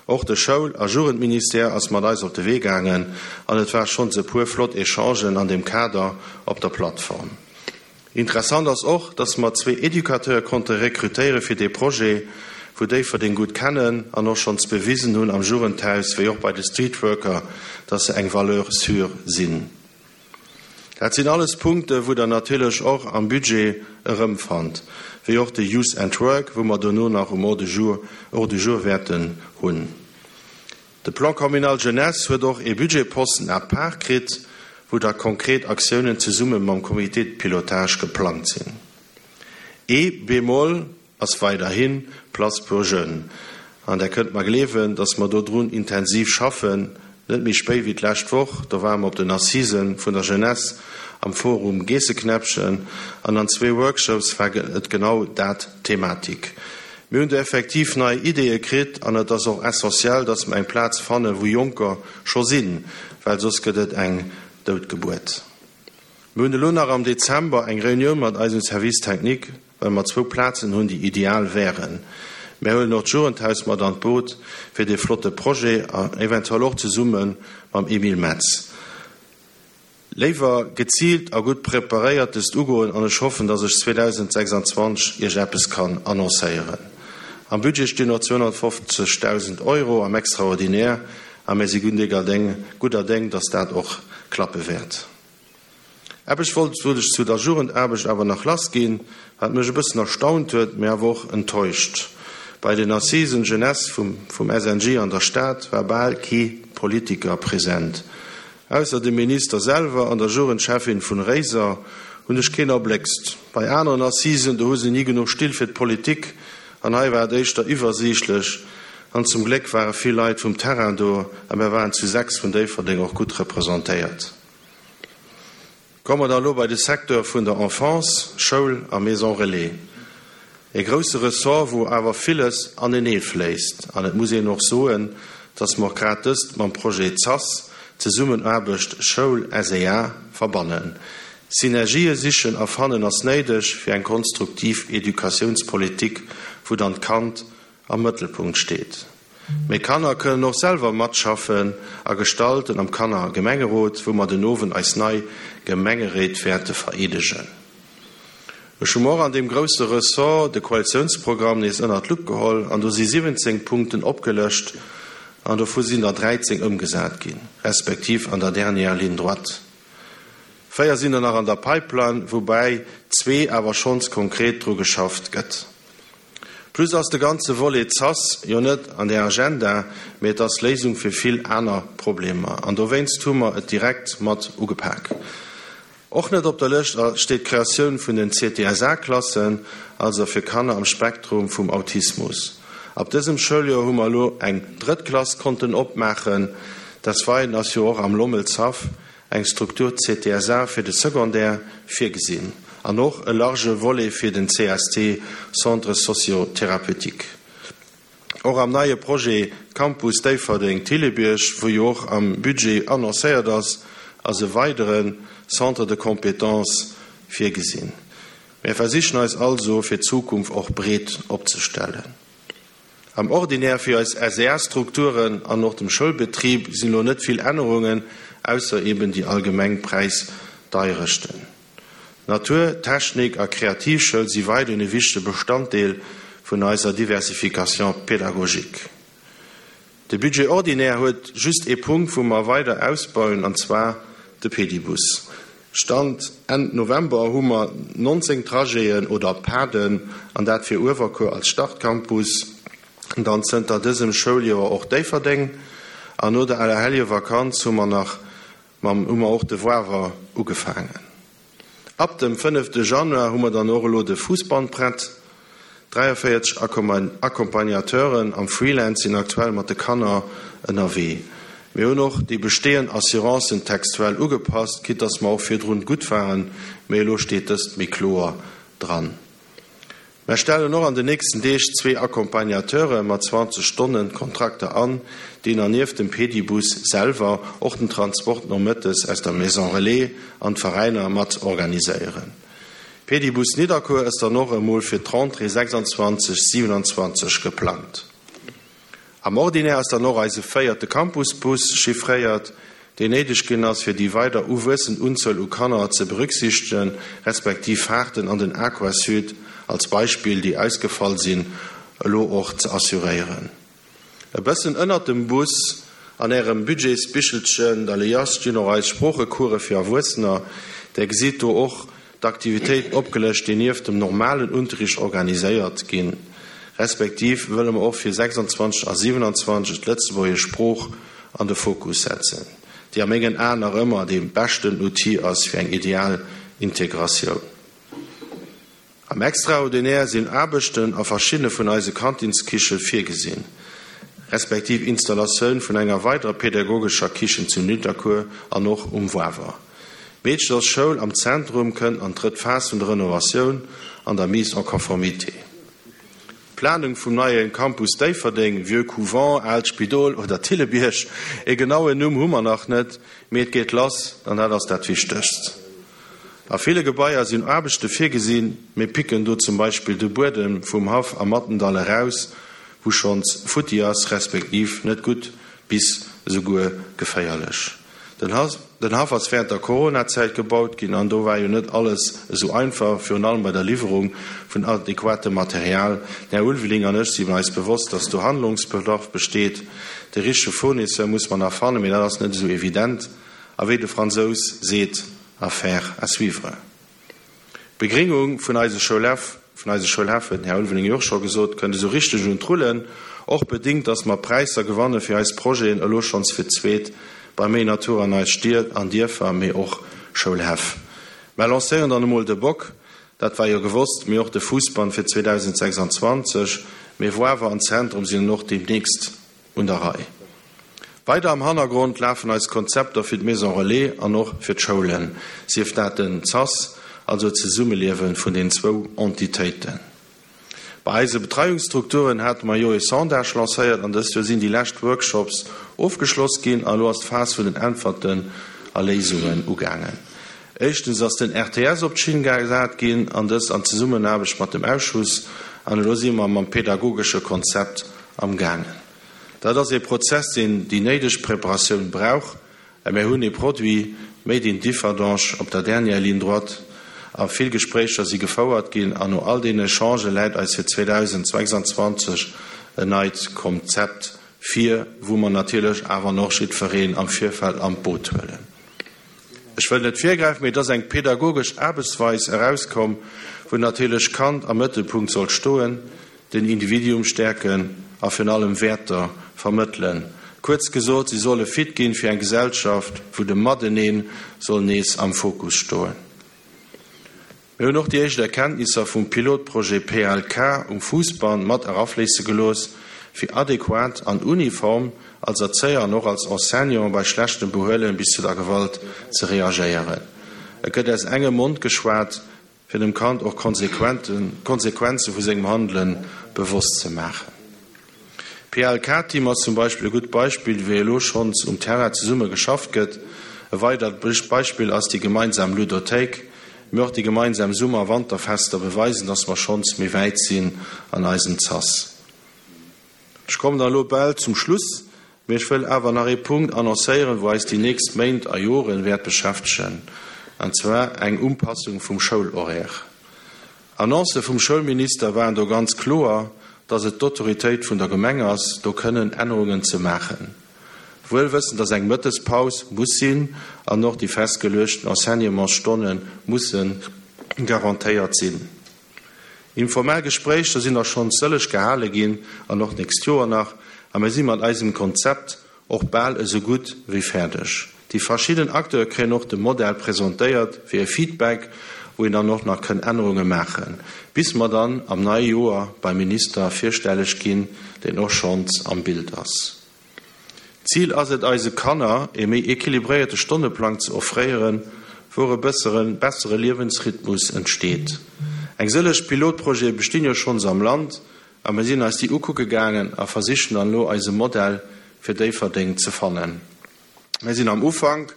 Och de Schoul a Jugendministère ass mat eis op de Wee gaangen an et war schonns e puer flott Echangen an deem Kader op der Plattform. Interessant ass och, dass mer zwee Educateure konnte rekrutéiere fir dee Projet, wou Déifferdeng gutt kennen an och schonns bewisen hunn am Jugendhaus wéi och bei de Streetworker, dass se eng Valeur sûre sinn. Dat sinn alles Punkte wou Der natierlech och am Budget erëmfannt, wéi och de Youth and Work, wou mer dono nach um Ordre du jour wäerten hunn. De Plan communal jeunesse huet och ee Budgetposten à part kritt, wou da konkret Aktiounen zesumme mam Comité de pilotage geplangt sinn. Ee Bémol ass weiderhin Place pour jeunes. An Der kënnt mer gleewen, dass mer dodrun intensiv schaffen. Net méi spéit wéi d'lescht Woch, do ware mer op den Assisen vun der Jeunesse am Forum Geesseknäppchen an an zwee Workshops war et genau dat d'Thematik. Mir hunn do effektiv nei Ideeë kritt an et ass och essentiell, dass mer eng Plaz fannen, wou Jonker scho sinn, well soss gëtt et eng Doutgebuert. Mir hunn elo nach am Dezember eng Reunioun mat eisem Service technique, well mer zwou Plazen hunn, déi ideal wären. Mär huelen och d'Jugendhaus mat an d'Boot fir dee flotte Projet an eventuell och zesumme mam Emile Metz. Léiwer geziilt a gutt preparéiert dëst ugoen an ech hoffen, dass ech 2026 Iech eppes kann annoncéieren. Am Budget stinn och 250.000 Euro am Extraordinaire a mir si gudder Déng, dass dat och klappe wäert. Eppes wollt ech zu der Jugendaarbecht awer nach lassginn, wat mech e bëssen erstaunt huet, mee awer och enttäuscht. Bei den Assisen Jeunesse vum SNJ an der Stad war bal kee Politiker present. Ausser dem Minister selwer an der Jugendcheffin vun Réiser hunn ech keen erbléckst. Bei aneren Assisen, do hu se ni genuch Still fir d'Politik an hei war et éischter iwwersiichtlech an zum Gléck ware vill Leit vum Terrain do a mär waren zu 6 vun Déifferdeng och gutt representéiert. Komme mer da elo bei de Secteur vun der Enfance, Schoul a Maison Relais. E grousse Ressort, wou awer villes anenee fléisst. An et muss een och soen, dass mer och grad dëst mam Projet ZAS, Zesummenaarbecht Schoul-SEA, verbannen. Synergië sichen a fannen ass néideg fir eng konstruktiv Educatiounspolitik, wou dann d'Kand am Mëttelpunkt steet. Mee Kanner kënnen och selwer matschaffen a gestalten am Kanner-Gemengerot, wou mer den Owend eis nei Gemengeréit wäerte vereedegen. Ech hu mer och an deem grousse Ressort de Koalitiounsprogramm nees ënnert d'Lupp geholl an do si 17 Punkten opgelëscht an dovu sinn der 13 ëmgesat ginn, respektiv an der dernière ligne droite. Véier sinn der nach an der Pipeline, woubäi zwee awer schonns konkret dru geschafft gëtt. Plus ass de ganze Volet ZAS jo net an der Agenda, mee et ass d'Léisung fir vill aner Problemer an dowéinst hu mer et direkt mat ugepak. Och net op der Lëscht steet d'Kreatioun vun den CTSA-Klassen, also fir Kanner am Spektrum vum Autismus. Ab dësem Schouljoer hu mer elo eng drëtt Klass konnten opmaachen. Desweideren ass jo och am Lommelshaff eng Struktur CTSA fir de Secondaire virgesinn an och e large Volet fir den CST, Centre socio-thérapeutique. Och am neie Projet Campus Déifferdeng-Thillebierg, wou jo och am Budget annoncéiert ass, ass e weidere Centre de compétences virgesinn. Mir versichen eis also fir d'Zukunft och breet opzestellen. Am Ordinaire fir eis SEA-Strukturen an och dem Schoulbetrib sinn elo net vill Ännerungen, ausser eben déi allgemeng Präisdeierechten. Natur-, Technik a Kreativschoul si weiderhin e wichtege Bestanddeel vun eiser Diversification pédagogique. De Budget ordinaire huet just ee Punkt, wou mer weider ausbauen, an zwar de Pedibus. Stand Enn November hu mer 19 Trajeten oder Paden, an dat fir Uewerkuer als Startcampus, dann zënter dësem Schouljoer och Déifferdeng, an no der Allerheljevakanz hu mer nach mam hu mer och de Wawer ugefaangen. Ab dem fënnefte Januar hu mer dann och elo de Fuussband prett. 43 Accompagnateuren am Freelance sinn aktuell mat de Kanner ënnerwee. Mir hunn och déi bestehend Assurancen textuell ugepasst, quitte dass mer och virdrun gutt waren, mee elo steet dëst méi kloer dran. Mer stellen och an den nächsten Deeg zwee Accompagnateure mat 20 Stonnen Kontrakter an, déi na nieft dem Pedibus selwer och den Transport nomëttes aus der Maison Relais an d'Veräiner mat organiséieren. Pedibus Nidderkuer ass dann och emol fir d'Rentrée 26, 27 geplangt. Am Ordinaire ass dann och eise véierte Campusbus chiffréiert, deen néideg ginn ass, fir déi weider uwuessend Unzuel u Kanner ze berücksichtegen, respektiv Fahrten an den Aquasud als Beispill, déi ausgefall sinn, elo och ze assuréieren. E bëssen ënnert dem Bus an Ärem Budgetsbichelchen, der Liasse, stinn och eis Sproochecourse fir Erwuessener. Där gesitt do och d'Aktivitéiten opgelëscht, déi nieft dem normalen Unterricht organiséiert ginn. Respektiv wëlle mer och fir 26 a 27 d'lëtzebuergesch Sprooch an de Fokus setzen, déi a mengen Aen nach ëmmer dee beschten Outil ass fir eng ideal Integratioun. Am Extraordinaire sinn Aarbechten a verschiddene vun eise Kantinskiche virgesinn, respektiv Installatioun vun enger weiderer pädagogescher Kichen zu Nidderkuer an och um Wawer. D'Meedchersschoul am Zentrum kënnt an d'drëtt Phas vun der Renovatioun an der Mise en conformité. D'Planung vum neie Campus Déifferdeng, Vieux Couvent, Aalt Spidol oder Thillebierg, e genauen Numm hu mer nach net, mee et geet lass an dat ass dat Wichtegst. A ville Gebaier sinn Aarbechte virgesinn, mir picken do zum Beispill de Buedem vum Haff am Mattendall eraus, wou schonns futti ass, respektiv net gutt bis esouguer geféierlech. Den Haff ass wärend der Corona-Zäit gebaut ginn an do war jo net alles esou einfach, virun allem bei der Liwwerung vun adequatem Material. Den Här Ulveling an ech sinn eis bewosst, dass do Handlungsbedarf besteet. De richtege Fournisseur muss mer nach fannen, mee dat ass net esou evident. A wéi de Fransous seet, Affaire à suivre. D'Begringung vun eise Schoulhäff, vun eise Schoulhäff huet den Här Ulveling jo och scho gesot, kënnt esou richteg un d'Rullen, och bedingt, dass mer Präisser gewanne fir eis Projeten elo schonns fir d'zweet. Bei méi Natur an eis Stied an Dierfer, mee och Schoulhäff. Mer lancéieren dann emol de Bock, dat war jo gewosst, mee och de Fuussbann fir 2026, mee Woawer an Zentrum sinn dann och deemnächst un der Rei. Weider am Hannergrond lafen eis Konzepter fir d'Maison Relais an och fir d'Schoulen, sief dat den CAS, also d'Zesummeliewe vun den zwou Entitéiten. Bei eise Betreiungsstrukturen hate mer jo e Sondage lancéiert an dëst Joer sinn déi lescht Workshops ofgeschloss ginn a elo ass d'Phas vun den Äntwerten a Léisungen ugaangen. Éischtens ass den RTS op d'Schinn gesat ginn an dëst an Zesummenaarbecht mat dem Ausschuss an elo si mer mam pedagogesche Konzept am gaangen. Dat ass ee Prozess, deen déi néideg Preparatioun brauch. Mä mir hunn ee Produit made in Differdange op der dernière ligne droite a vill Gespréicher si gefouert ginn an no all deenen Echangë läit eis fir 2026 en neit Konzept vir, wou mer natierlech awer och jiddwereen am Virfeld an d'Boot huelen. Ech wëll net virgräifen, mee et ass eng pedagogesch Aarbechtsweis erauskomm, wou natierlech d'Kand am Mëttelpunkt soll stoen, den Individuum stäerken a virun allem Wäerter vermëttelen. Kuerz gesot, si solle fit ginn fir eng Gesellschaft, wou de Mateneen soll nees am Fokus stoen. Mir hunn och déi éischt Erkenntnisser vum Pilotprojet PLK um Fuussbann mat erafléisse gelooss, fir adequat an uniform als Erzéier an och als Enseignant bei schlechtem Behuelen bis zu der Gewalt ze reagéieren. Et gëtt aus engem Mond geschwat, fir dem Kand och d'Konsequenze vu sengem Handele bewosst ze maachen. D'PLK-Team ass zum Beispill e gutt Beispill, wéi elo schonns um Terrain zesumme geschafft gëtt. E weidert Beispill ass déi gemeinsam Ludothéik. Mee och déi gemeinsam Summer a Wanterfester beweisen, dass mer schonns méi wäit sinn an eisem Zass. Ech kommen dann elo bal zum Schluss, mee ech wëll awer nach ee Punkt annoncéieren, wou eis déi nächst Méint a Joren wäert beschäftegen, an zwar eng Umpassung vum Schoulhoraire. Annoncë vum Schoulminister waren do ganz kloer, dass et d'Autoritéit vun der Gemeng ass, do kënnen Ännerungen ze maachen. Wuel wëssend, dass eng Mëttespaus muss sinn an och déi festgeluechten Enseignementsstonne musse garantéiert sinn. Informell Gespréicher sinn der schonns sëlleg gehale ginn an och d'nächst Joer nach, a mir si mat eisem Konzept och bal esou gutt wéi fäerdeg. Déi verschidden Acteure kréien och de Modell presentéiert fir e Feedback, wou een dann och nach kënn Ännerunge maachen, bis mer dann am neie Joer beim Minister virstelleg ginn, deen och schonns am Bild ass. D'Zil ass et eise Kanner ee méi equilibréierte Stonneplang ze offréieren, wou e bësseren bessere Liewensrhythmus entsteet. Eng sëlleg Pilotprojete bestinn jo schonns am Land a mir sinn eis déi ukucke gaangen a versichen dann elo eise Modell fir Déifferdeng ze fannen. Mir sinn am Ufank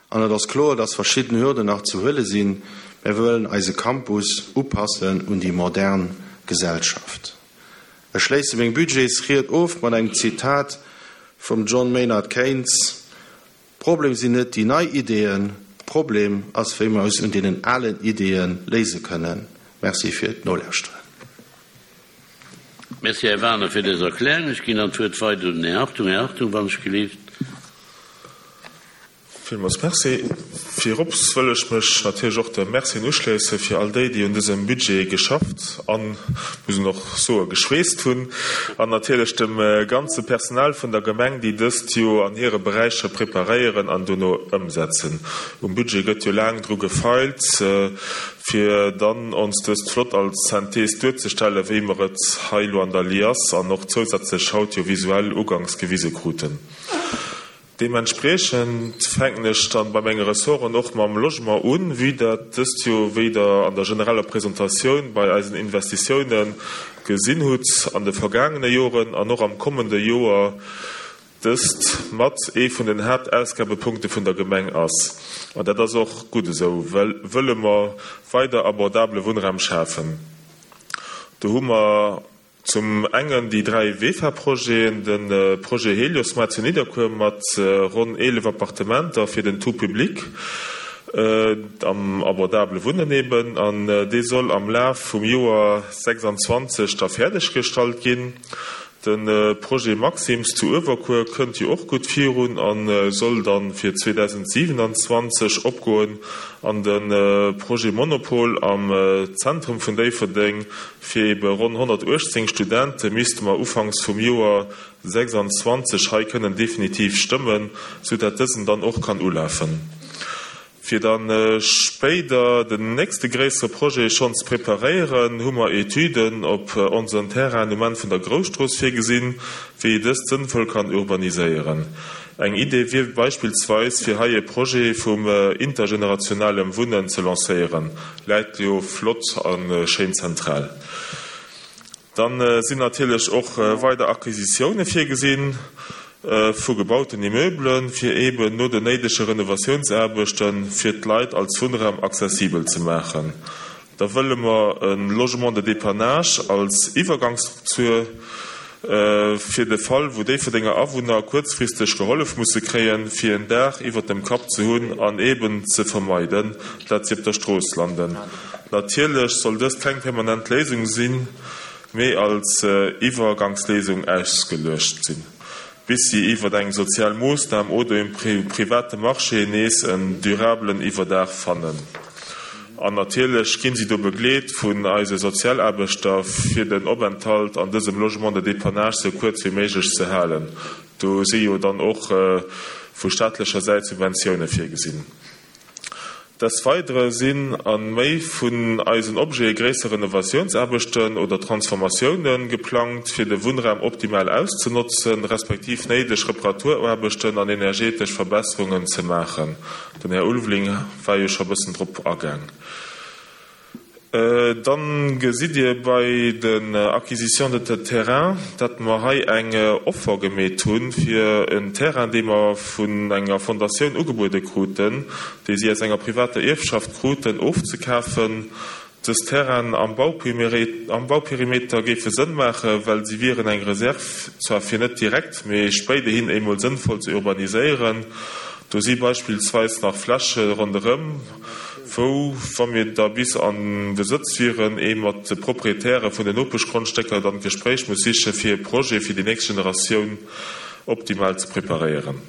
an et ass kloer, dass verschidden Hürden nach ze huele sinn. Mir wëllen eise Campus upassen un déi modern Gesellschaft. Ech schléisse meng Budgetsried of mat engem Zitat vum John Maynard Keynes, Problem sinn net déi nei Ideeën, Problem ass wéi mer eis un deenen alen Ideeë léise kënnen. Merci fir d'Nolauschteren. Merci, Här Wagener, fir dës Erklärung. Ech ginn dann d'Wuert weider un den Här Hartung. Här Hartung, wann ech gelift. Villmools Merci. Virops wëll ech mech natierlech och de Mercien uschléisse fir all déi, déi un dësem Budget geschafft an, muss een och soe geschweesst hunn, an natierlech dem ganze Personal vun der Gemeng, déi dëst jo an hire Beräicher preparéieren an dono ëmsetzen. Um Budget gëtt jo laang dru gefeilt, fir dann ons dëst flott als Synthese duerzestellen, wéi mer et hei elo an der Liasse an och zousätzlech haut jo visuell uganks gewise kruten. Deementspriechend fänken ech dann bei menge Ressorten och mam Logement un, vue dat dëst jo, wéi Der an der genereller Presentatioun bei eisen Investitiounen gesinn hutt, an de vergaangene Joren an och am kommende Joer dëst mat ee vun den Haaptausgabepunkte vun der Gemeng ass. An dat ass och gutt esou, well wëlle mer weider abordabele Wunnraum schafen. Do hu mer Zum engen déi 3 VEFA-Projeten, de Projet Heliosmar zu Nidderkuer mat ronn 11 Appartementer fir den tout public, am abordabele Wunnen eben, an dee soll am Laf vum Joer 26 da fäerdeg gestallt ginn. De Projet Maxims zu Uewerkuer kënnt jo och gutt virun a soll dann fir 2027 opgoen an de Projet Monopol am Zentrum vun Déifferdeng fir ebe ronn 118 Studente misste mer ufanks vum Joer 26 hei kënnen definitiv stëmmen, sou dat dësen dann och kann ulafen. Fir da spéider den nächste gréissere Projet schonn ze preparéieren, hu mer Etüden op onsen Terrainen um Enn vun der Grousstrooss virgesinn, wéi ee dëst sënnvoll kann urbaniséieren. Eng Idee wier beispillsweis, fir hei e Projet vum intergenerationalem Wunnen ze lancéieren, läit jo flott a schéin zentral. Dann sinn natierlech och weider Acquisitioune virgesinn vu gebauten Immeublen, fir eeben no den néidege Renovatiounsaarbechte fir d'Leit als Wunnraum accessibel ze maachen. Da wëlle mer e Logement de dépannage als Iwwergangsstruktur fir de Fall, wou Déifferdenger Awunner kuerzfristeg gehollef musse kréien, fir en Daach iwwert dem Kapp ze hunn an eeben ze vermeiden, dat si op der Strooss landen. Natierlech soll dëst keng permanent Léisung sinn, mee als Iwwergangsléisung ausgeluecht sinn, bis si iwwer eng sozial Moossnam oder um private Marché nees en durabelen Iwwerdaach fannen. An natierlech ginn si do begleet vun eise Sozialaarbechter, fir den Openthalt an dësem Logement de dépannage sou kuerz wéi méiglech ze halen. Do si jo dann och vu staatlecher Säit Subventioune virgesinn. Des Weidere sinn a méi vun eisen Objete gréisser Renovatiounsaarbechten oder Transformatioune geplangt, fir de Wunnraum optimal auszenotzen, respektiv néideg Reparaturaarbechten an energetesch Verbesserungen ze maachen. Den Här Ulveling war jo scho bëssen drop agaang. Dann gesitt Dir bei den Acquisitions de terrains, dat mer hei eng Offer gemeet hunn fir en Terrain, dee mer vun enger Fondatioun ugebuede kruten, déi si aus enger privater Ierfschaft kruten, ofzekafen. Dës Terrainen am Bauperimeter géife Sënn maachen, well si wieren eng Reserve, zwar fir net direkt, mee spéiderhin eemol sënnvoll ze urbaniséieren. Do si beispillsweis nach Fläche ronderëm, wou, wa mir da bis am Besëtz wieren, ee mat de Proprietäre vun den Nopeschgrondstécker dann d'Gespréich muss sichen, fir e Projet fir déi nächst Generatioun optimal ze preparéieren.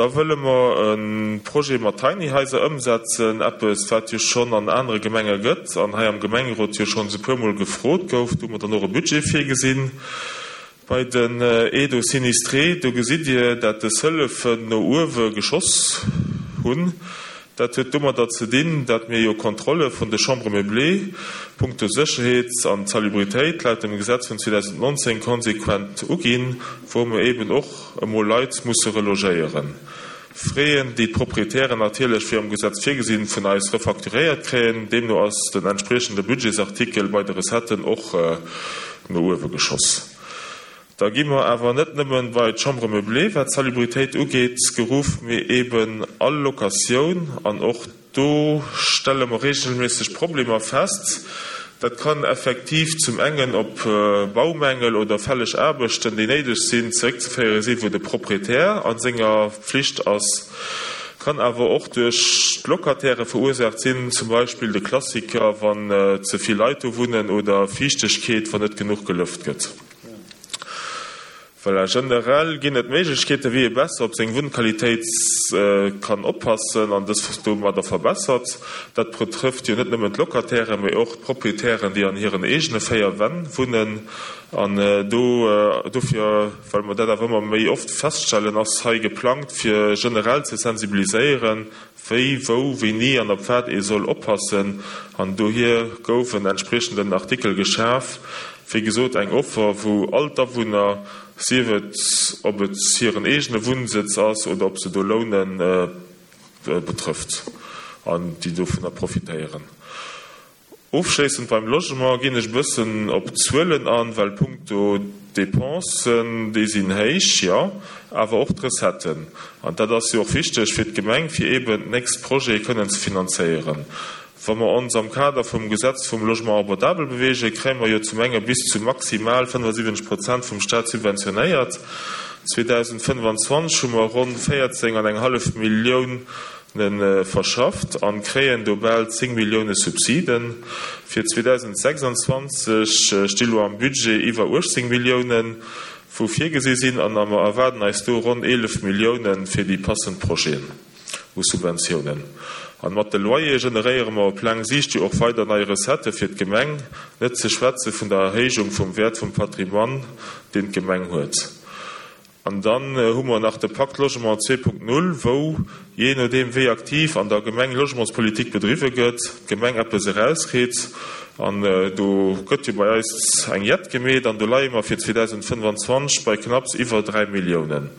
Da wëlle mer e Projet mat Tiny Haiser ëmsetzen, eppes, wat jo schonn an anere Gemenge gëtt an hei am Gemengerot jo schonns e puermol gefrot gouf. Do hu mer dann och e Budget virgesinn. Bei den Aides aux sinistrés, do gesitt Dir, dat des Hëllefen no uewe geschoss hunn. Dat huet domadder ze dinn, dat mir jo Kontrolle vun de Chambres meublées punkto Sécherheet an Salubritéit laut dem Gesetz vun 2019 konsequent uginn, wou mir eben och emol Leit musse relogéieren. Fräen, déi d'Proprietären natierlech, wéi am Gesetz virgesinn, vun eis refacturéiert kréien. Deemno ass den entspriechende Budgetsartikel bei de Recetten och no uewe geschoss. Da gi mer awer net nëmmen bei d'Chambre meublée, wat d'Salubritéit ugeet, geruff, mee eeben all Locatioun an och Do stelle mer regelméisseg Problemer fest. Dat kann effektiv zum engen op Baumängel oder fälleg Aarbechten, déi néideg sinn, zeréckzeféiere sinn, wou de Proprietär a senger Pflicht ass, kann awer och duerch d'Locataire verursaacht sinn, zum Beispill de Klassiker, wann ze vill Leit do wunnen oder Fiichtegkeet, wann net genuch gelëft gëtt. Voilà, generell ginn et Méiglechkeeten, wéi ee besser op seng Wunnqualitéit kann oppassen an dës domadder verbessert. Dat betrëfft jo net nëmmen d'Locatairen, mee och d'Proprietären, déi an hiren eegene 4 Wänn wunnen. An do, dofir, well mer dat awer ëmmer méi oft feststellen, ass hei geplangt, fir generell ze sensibiliséieren, wéi, wou, wéini an op wat ee soll oppassen, an dohier gouf en entspriechenden Artikel geschaf. Wéi gesot, eng Offer, wou all d'Awunner, sief et ob et hiren eegene Wunnsëtz ass oder ob se do lounen, betrëfft an déi dovunner profitéieren. Ofschléissend beim Logement ginn ech e bëssen op d'Zuelen an, well punkto Dépensen, déi sinn héich, jo, awer och d'Recetten. An dat ass jo och wichteg fir d'Gemeng, fir eeben d'nächst Projete kënnen ze finanzéieren. Wa mer ons am Kader vum Gesetz vum Logement abordable bewegen, kréie mer jo zum enge bis zu maximal 75 Prozent vum Stat subventionéiert. 2025 hu mer ronn 14 an eng hallef Millioun. Nen verschafft an kréien do bal 10 Millioune Subsiden. Fir 2026 sti lo am Budget iwwer 18 Milliounen, wou virgesi sinn, an a mer erwaarden eis do ronn 11 Milliounen fir déi passend Projeten u Subventiounen. An mat de Loyere generéiere mer op laang Siicht jo och weider nei Recettë fir d'Gemeng, net ze schwätze vun der Erhéijung vum Wäert vum Patrimoine, deen d'Gemeng huet. An dann hu mer nach de Pacte Logement 2.0, wou, jee nodeem wéi aktiv an der Gemeng Logementspolitik bedriwwe gëtt, d'Gemeng eppes erauskritt. An do gëtt jo bei eis eng Jett gemeet an do leie mer fir 2025 bei knapps iwwer 3 Milliounen.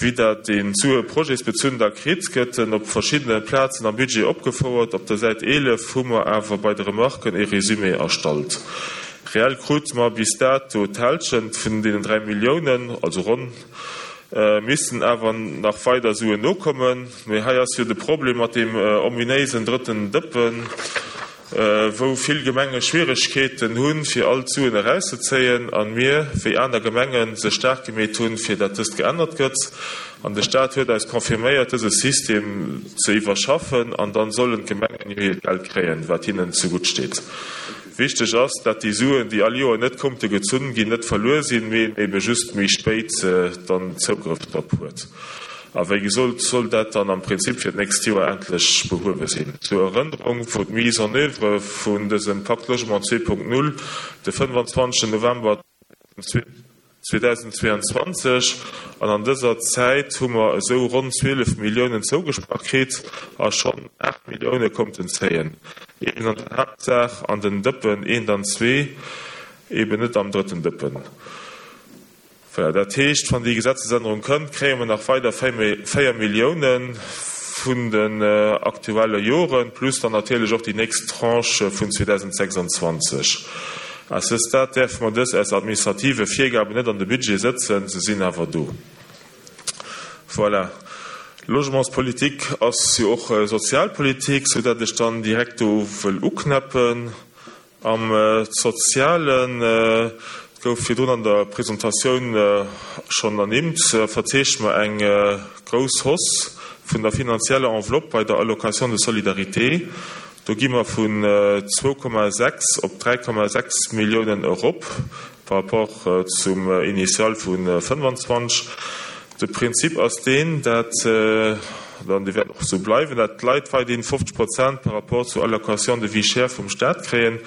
Vue dat een d'Sue projetsbezunn da kritt, gëtt en op verschiddene Plazen am Budget opgefouert. Op der Säit 11 hu mer awer bei de Remarken e Résumé erstallt. Reell krute mer bis dato d'Hälschent vun deenen 3 Milliounen, also ronn, missten awer nach weider Suen nokommen. Mee hei ass jo de Problem mat deem ominéisen drëtten Dëppen, wou vill Gemenge Schwieregkeeten hunn, fir all d'Suen erauszezéien, a mir, wéi aner Gemengen, sech staark gemeet hunn, fir dat dëst geännert gëtt. An de Staat huet eis confirméiert, dëse System ze iwwerschaffen, an dann sollen d'Gemengen jo hiert Geld kréien, wat hinnen zegutt steet. Wichteg ass, dat déi Suen, déi all Joer net konnte gezunn ginn, net verluer sinn, mee een ebe just méi spéit dann Zougrëff drop huet. A wéi gesot, soll dat dann am Prinzip fir d'nächst Joer endlech behuewe sinn. Zur Erënnerung, wou d'Mise en oeuvre vun dësem Pacte Logement 2.0 de 25 November 2022, an an dëser Zäit hu mer esou ronn 12 Milliounen zougesprach kritt a schonn 8 Millioune konnten zéien, eben an der Haaptsaach an den Dëppen eent an zwee, eben net am drëtten Dëppen. Voilà, dat heescht, wann déi Gesetzesännerung kënnt, kréie mer nach weider 4 Milliounen vun den aktuelle Joren, plus dann natierlech och déi nächst Tranche vun 2026. À ce stade däerfe mer dës aus administrative Virgaben net an de Budget sëtzen, se sinn awer do. Voilà. Logementspolitik ass jo och Sozialpolitik, soudatt ech dann direkt do wëll uknäppen. Am Sozialen, et gouf virdrun an der Presentatioun schonn ernimmt, verzeechne mer eng grouss Hausse vun der finanzieller Enveloppe bei der Allocation de solidarité. Do gi mer vun 2,6 op 3,6 Milliounen erop par rapport zum Initial vu 25. De Prinzip ass deen, dat, an dee wäert och esou bleiwen, dat d'Leit weiderhin 50 Prozent par rapport zur Allocation de vie chère vum Staat kréien.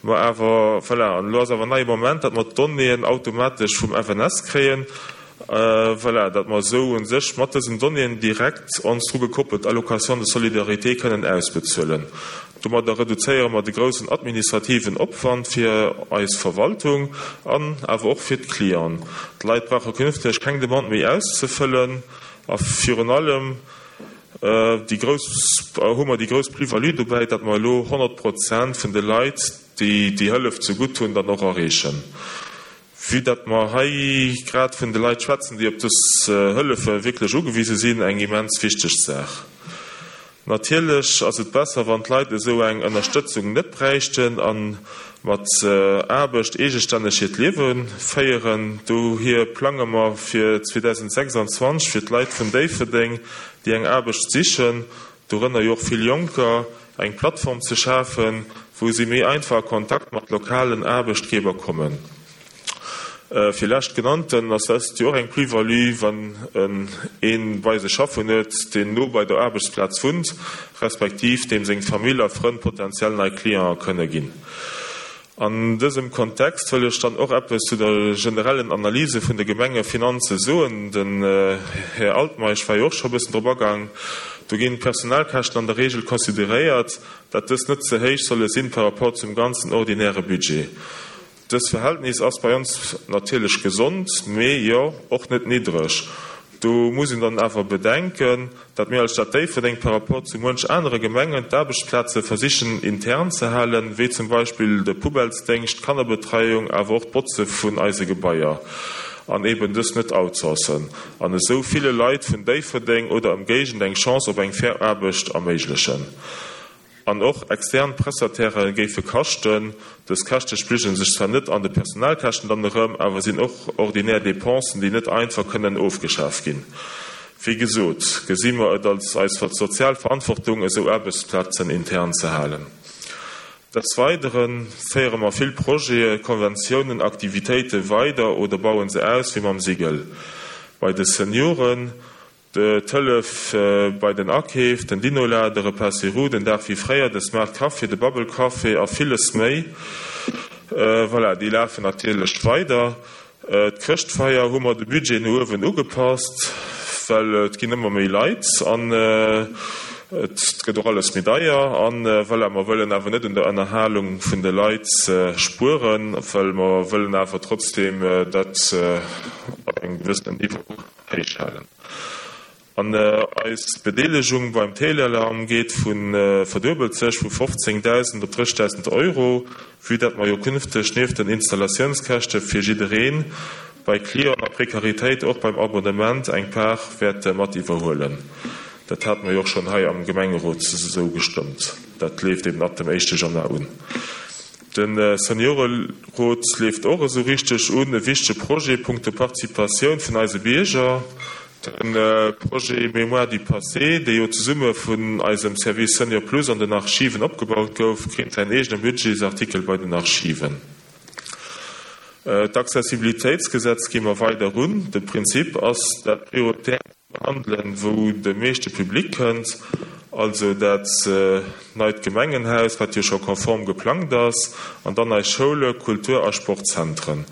Mer awer, voilà, an elo ass awer en neie Moment, datt mer d'Donnéeën automatesch vum FNS kréien, voilà, datt mer esou u sech mat dësen Donnéeën direkt ons dru gekoppelt Allocation de solidarité kënnen ausbezuelen. Domadder reduzéiere mer de groussen administrativen Opwand fir eis Verwaltung an awer och fir d'Clienten. D'Leit brauche künfteg keng Demande méi auszefëllen a virun allem déi grouss hu mer déi grouss Plus-value dobäi, datt mer elo 100 Prozent vun de Leit, déi déi Hëllef zegutt hunn, dann och erreechen. Vue datt mer hei grad vun de Leit schwätzen, déi op dës Hëllefe wierklech ugewise sinn, eng immens wichteg Saach. Natierlech ass et besser, wann d'Leit esou eng Ënnerstëtzung net bräichten a mat Aarbecht eegestänneg hiert Liewe féieren. Dohier plange mer fir 2026 fir d'Leit vun Déifferdeng, déi eng Aarbecht sichen, dorënner jo och vill Jonker, eng Plattform ze schafen, wou si méi einfach a Kontakt mat lokalen Aarbechtgeber kommen. Fir leschtgenannten ass dëst jo och eng Plus-value, wann en ee bei sech schaffen huet, deen no bei der Aarbechtsplaz wunnt, respektiv deem seng Famill a Frënn potentiell nei Clientë kënne ginn. An dësem Kontext wëll ech dann och eppes zu der generellen Analyse vun de Gemengefinanze soen. Den Här Altmeisch war jo och scho e bëssen drop agaang. Do ginn d'Personalkäschten an der Regel consideréiert, dat dës net ze héich solle sinn par rapport zum ganzen ordinäre Budget. Dës Verhältnis ass bei ons natierlech gesond, mee jo och net niddreg. Do muss een dann awer bedenken, dat mir als Stad Déifferdeng par rapport zu muench anere Gemengen d'Aarbechtsplaze versichen intern ze halen, wéi zum Beispill de Poubellesdéngscht, d'Kannerbetreiung, awer och d'Botze vun eise Gebaier, an eben dës net outsourcen an esou ville Leit vun Déifferdeng oder Ëmgéigend eng Chance op eng fair Aarbecht erméiglechen. An och extern Prestatairë géife kaschten. Dës Käschte spigele sech zwar net an de Personalkäschten dann erëm, awer sinn och ordinär Dépensen, déi net einfach kënnen ofgeschaf ginn. Wéi gesot, gesi mer et als eis sozial Verantwortung, esou Aarbechtsplazen intern ze halen. Des Weidere féiere mer vill Projete, Konventiounen, Aktivitéite weider oder bauen se aus, wéi mam Sigel bei de Senioren, d'Hëllef bei den Akeef, den Dinola, de Repas sur roues, den Dag wéi fréier, de Smart Café, de Bubble Café a villes méi. Voilà, déi lafen natierlech weider. D'Chrëschtfeier hu mer de Budget no uewen ugepasst, well et ginn ëmmer méi Leit an et gëtt och alles méi deier. An voilà, mer wëllen awer net un der Ënnerhalung vun de Leit spueren, well mer wëllen awer trotzdeem dat op engem gewëssenen Niveau héich halen. An eis Bedeelegung beim Téléalarm geet vu verduebelt sech vu 15.000 op 30.000 Euro, vue dat mer jo künfteg nieft den Installatiounskäschte fir jiddereen bei Clienten a Prekaritéit och beim Abonnement eng Part wäerte mat iwwerhuelen. Dat hate mer jo och schonn hei am Gemengerot esou gestëmmt. Dat leeft eben ab dem éischte Januar un. De Seniorerot leeft och esou richteg un, e wichtege Projet punkto Participatioun vun eise Bierger. De Projet Mémoire du passé, dee jo zesumme vun eisem Service Senior Plus an den Archiven opgebaut gouf, kritt säin eegene Budgetsartikel bei den Archiven. D'Accessibilitéitsgesetz gi mer weider un. De Prinzip ass dat prioritär ze behandelen, wou de meeschte Public kënnt, also dat neit Gemengenhaus, wat jo scho konform geplangt ass, an dann eis Schoule, Kultur a Sportzentren.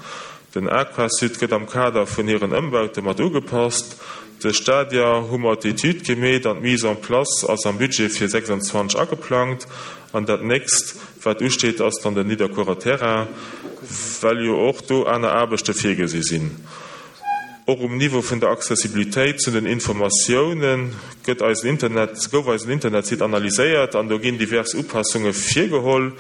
Den Aquasud gëtt am Kader vun hiren Ëmbaute mat ugepasst. De Stadia hu mer d'Etüd gemeet an d'Mise en place ass am Budget fir 26 ageplangt. An dat nächst, wat usteet, ass dann den Nidderkuerer Terrain, well jo och do aner Aarbechte virgesi sinn. Och um Niveau vun der Accessibilitéit zu den Informatioune gëtt eisen Internet, gouf eisen Internetsite analyséiert an do ginn divers Upassunge virgeholl.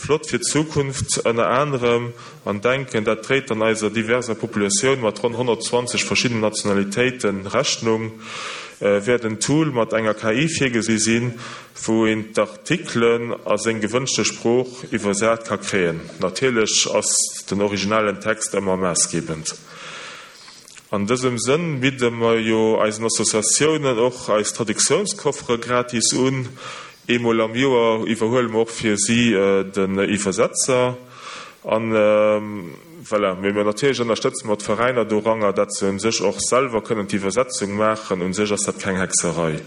Flott fir d'Zukunft ënner anerem an denken, dat dréit dann eiser diverser Populatioun mat ronn 120 verschiddenen Nationalitéite Rechnung, wäert en Tool mat enger KI virgesi sinn, wou een d'Artikelen a seng gewënschte Sprooch iwwersat ka kréien. Natierlech ass den originalen Text ëmmer maassgebend. An dësem Sënn bidde mer jo eisen Associatiounen och eis Traduktiounskoffere gratis un. Eemol am Joer iwwerhuele mer och fir si den Iwwersetzer. An voilà, mee mir natierlech ënnerstëtze mer d'Veräiner doranger, dat se un sech och selwer kënnen d'Iwwersetzung maachen. Un sech ass dat keng Hexerei.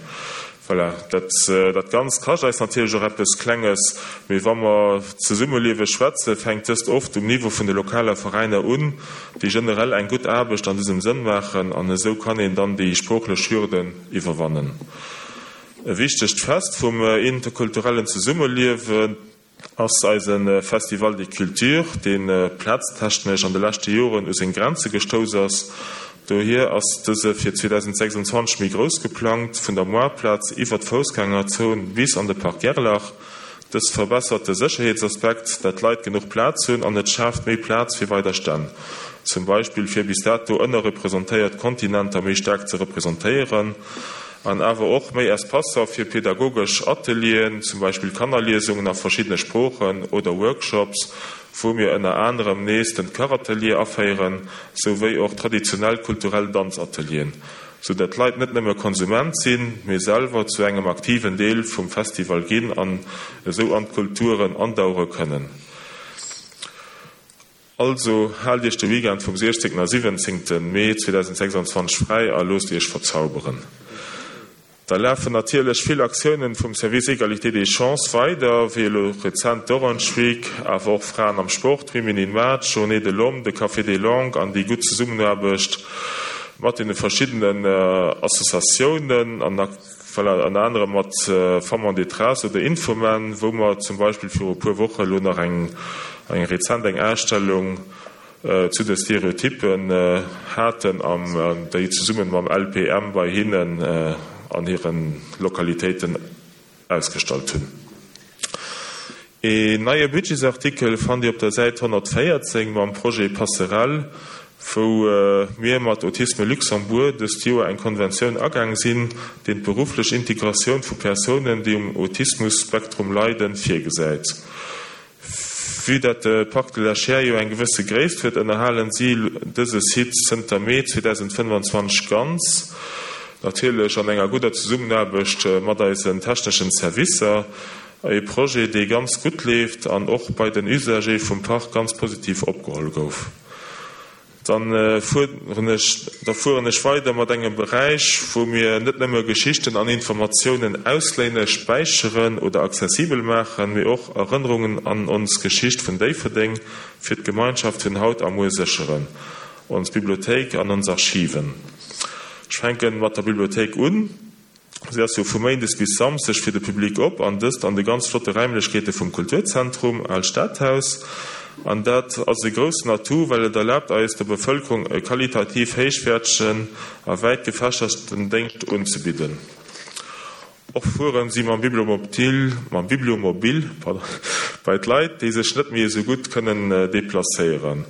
Voilà, dat, dat Ganzt kascht eis natierlech och eppes Klenges, mee wa mer Zesummeliewe schwätzen, fänkt dëst oft um Niveau vun de lokaler Veräiner un, déi generell eng gutt Aarbecht an dësem Sënn maachen, an esou kann een dann déi sproochlech Hürden iwwerwannen. E wichtegt Fest vum interkulturellen Zesummeliewen. Ass eise Festival des Cultures, dee plaztechnesch an de leschte Joren u seng Grenze gestouss ass. Dohier ass dëse fir 2026 méi grouss geplangt, vun der Moartplaz iwwer d'Foussgängerzon bis an de Parc Gerlach. Dës verbessert de Sécherheetsaspekt, dat d'Leit genuch Plaz hunn an et schaaft méi Plaz fir weider Stänn, zum Beispill fir bis dato ënnerrepresentéiert Kontinenter méi staark ze representéieren. An awer och méi Espacer fir pedagogesch Atelieren, zum Beispill Kannerliesungen a verschiddene Sproochen oder Workshops, wou mir ënner anerem nees den Kachatelier aféieren, souwéi och traditionell kulturell Danzatelieren, sou dat d'Leit net nëmme Konsument sinn, mee selwer zu engem aktiven Deel vum Festival ginn an esou an d'Kulturen andauere kënnen. Also haalt iech de Weekend vum 16 a 17 Mee 2026 fräi a loosst iech verzauberen. Da lafen natierlech vill Aktiounen vum Service Égalité des chances weider, wéi elo rezent d'Orange Week, awer och Fraen am Sport, Women in Math, Journée de l'Homme, de Café des Langues an déi gutt Zesummenaarbecht mat deene verschiddenen Associatiounen an Voilà, ënner anerem mat Femmes en détresse oder Infomen, wou mer zum Beispill viru e puer Woche elo nach eng, eng rezent eng Ausstellung zu de Stereotyppen haten an déi zesumme mam LPM bei hinnen an hire Lokalitéiten ausgestallt hunn. Een neie Budgetsartikel fannt Dir op der Säit 114 mam Projet Passerelle, wou mir mat Autisme Luxembourg dëst Joer eng Konventioun agaang sinn, deen d'berufflech Integratioun vu Persounen, déi um Autismus-Spektrum leiden, virgesäit. Vue dat de Parc de la Chiers jo eng gewësse Gréisst huet, ënnerhalen si dëse Site zënter Mee 2025 ganz. Natierlech an enger gudder Zesummenaarbecht mat eisen techneschen Servicer. E Projet, dee ganz gutt leeft an och bei den Usagé vum Park ganz positiv opgeholl gouf. Dann fueren ech, da fueren ech weider mat engem Beräich, wou mir net nëmme Geschichten an Informatiounen ausléine, späicheren oder accessibel maachen, mee och Erënnerungen an ons Geschicht vun Déifferdeng fir d'Gemeinschaft vun haut a muer sécheren, ons Bibliothéik an ons Archiven. Ech fänken mat der Bibliothéik un. Si ass jo vu Méindes bis Samsdeg fir de Public op, an dëst an de ganz flotte Räimlechkeete vum Kulturzentrum Aalt Stadhaus. An dat ass e groussen Atout, well et erlaabt eis, der Bevëlkerung e qualitativ héichwäertegen a wäit gefächerten Déngscht unzebidden. Och fueren si mam Bibliomobile, mam Bibliomobil, pardon, bei d'Leit, déi sech net méi esou gutt kënnen deplacéieren.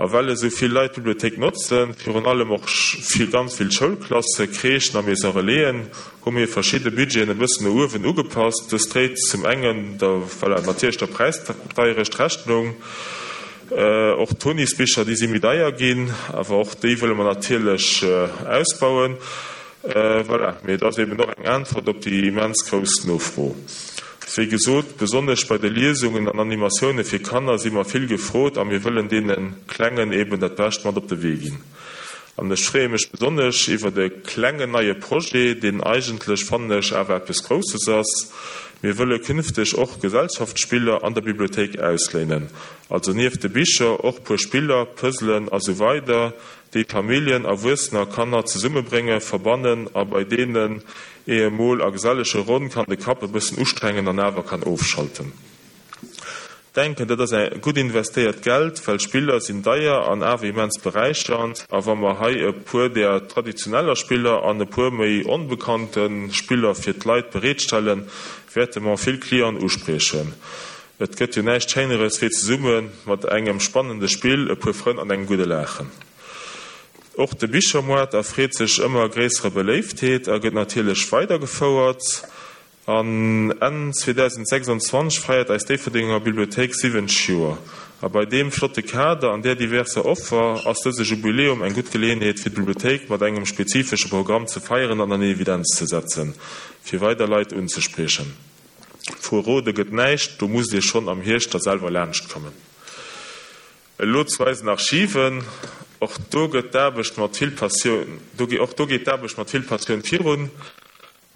A well esou vill Leit d'Bibliothéik notzen, virun allem och vill, ganz vill Schoulklasse, Crèchen a Maison Relaisen, hu mir verschidde Budgeten e bëssen no uewen ugepasst. Dëst dréit zum engen der, voilà, natierlech der Präisdeierecht Rechnung. Och d'Tonisbicher, déi si méi deier ginn, awer och déi wëlle mer natierlech ausbauen. Voilà, mee et ass eben och eng Äntwert op déi immens grouss Nofro. Wéi gesot, besonnesch bei de Liesungen an Animatioune fir Kanner si mer vill gefrot a mir wëllen deene Klengen eben dat Bescht mat op de Wee ginn. An ech freeë mech besonnesch iwwert e klengen neie Projet, deen eigentlech, fannen ech, awer eppes Grousses ass. Mir wëlle künfteg och Gesellschaftsspiller an der Bibliothéik ausléinen, also nieft de Bicher och puer Spiller, Puzzlen a sou weider, déi Familljen, Erwuessener a Kanner zesummebréngen, verbannen a bei deenen ee emol a gesellege Ronn kann de Kapp e bëssen ustrengen an awer kann ofschalten. Denken, dat ass gutt investéiert Geld, well Spiller sinn deier an awer immens beräichernd. A wa mer hei e puer där traditioneller Spiller an e puer méi onbekannte Spiller fir d'Leit bereetstellen, wäerte mer vill Clienten uspriechen. Et gëtt jo näischt Schéineres wéi zesumme mat engem spannende Spill, e puer Frënn an engem gudde Laachen. Och de Bichermoart erfreet sech ëmmer gréisserer Beléiftheet a gëtt natierlech weidergefouert. An Enn 2026 feiert eis Déifferdenger Bibliothéik 70 Joer. A bei deem flotte Kader an där diverser Offer ass dëse Jubiläum eng gutt Geleeënheet fir d'Bibliothéik mat engem spezifesche Programm ze feieren an an Evidenz ze setzen, fir weider Leit unzespriechen. Verrode gëtt näischt, do musst Dir schonn am Hierscht da selwer laanscht kommen. Elo zu eisen Archiven, och do gëtt d'Aarbecht mat vill Passioun, och do geet d'Aarbecht mat vill Passioun virun.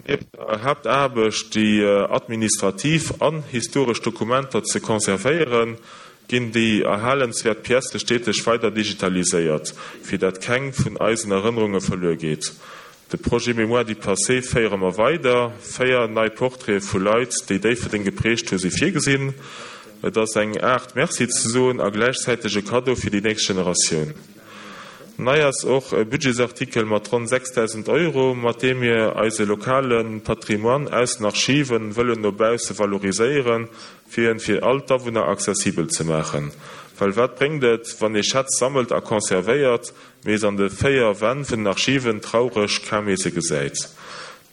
Nieft der Haaptaarbecht, déi administrativ an historesch Dokumenter ze conservéieren, ginn déi erhalenswäert Piècë steeteg weider digitaliséiert, fir dat keng vun eisen Erënnerunge verluer geet. De Projet Mémoire du passé féiere mer weider. 4 nei Portraite vu Leit, déi Déifferdeng geprägt hu si virgesinn. Et ass eng Aart Merci ze soen a gläichzäiteg e Kaddo fir déi nächst Generatioun. Nei ass och e Budgetsartikel mat ronn 6.000 Euro, mat deem mir eise lokale Patrimoine aus den Archiven wëllen no bausse valoriséieren, fir en fir all d'Awunner accessibel ze maachen. Well wat bréngt et, wann ee Schätz sammelt a conservéiert, mee se an de 4 Wänn vun den Archiven traureg kaum ee se gesäit.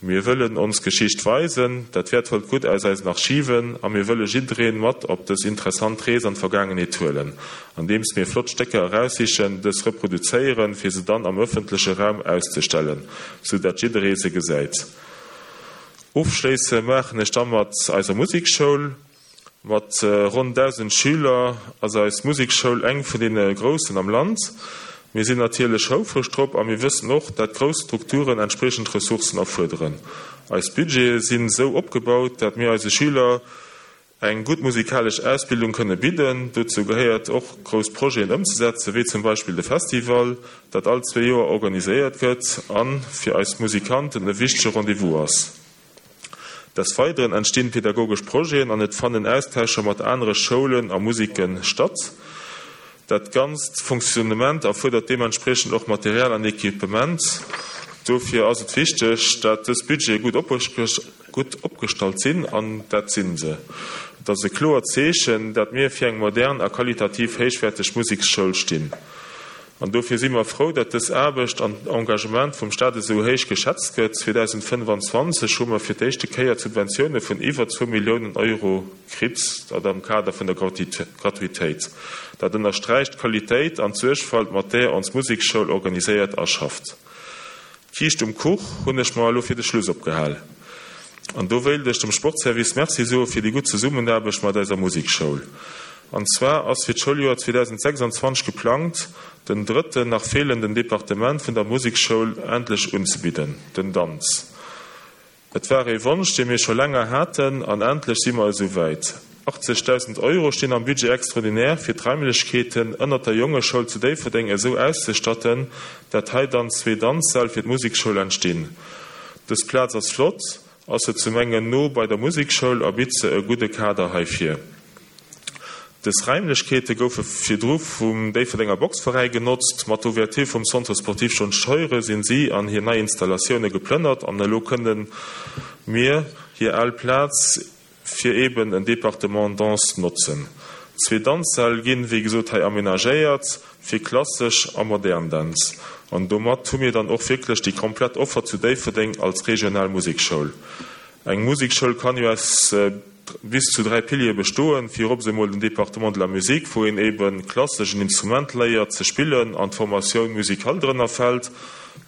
Mir wëllen ons Geschicht weisen, dat wäertvollt Gutt aus eisen Archiven, a mir wëlle jiddereen mat op dës interessant Rees an d'Vergaangenheet huelen, andeems mir flott Stécker eraussichen, dës reproduzéieren, fir se dann am ëffentleche Raum auszestellen, sou dat jidderee se gesäit. Ofschléisse maachen ech da mat eiser Musekschoul. Mat ronn 1.000 Schüler ass eis Musekschoul eng vun deene groussen am Land. Mir sinn natierlech houfreg drop a mir wëssen och, dat grouss Strukturen entspriechend Ressourcen erfuerderen. Eis Budgete sinn esou opgebaut, dat mir eise Schüler eng gutt musikalesch Ausbildung kënne bidden. Dozou gehéiert och, grouss Projeten ëmzesetzen, wéi zum Beispill de Festival, dat all zwee Joer organiséiert gëtt a fir eis Musikanten e wichtege Rendez-vous ass. Des Weideren entstinn pedagogesch Projeten an et fannen Austauscher mat anere Schoulen a Musiken statt. Dat ganzt Fonctionnement erfuerdert deementspriechend och Material an Equipement. Dofir ass et wichteg, dat dës Budgete gutt opgestallt sinn, an dat sinn se. Et ass e kloert Zeechen, dat mir fir eng modern a qualitativ héichwäerteg Museksschoul stinn. An dofir si mer frou, datt dës Aarbecht an Engagement vum Stat esou héich geschätzt gëtt. 2025 hu mer fir d'éischte Kéier Subventioune vun iwwer zwou Milliounen Euro kritt, dat am Kader vun der Gratuitéit. Dat ënnersträicht d'Qualitéit an d'Suergfalt, mat där ons Musekschoul organiséiert a schafft. D'Kiischt um Kuch hunn ech mer elo fir de Schluss opgehal. An do wéilt ech dem Sportservice Merci soe fir déi gutt Zesummenaarbecht mat eiser Musekschoul. An zwar ass fir d'Schouljoer 2026 geplangt, den drëtten nach feelenden Departement vun der Musekschoul endlech unzebidden, den Danz. Et war ee Wonsch, dee mir scho länger haten, an endlech si mer esou wäit. 80.000 Euro stinn am Budget extraordinaire, fir d'Raimlechkeeten ënnert der Jongeschoul zu Déifferdeng esou auszestatten, dat hei dann zwee Danzsäll fir d'Musekschoul entstinn. Dës Plaz ass flott, ass se zu mengen no bei der Musekschoul a bitt se e gudde Kader heifir. Dës Raimlechkeete goufe virdru vum Déifferdenger Boxveräi genotzt. Mat der Ouverture vum Centre sportif John Scheuren sinn si an hir nei Installatioune geplënnert an elo kënne mir hir al Plaz fir eben en Departement Danse notzen. Zwee Danzsäll ginn, wéi gesot, hei amenagéiert fir klassesch a modern Dänz. An domat hu mir dann och wierklech déi komplett Offer zu Déifferdeng als regional Musekschoul. Eng Musekschoul kann jo aus bis zu 3 Piliere bestoen, virops emol den Département de la musique, wou een eben klassesch en Instrument léiert ze spillen an d'Formatioun musicale drënner fält,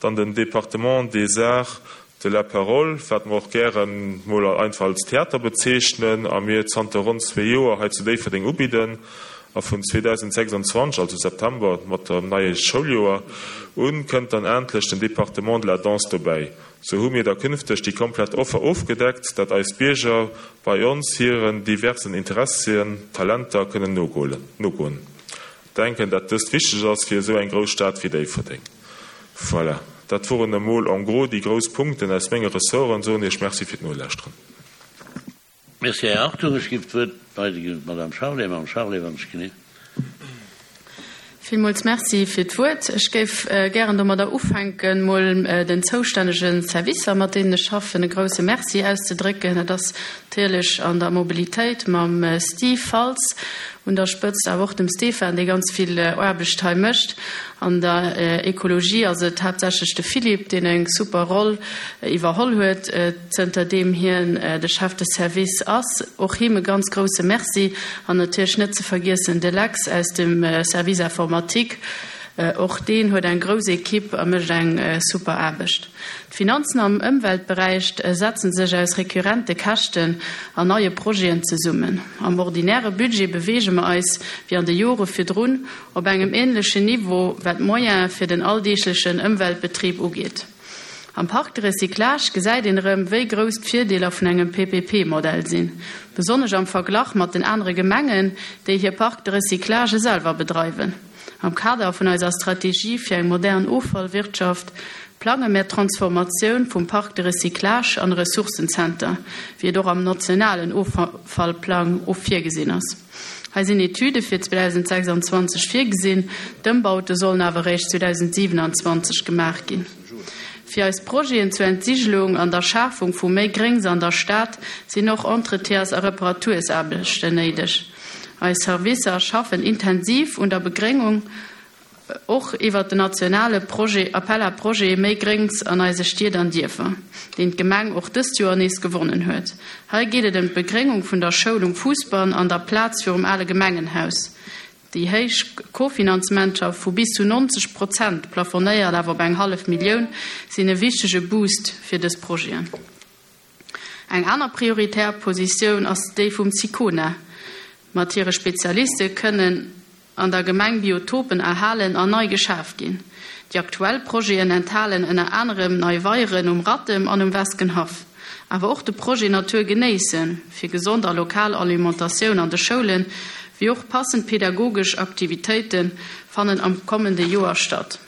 dann den Département des arts de la parole, wat mer och gären mol einfach als Theater bezeechnen a mir zanter ronn zwee Joer hei zu Déifferdeng ubidden a vun 2026, also September mat dem neie Schouljoer un, kënnt dann endlech den Département de la danse dobäi. Sou hu mir da künfteg déi komplett Offer ofgedeckt, dat eis Bierger bei ons hiren diversen Interessien, Talenter kënnen nogoen. Denken dat dëst wichteg ass fir esou eng grouss Stad wéi Déifferdeng. Voilà, dat woren emol en gros déi grouss Punkten aus menge Ressorten. Soen Iech Merci fir d'Nolauschteren. Merci, Här Hartung. Ech géif d'Wuert weiderginn un d'Madame Charlé. Madame Charlé, wann ech genee. Villmools Merci fir d'Wuert. Ech géif gären domadder ufänken, mol den zoustännege Servicer, mat deenen ech schaffen, e grouse Merci auszedrécken. Dat ass natierlech an der Mobilitéit mam Steve Faltz un der Spëtzt, awer och dem Stéphane, dee ganz vill Aarbecht hei mécht. An der Ekologie ass et haaptsächlech de Philippe, deen eng super Roll iwwerholl huet, zënter deem hien de Chef de Service ass. Och him e ganz grousse Merci. An natierlech net ze vergiessen de Lex aus dem Service Informatique. Och deen huet eng grouss Equipe a mécht eng super Aarbecht. D'Finanzen am Ëmweltberäich setzen sech aus recurrente Käschten an neie Projeten zesummen. Am ordinäre Budget beweege mer eis, wéi an de Jore virdrun, op engem änlechen Niveau, wat d'Moyene fir den alldeeglechen Ëmweltbetrib ugeet. Am Parc de recyclage gesäit een erëm, wéi grouss d'Virdeeler vun engem PPP-Modell sinn, besonnesch am Verglach mat den anere Gemengen, déi hir Parcs de recyclage selwer bedreiwen. Am Kader vun eiser Strategie fir eng modern Offallwirtschaft plange mär d'Transformatioun vum Parc de recyclage an e Ressourcenzenter, wéi et och am nationalen Offallplang virgesinn ass. Hei sinn Etüde fir 2026 virgesinn, d'Ëmbaute sollen awer eréischt 2027 gemaach ginn. Fir eis Projeten zur Entsigelung an der Schafung vu méi Gréngs an der Stad sinn och Entretiens a Reparatursaarbechten néideg. Eis Servicer schaffen intensiv un der Begréngung. Och iwwert den nationale Projet Appel à projets Méi Gréngs an eise Stied an Dierfer, deen d'Gemeng och dëst Joer nees gewonnen huet. Hei geet et ëm d'Begréngung vun der Schoul um Fousbann an der Plaz virum ale Gemengenhaus. Déi héich Kofinanzementer vu bis zu 90 Prozent, plafonéiert awer op eng hallef Millioun, sinn e wichtege Boost fir dës Projeten. Eng aner prioritär Positioun ass déi vum SICONA. Mat hire Spezialiste kënnen an der Gemeng Biotopen erhalen an nei geschaf ginn. Déi aktuell Projeten enthalen ënner anerem nei Weieren um Rattem an um Weskenhaff. Awer och de Projet Natur genéissen, fir gesond a lokal Alimentatioun an de Schoulen, wéi och passend pedagogesch Aktivitéite fannen am kommende Joer statt.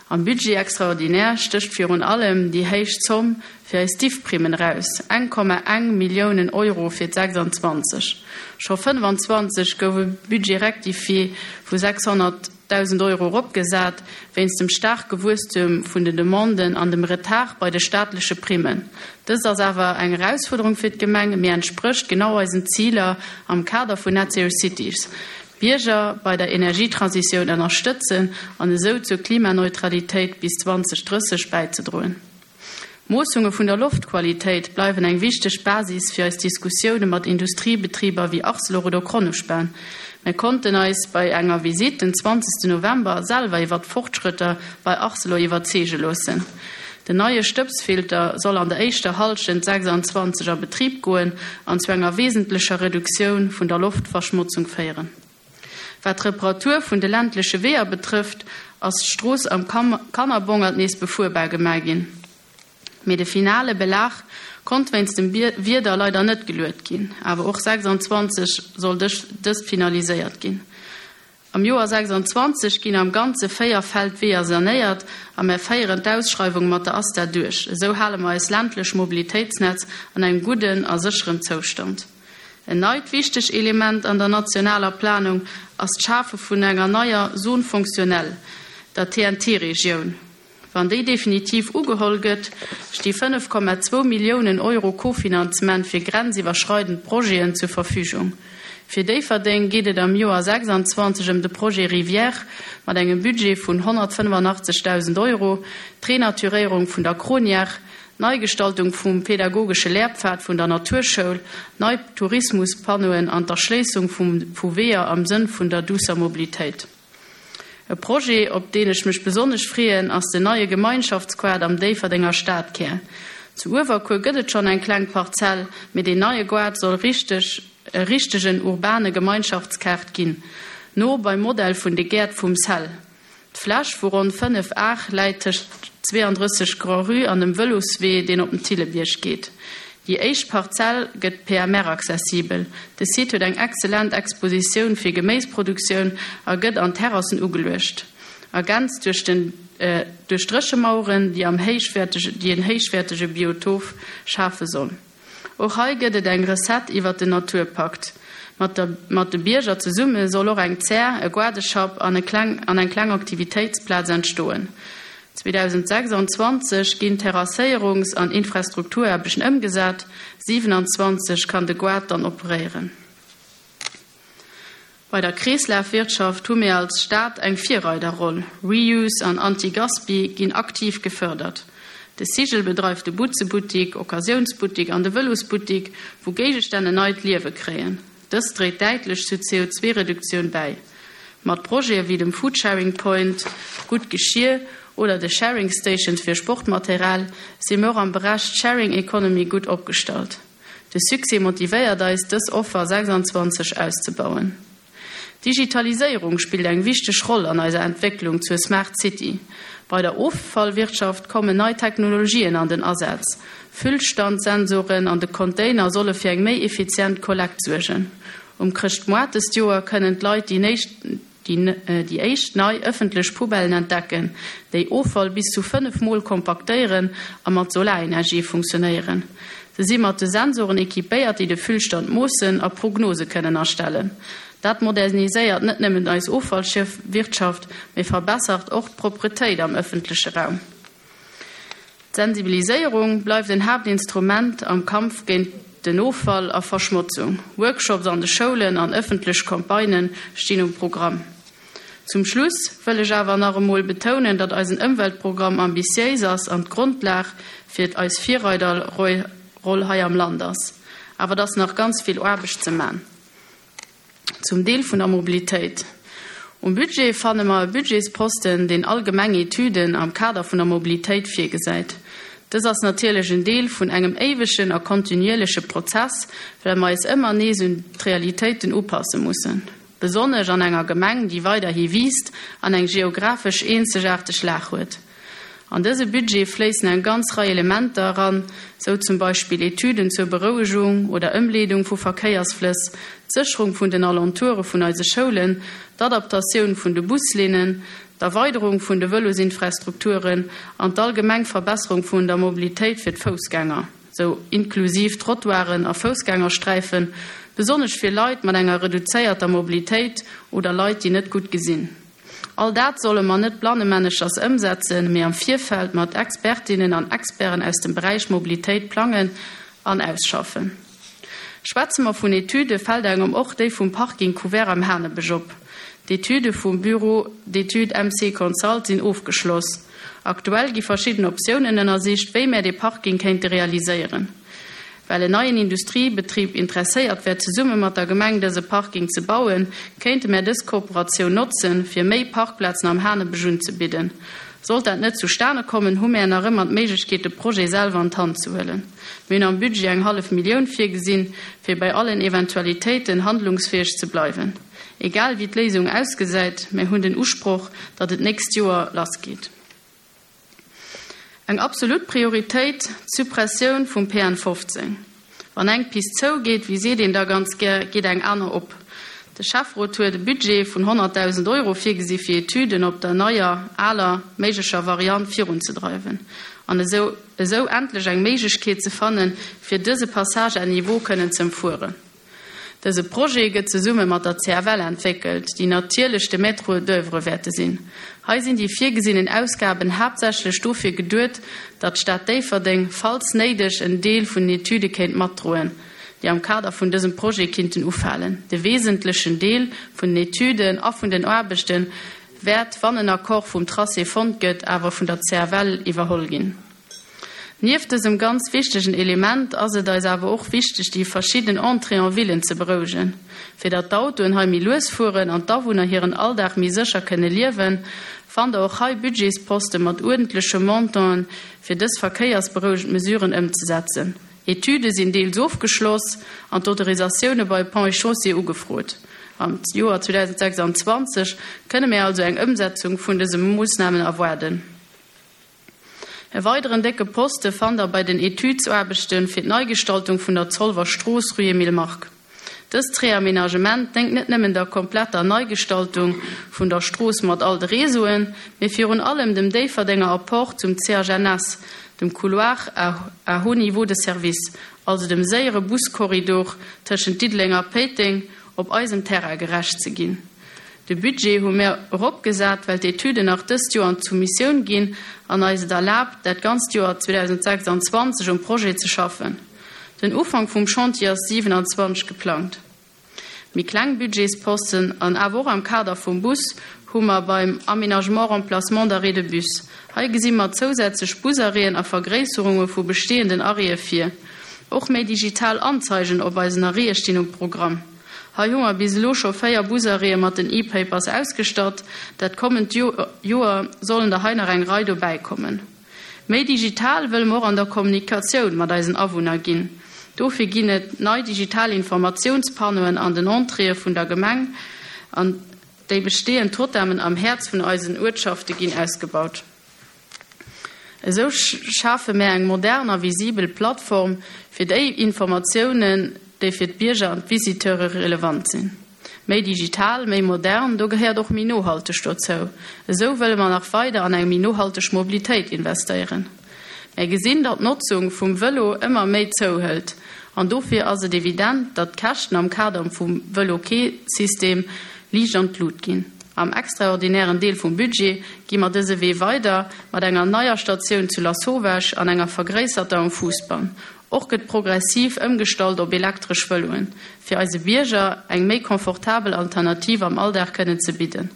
Am Budget extraordinaire stécht virun allem déi héich Zomm fir eis Diffprimmen eraus, 1,1 Milliounen Euro fir d'26. Scho 25 gouf e Budget rectifié vu 600.000 Euro eropgesat, wéinst dem staarke Wuesstum vun den Demanden an dem Retard bei de staatleche Primmen. Dëst ass awer eng Erausfuerderung fir d'Gemeng, mee entsprécht genau eisen Ziler am Kader vun Net Zero Cities. D'Bierger bei der Energietransitioun ënnerstëtzen an esou zur Klimaneutralitéit bis 2030 bäizedroen. D'Moossunge vun der Loftqualitéit bleiwen eng wichteg Basis fir eis Diskussioune mat Industriebetriber wéi Arcelor oder Kronospan. Mär konnten eis bei enger Visitt den 20 November selwer iwwer d'Fortschrëtter bei Arcelor iwwerzeege loossen. Den neie Stëbsfilter soll an der éischter Hallschent 26 a Betrib goen an zu enger wesentlecher Reduktioun vun der Loftverschmotzung féieren. Wat d'Reparatur vun de ländleche Weeër betrëfft, ass d'Strooss am Kannerbongert nees befuerbar gemaach ginn. Mee de finale Belag konnt wéinst dem Wieder leider net geluet ginn. Awer och 26 soll dëst finaliséiert ginn. Am Joer 26 ginn am Ganze 4 Feldweeër sanéiert a mär féieren d'Ausschreiwung mat der ASTA duerch. Esou hale mer eist ländlech Mobilitéitsnetz an engem gudden a sécheren Zoustand. En neit wichteg Element an der nationaler Planung ass d'Schafe vun enger neier Zone fonctionnelle, der TNT-Regioun. Wann déi definitiv ugeholl gëtt, sti 5,2 Milliounen Euro Kofinanzement fir grenziwwerschreidend Projeten zur Verfügung. Fir Déifferdeng geet et am Joer 26 ëm de Projet Rivière mat engem Budget vun 185.000 Euro, d'Renaturéierung vun der Cronière, d'Neigestaltung vum pedagogesche Lehrpfad vun der Naturschoul, nei Tourismuspanneauen an d'Erschléissung vu Weeër am Sënn vun der duusser Mobilitéit. E Projet, op deen ech mech besonnesch freeën, ass den neie Gemeinschaftsquart am Déifferdenger Stadkär. Zu Uewerkuer gëtt et schonn eng kleng Parzell, mee deen neie Goart soll richteg e richtegen urbane Gemeinschaftskaart ginn, no beim Modell vun de Gäert vum Cell. D'Fläch vu ronn 5 Ar läit tëscht 32 Grand-Rue an dem Vëloswee, deen op den Thillebierg geet. Déi éischt Parzell gëtt PMR-accessibel. De Site huet eng excellent Expositioun fir Geméisproduktioun a gëtt an Terrassen ugeluecht, ergänzt duerch den duerch Dréchemaueren, déi am héichwäertege déi en héichwäertege Biotop schafe soll. Och hei gëtt et eng Recette iwwert den Naturpakt. Mat der mat de Bierger zesumme soll och eng Zär, e Goardeschapp an e kleng an eng kleng Aktivitéitsplaz entstoen. 2026 ginn Terrasséierungs an Infrastrukturaarbechten ëmgesat, 27 kann de Goart dann operéieren. Bei der Kreeslafwirtschaft hu mir als Stad eng Virreiderroll. Reuse an Anti-Gaspi ginn aktiv gefërdert. De Sigel bedreift de Butzebuttik, Occasiounsbuttik an de Vëlosbuttik, wou Géigestänn en neit Liewe kréien. Dëst dréit däitlech zur CO2-Reduktioun bäi. Mat Projete wéi dem Foodsharing Point, Gutt Geschir oder de Sharing Stations fir Sportmateral si mir och am Beräch Sharing Economy gutt opgestallt. De Succès motivéiert eis, dës Offer 26 auszebauen. D'Digitaliséierung spillt eng wichteg Roll an eiser Entwécklung zur Smart City. Bei der Offallwirtschaft kommen nei Technologien an den Asaz. Füllstandsensoren an de Container solle fir eng méi effizient Kollekt suergen. Um Chrëschtmoart dëst Joer kënnen d'Leit déi éischt nei ëffentlech Poubellen entdecken, déi Offall bis zu 5 Mol kompaktéieren a mat Solarenergie funktionéieren. Se si mat de Sensoren equipéiert, déi de Füllstand moossen a Prognose kënnen erstellen. Dat moderniséiert net nëmmen eis Offallwirtschaft, mee verbessert och d'Propretéit am ëffentleche Raum. D'Sensibiliséierung bleift en Haaptinstrument am Kampf géint den Offall a Verschmotzung. Workshops an de Schoulen an ëffentlech Campagnë stinn um Programm. Zum Schluss wëll ech awer nach emol betounen, datt eisen Ëmweltprogramm ambitiéis ass an d'Grondlag fir eis Virreiderroll hei am Land ass. Awer et ass nach ganz vill Aarbecht ze man. Zum Deel vun der Mobilitéit. Um Budget fanne mer e Budgetsposten, deen allgemeng Etüden am Kader vun der Mobilitéit virgesäit. Dës ass natierlech en Deel vun engem éiwegen a kontinuierleche Prozess, well mer eis ëmmer nees un d'Realitéiten upasse mussen, besonnesch an enger Gemeng, déi weiderhi wiisst an eng geographesch eenzegaarteg Lag huet. An dëse Budget fléissen eng ganz Rei Elementer eran, sou zum Beispill Etüden zur Berouegung oder Ëmleedung vu Verkéiersflëss, d'Sécherung vun den Alentoure vun eise Schoulen, d'Adaptatioun vun de Buslinnen, d'Erweiderung vun de Vëlosinfrastrukturen an d'allgemeng Verbesserung vun der Mobilitéit fir d'Foussgänger, sou inklusiv Trottoiren a Foussgängersträifen, besonnesch fir Leit mat enger reduzéierter Mobilitéit oder Leit, déi net gutt gesinn. All dat solle mer net blannemännechers ëmsetzen, mee am Virfeld mat Expertinnen an Experten aus dem Beräich Mobilitéit plangen an ausschaffen. Schwätze mer vun Etüde fält engem och déi vum Parking couvert am Hanebësch op. D'Etüde vum Bureau d'études MC Consult sinn ofgeschloss. Aktuell gi verschidden Optiounen ënnersicht, wéi mär dee Parking kéinte realiséieren. Well en neien Industriebetrib interesséiert wär zesumme mat der Gemeng dëse Parking ze bauen, kéinte mär dës Kooperatioun notzen, fir méi Parkplazen am Hanebësch unzebidden. Sollt dat net zustane kommen, hu mär nach ëmmer d'Méiglechkeet, de Projet selwer an d'Hand ze huelen. Mir hunn am Budget eng hallef Millioun virgesinn, fir bei allen Eventualitéiten handlungsfäeg ze bleiwen. Egal wéi d'Léisung ausgesäit, mär hunn den Usproch, datt et d'nächst Joer lassgeet. Eng absolut Prioritéit, d'Suppressioun vum PN 15. Wann eng Pist zougeet, wéi seet een da ganz gär, geet eng aner op. De Schäfferot huet e Budget vun 100.000 Euro virgesi fir Etüden op der neier, aler, méiglecher Variant virunzedreiwen an esou esou endlech eng Méiglechkeet ze fannen, fir dëse Passage à niveau kënnen z'ëmfueren. Dëse Projet gëtt zesumme mat der CFL entwéckelt, déi natierlech de Maître d'oeuvre wäerte sinn. Hei sinn déi virgesinnen Ausgaben haaptsächlech dofir geduet, datt d'Stad Déifferdeng, falls néideg, en Deel vun den Etüde kéint matdroen, déi am Kader vun dësem Projet kinnten ufalen. De wesentlechen Deel vun den Etüden a vun den Aarbechte wäert, wann en Accord vum Tracé fonnt gëtt, awer vun der CFL iwwerholl ginn. Nieft dësem ganz wichtegen Element ass et eis awer och wichteg, déi verschidden Entrées en villen ze berouegen. Fir datt d'Autoen hei méi lues fueren an d'Awunner hiren Alldag méi sécher kënne liewen, fannt Der och hei Budgetsposte mat uerdentleche Montanten, fir dës verkéiersberouegend Mesuren ëmzesetzen. Etüde sinn deels ofgeschloss an d'Autorisatioune bei Ponts et Chaussées ugefrot. Am Joer 2026 kënne mir also eng Ëmsetzung vun dëse Moossnamen erwaarden. E weideren décke Poste fannt der bei den Etüdsaarbechte fir d'Neigestaltung vun der Zolwer Strooss, rue Emile Mark. Dëst Reaménagement déngt net nëmmen der kompletter Neigestaltung vun der Strooss mat all de Réseauen, mee virun allem dem Déifferdenger Apport zum CHNS, dem Couloir à haut niveau de service, also dem séiere Buskorridor tëschent Diddeleng a Péiteng, op eisem Terrain gerecht ze ginn. De Budget hu mir eropgesat, well d'Etüden nach dëst Joer an d'Soumissioun ginn an eis et erlaabt, dat ganzt Joer 2026 um Projet ze schaffen. Den Ufank vum Chantier ass 27 geplangt. Méi kleng Budgetsposten, an awer och am Kader vum Bus, hu mer beim Aménagement remplacement d'arrêts de bus. Hei gesi mer zousätzlech Busarrêten a Vergréisserunge vu bestehenden Arrêtë vir. Och méi digital Anzeigen op eisen Arrêtë stinn um Programm. Hei hu mer bis elo scho 4 Busarrêtë mat den E-Papers ausgestatt. Dat kommend Joer sollen der hei nach eng Rei dobäi kommen. Méi digital wëlle mer och an der Kommunikatioun mat eisen Awunner ginn. Dofir ginn et nei digital Informatiounspannoen an den Entréeë vun der Gemeng an déi bestehend Totemen am Häerz vun eisen Uertschafte ginn ausgebaut. Esou schafe mär eng modern a visibel Plattform fir déi Informatiounen, déi fir d'Bierger an d'Visiteure relevant sinn. Méi digital, méi modern, do gehéiert och méi nohalteg dozou. Esou wëlle mer nach weider an eng méi nohalteg Mobilitéit investéieren. Mär gesinn, datt d'Notzung vum Vëlo ëmmer méi zouhëlt an dofir ass et evident, datt d'Käschten am Kader vum Vëlo-Quai-System liicht an d'Lut ginn. Am extraordinären Deel vum Budget gi mer dëse Wee weider, mat enger neier Statioun zu Lasauvage an enger vergréisserter um Fousbann. Och gëtt progressiv ëmgestallt op elektresch Vëloen, fir eise Bierger eng méi confortabel Alternativ am Alldag kënnen ze bidden.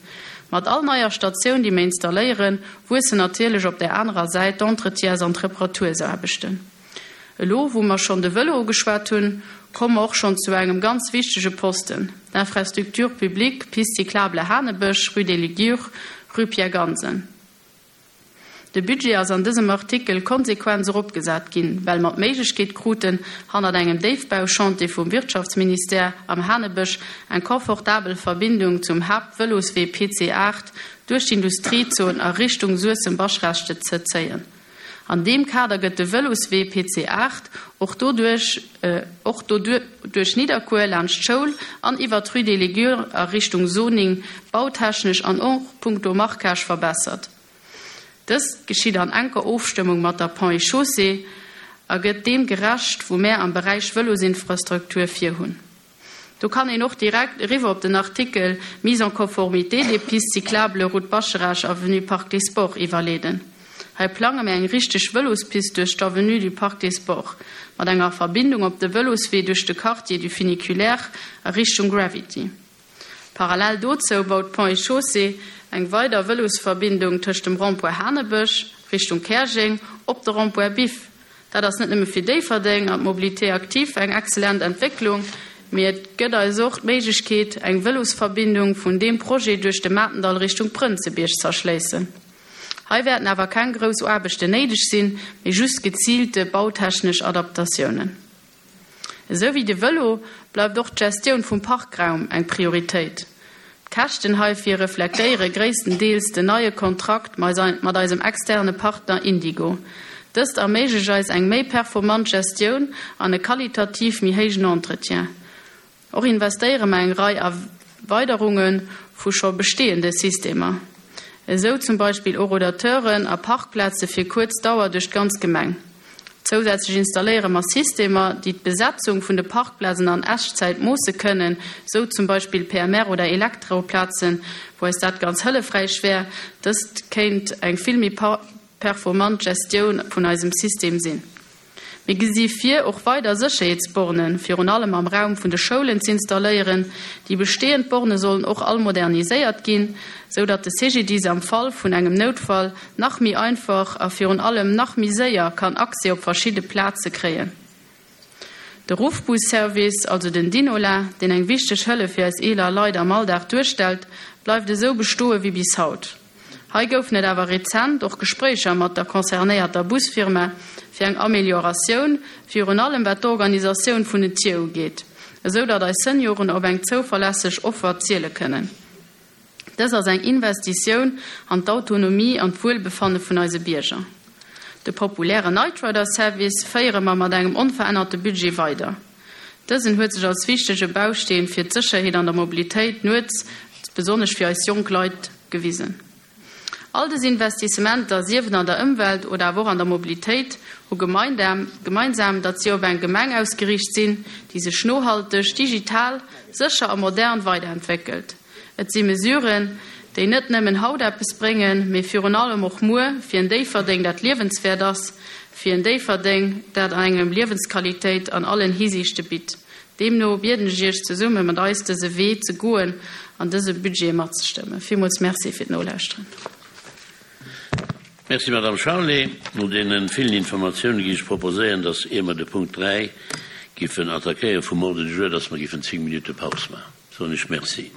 Mat all neier Statioun, déi mir installéieren, wuessen natierlech op där anerer Säit d'Entretiens an d'Reparatursaarbechten. Elo, wou mer schonn de Vëlo ugeschwat hunn, komme mer och schonn zu engem ganz wichtege Posten, d'Infrastructure publique, Piste cyclable Hanebësch, rue des Ligures, rue Pierre Gansen. De Budget ass an dësem Artikel konsequent eropgesat ginn, well mer d'Méiglechkeet kruten, hannert engem Déifbauchantier vum Wirtschaftsministère am Hanebësch eng confortabel Verbindung zum Haaptvëloswee PC 8 duerch d'Industriezon a Richtung Suessem-Baschrechte ze zéien. An deem Kader gëtt de Vëloswee PC 8 och doduerch och duerch Nidderkuer, laanscht d'Schoul an iwwer d'Rue des Ligures a Richtung Soning bautechnesch an och punkto Marquage verbessert. Dëst geschitt an enker Ofstëmmung mat der Ponts et Chaussées a gëtt deem gerecht, wou mär am Beräich Vëlosinfrastruktur virhunn. Do kann een och direkt eriwwer op den Artikel Mise en conformité des pistes cyclables route Bascharage, avenue Parc des Sports iwwerleeden. Hei plange mir eng richteg Vëlospist duerch d'Avenue du Parc des Sports, mat enger Verbindung op de Vëloswee duerch de Quartier du Funiculaire a Richtung Gravity. Parallel dozou baut Ponts et Chaussées eng weider Vëlosverbindung tëscht dem Rond-point Hanebësch, Richtung Käerjeng, op de Rond-point Biff. Dat ass net nëmme fir Déifferdeng an d'Mobilité active eng excellent Entwécklung, mee et gëtt eis och d'Méiglechkeet, eng Vëlosverbindung vun deem Projet duerch de Matendall Richtung Prënzebierg z'erschléissen. Hei wäerten awer keng grouss Aarbechten néideg sinn, mee just geziilte bautechnesch Adaptatiounen. Esou wéi de Vëlo bleift och d'Gestioun vum Parkraum eng Prioritéit. D'Käschten heifir reflektéiere gréisstendeels den neie Kontrakt mat eisem externe Partner Indigo. Dëst erméiglecht eis eng méi performant Gestioun an e qualitativ méi héijen Entretien. Och investéiere mer eng Rei Erweiderunge vu scho bestehende Systemer, esou zum Beispill Horodateuren a Parkplaze fir kuerz Dauer duerch d'ganz Gemeng. Zousätzlech installéiere mer Systemer, déi d'Besetzung vun de Parkplazen an Echtzäit moosse kënnen, esou zum Beispill PMR oder Elektroplazen, wou eis dat ganz hëllefräich wär. Dëst kéint eng vill méi performant Gestioun vun eisem System sinn. Mir gesi vir, och weider Sécherheetsbornen, virun allem am Raum vun de Schoulen, z'installéieren. Déi bestehend Borne sollen och all moderniséiert ginn, sou datt de CGDIS am Fall vun engem Noutfall nach méi einfach a virun allem nach méi séier kann Accès op verschidde Plaze kréien. De Ruffbus-Service, also den Dinola, deen eng wichteg Hëllef fir eis eeler Leit am Alldag duerstellt, bleift esou bestoe wéi bis haut. Hei goufen et awer rezent och Gespréicher mat der concernéierter Busfirma fir eng Amelioratioun, virun allem wat d'Organisatioun vun den Tier ugeet, esou datt eis Senioren op eng zouverlässeg Offer ziele kënnen. Dës ass eng Investitioun an d'Autonomie an d'Wuelbefanne vun eise Bierger. De populäre Nightrider-Service féiere mer mat engem onverännerte Budget weider. Dësen huet sech als wichtege Bausteen fir d'Sécherheet an der Mobilitéit nuets, besonnesch fir eis jonk Leit, gewisen. All des Investissementer, sief et an der Ëmwelt oder awer och an der Mobilitéit, hu gemeinsam, datt si op eng Gemeng ausgeriicht sinn, déi sech nohalteg, digital, sécher a modern weiderentwéckelt. Et si Mesuren, déi net nëmmen haut eppes bréngen, mee virun allem och muer, fir en Déifferdeng, dat liewenswäert ass, fir en Déifferdeng, dat engem Liewensqualitéit an allen Hisiichte bitt. Deemno bieden ech Iech, zesumme mat eis dëse Wee ze goen an dëse Budget matzestëmmen. Villmools Merci fir d'Nolauschteren. Merci, Madame Charlé. No deene villen Informatiounen géif ech proposéieren, dass, ier mer de Punkt 3 giffen attackéieren vum Ordre du jour, dass mer giffen 10 Minutte Paus maachen. Soen ech Merci.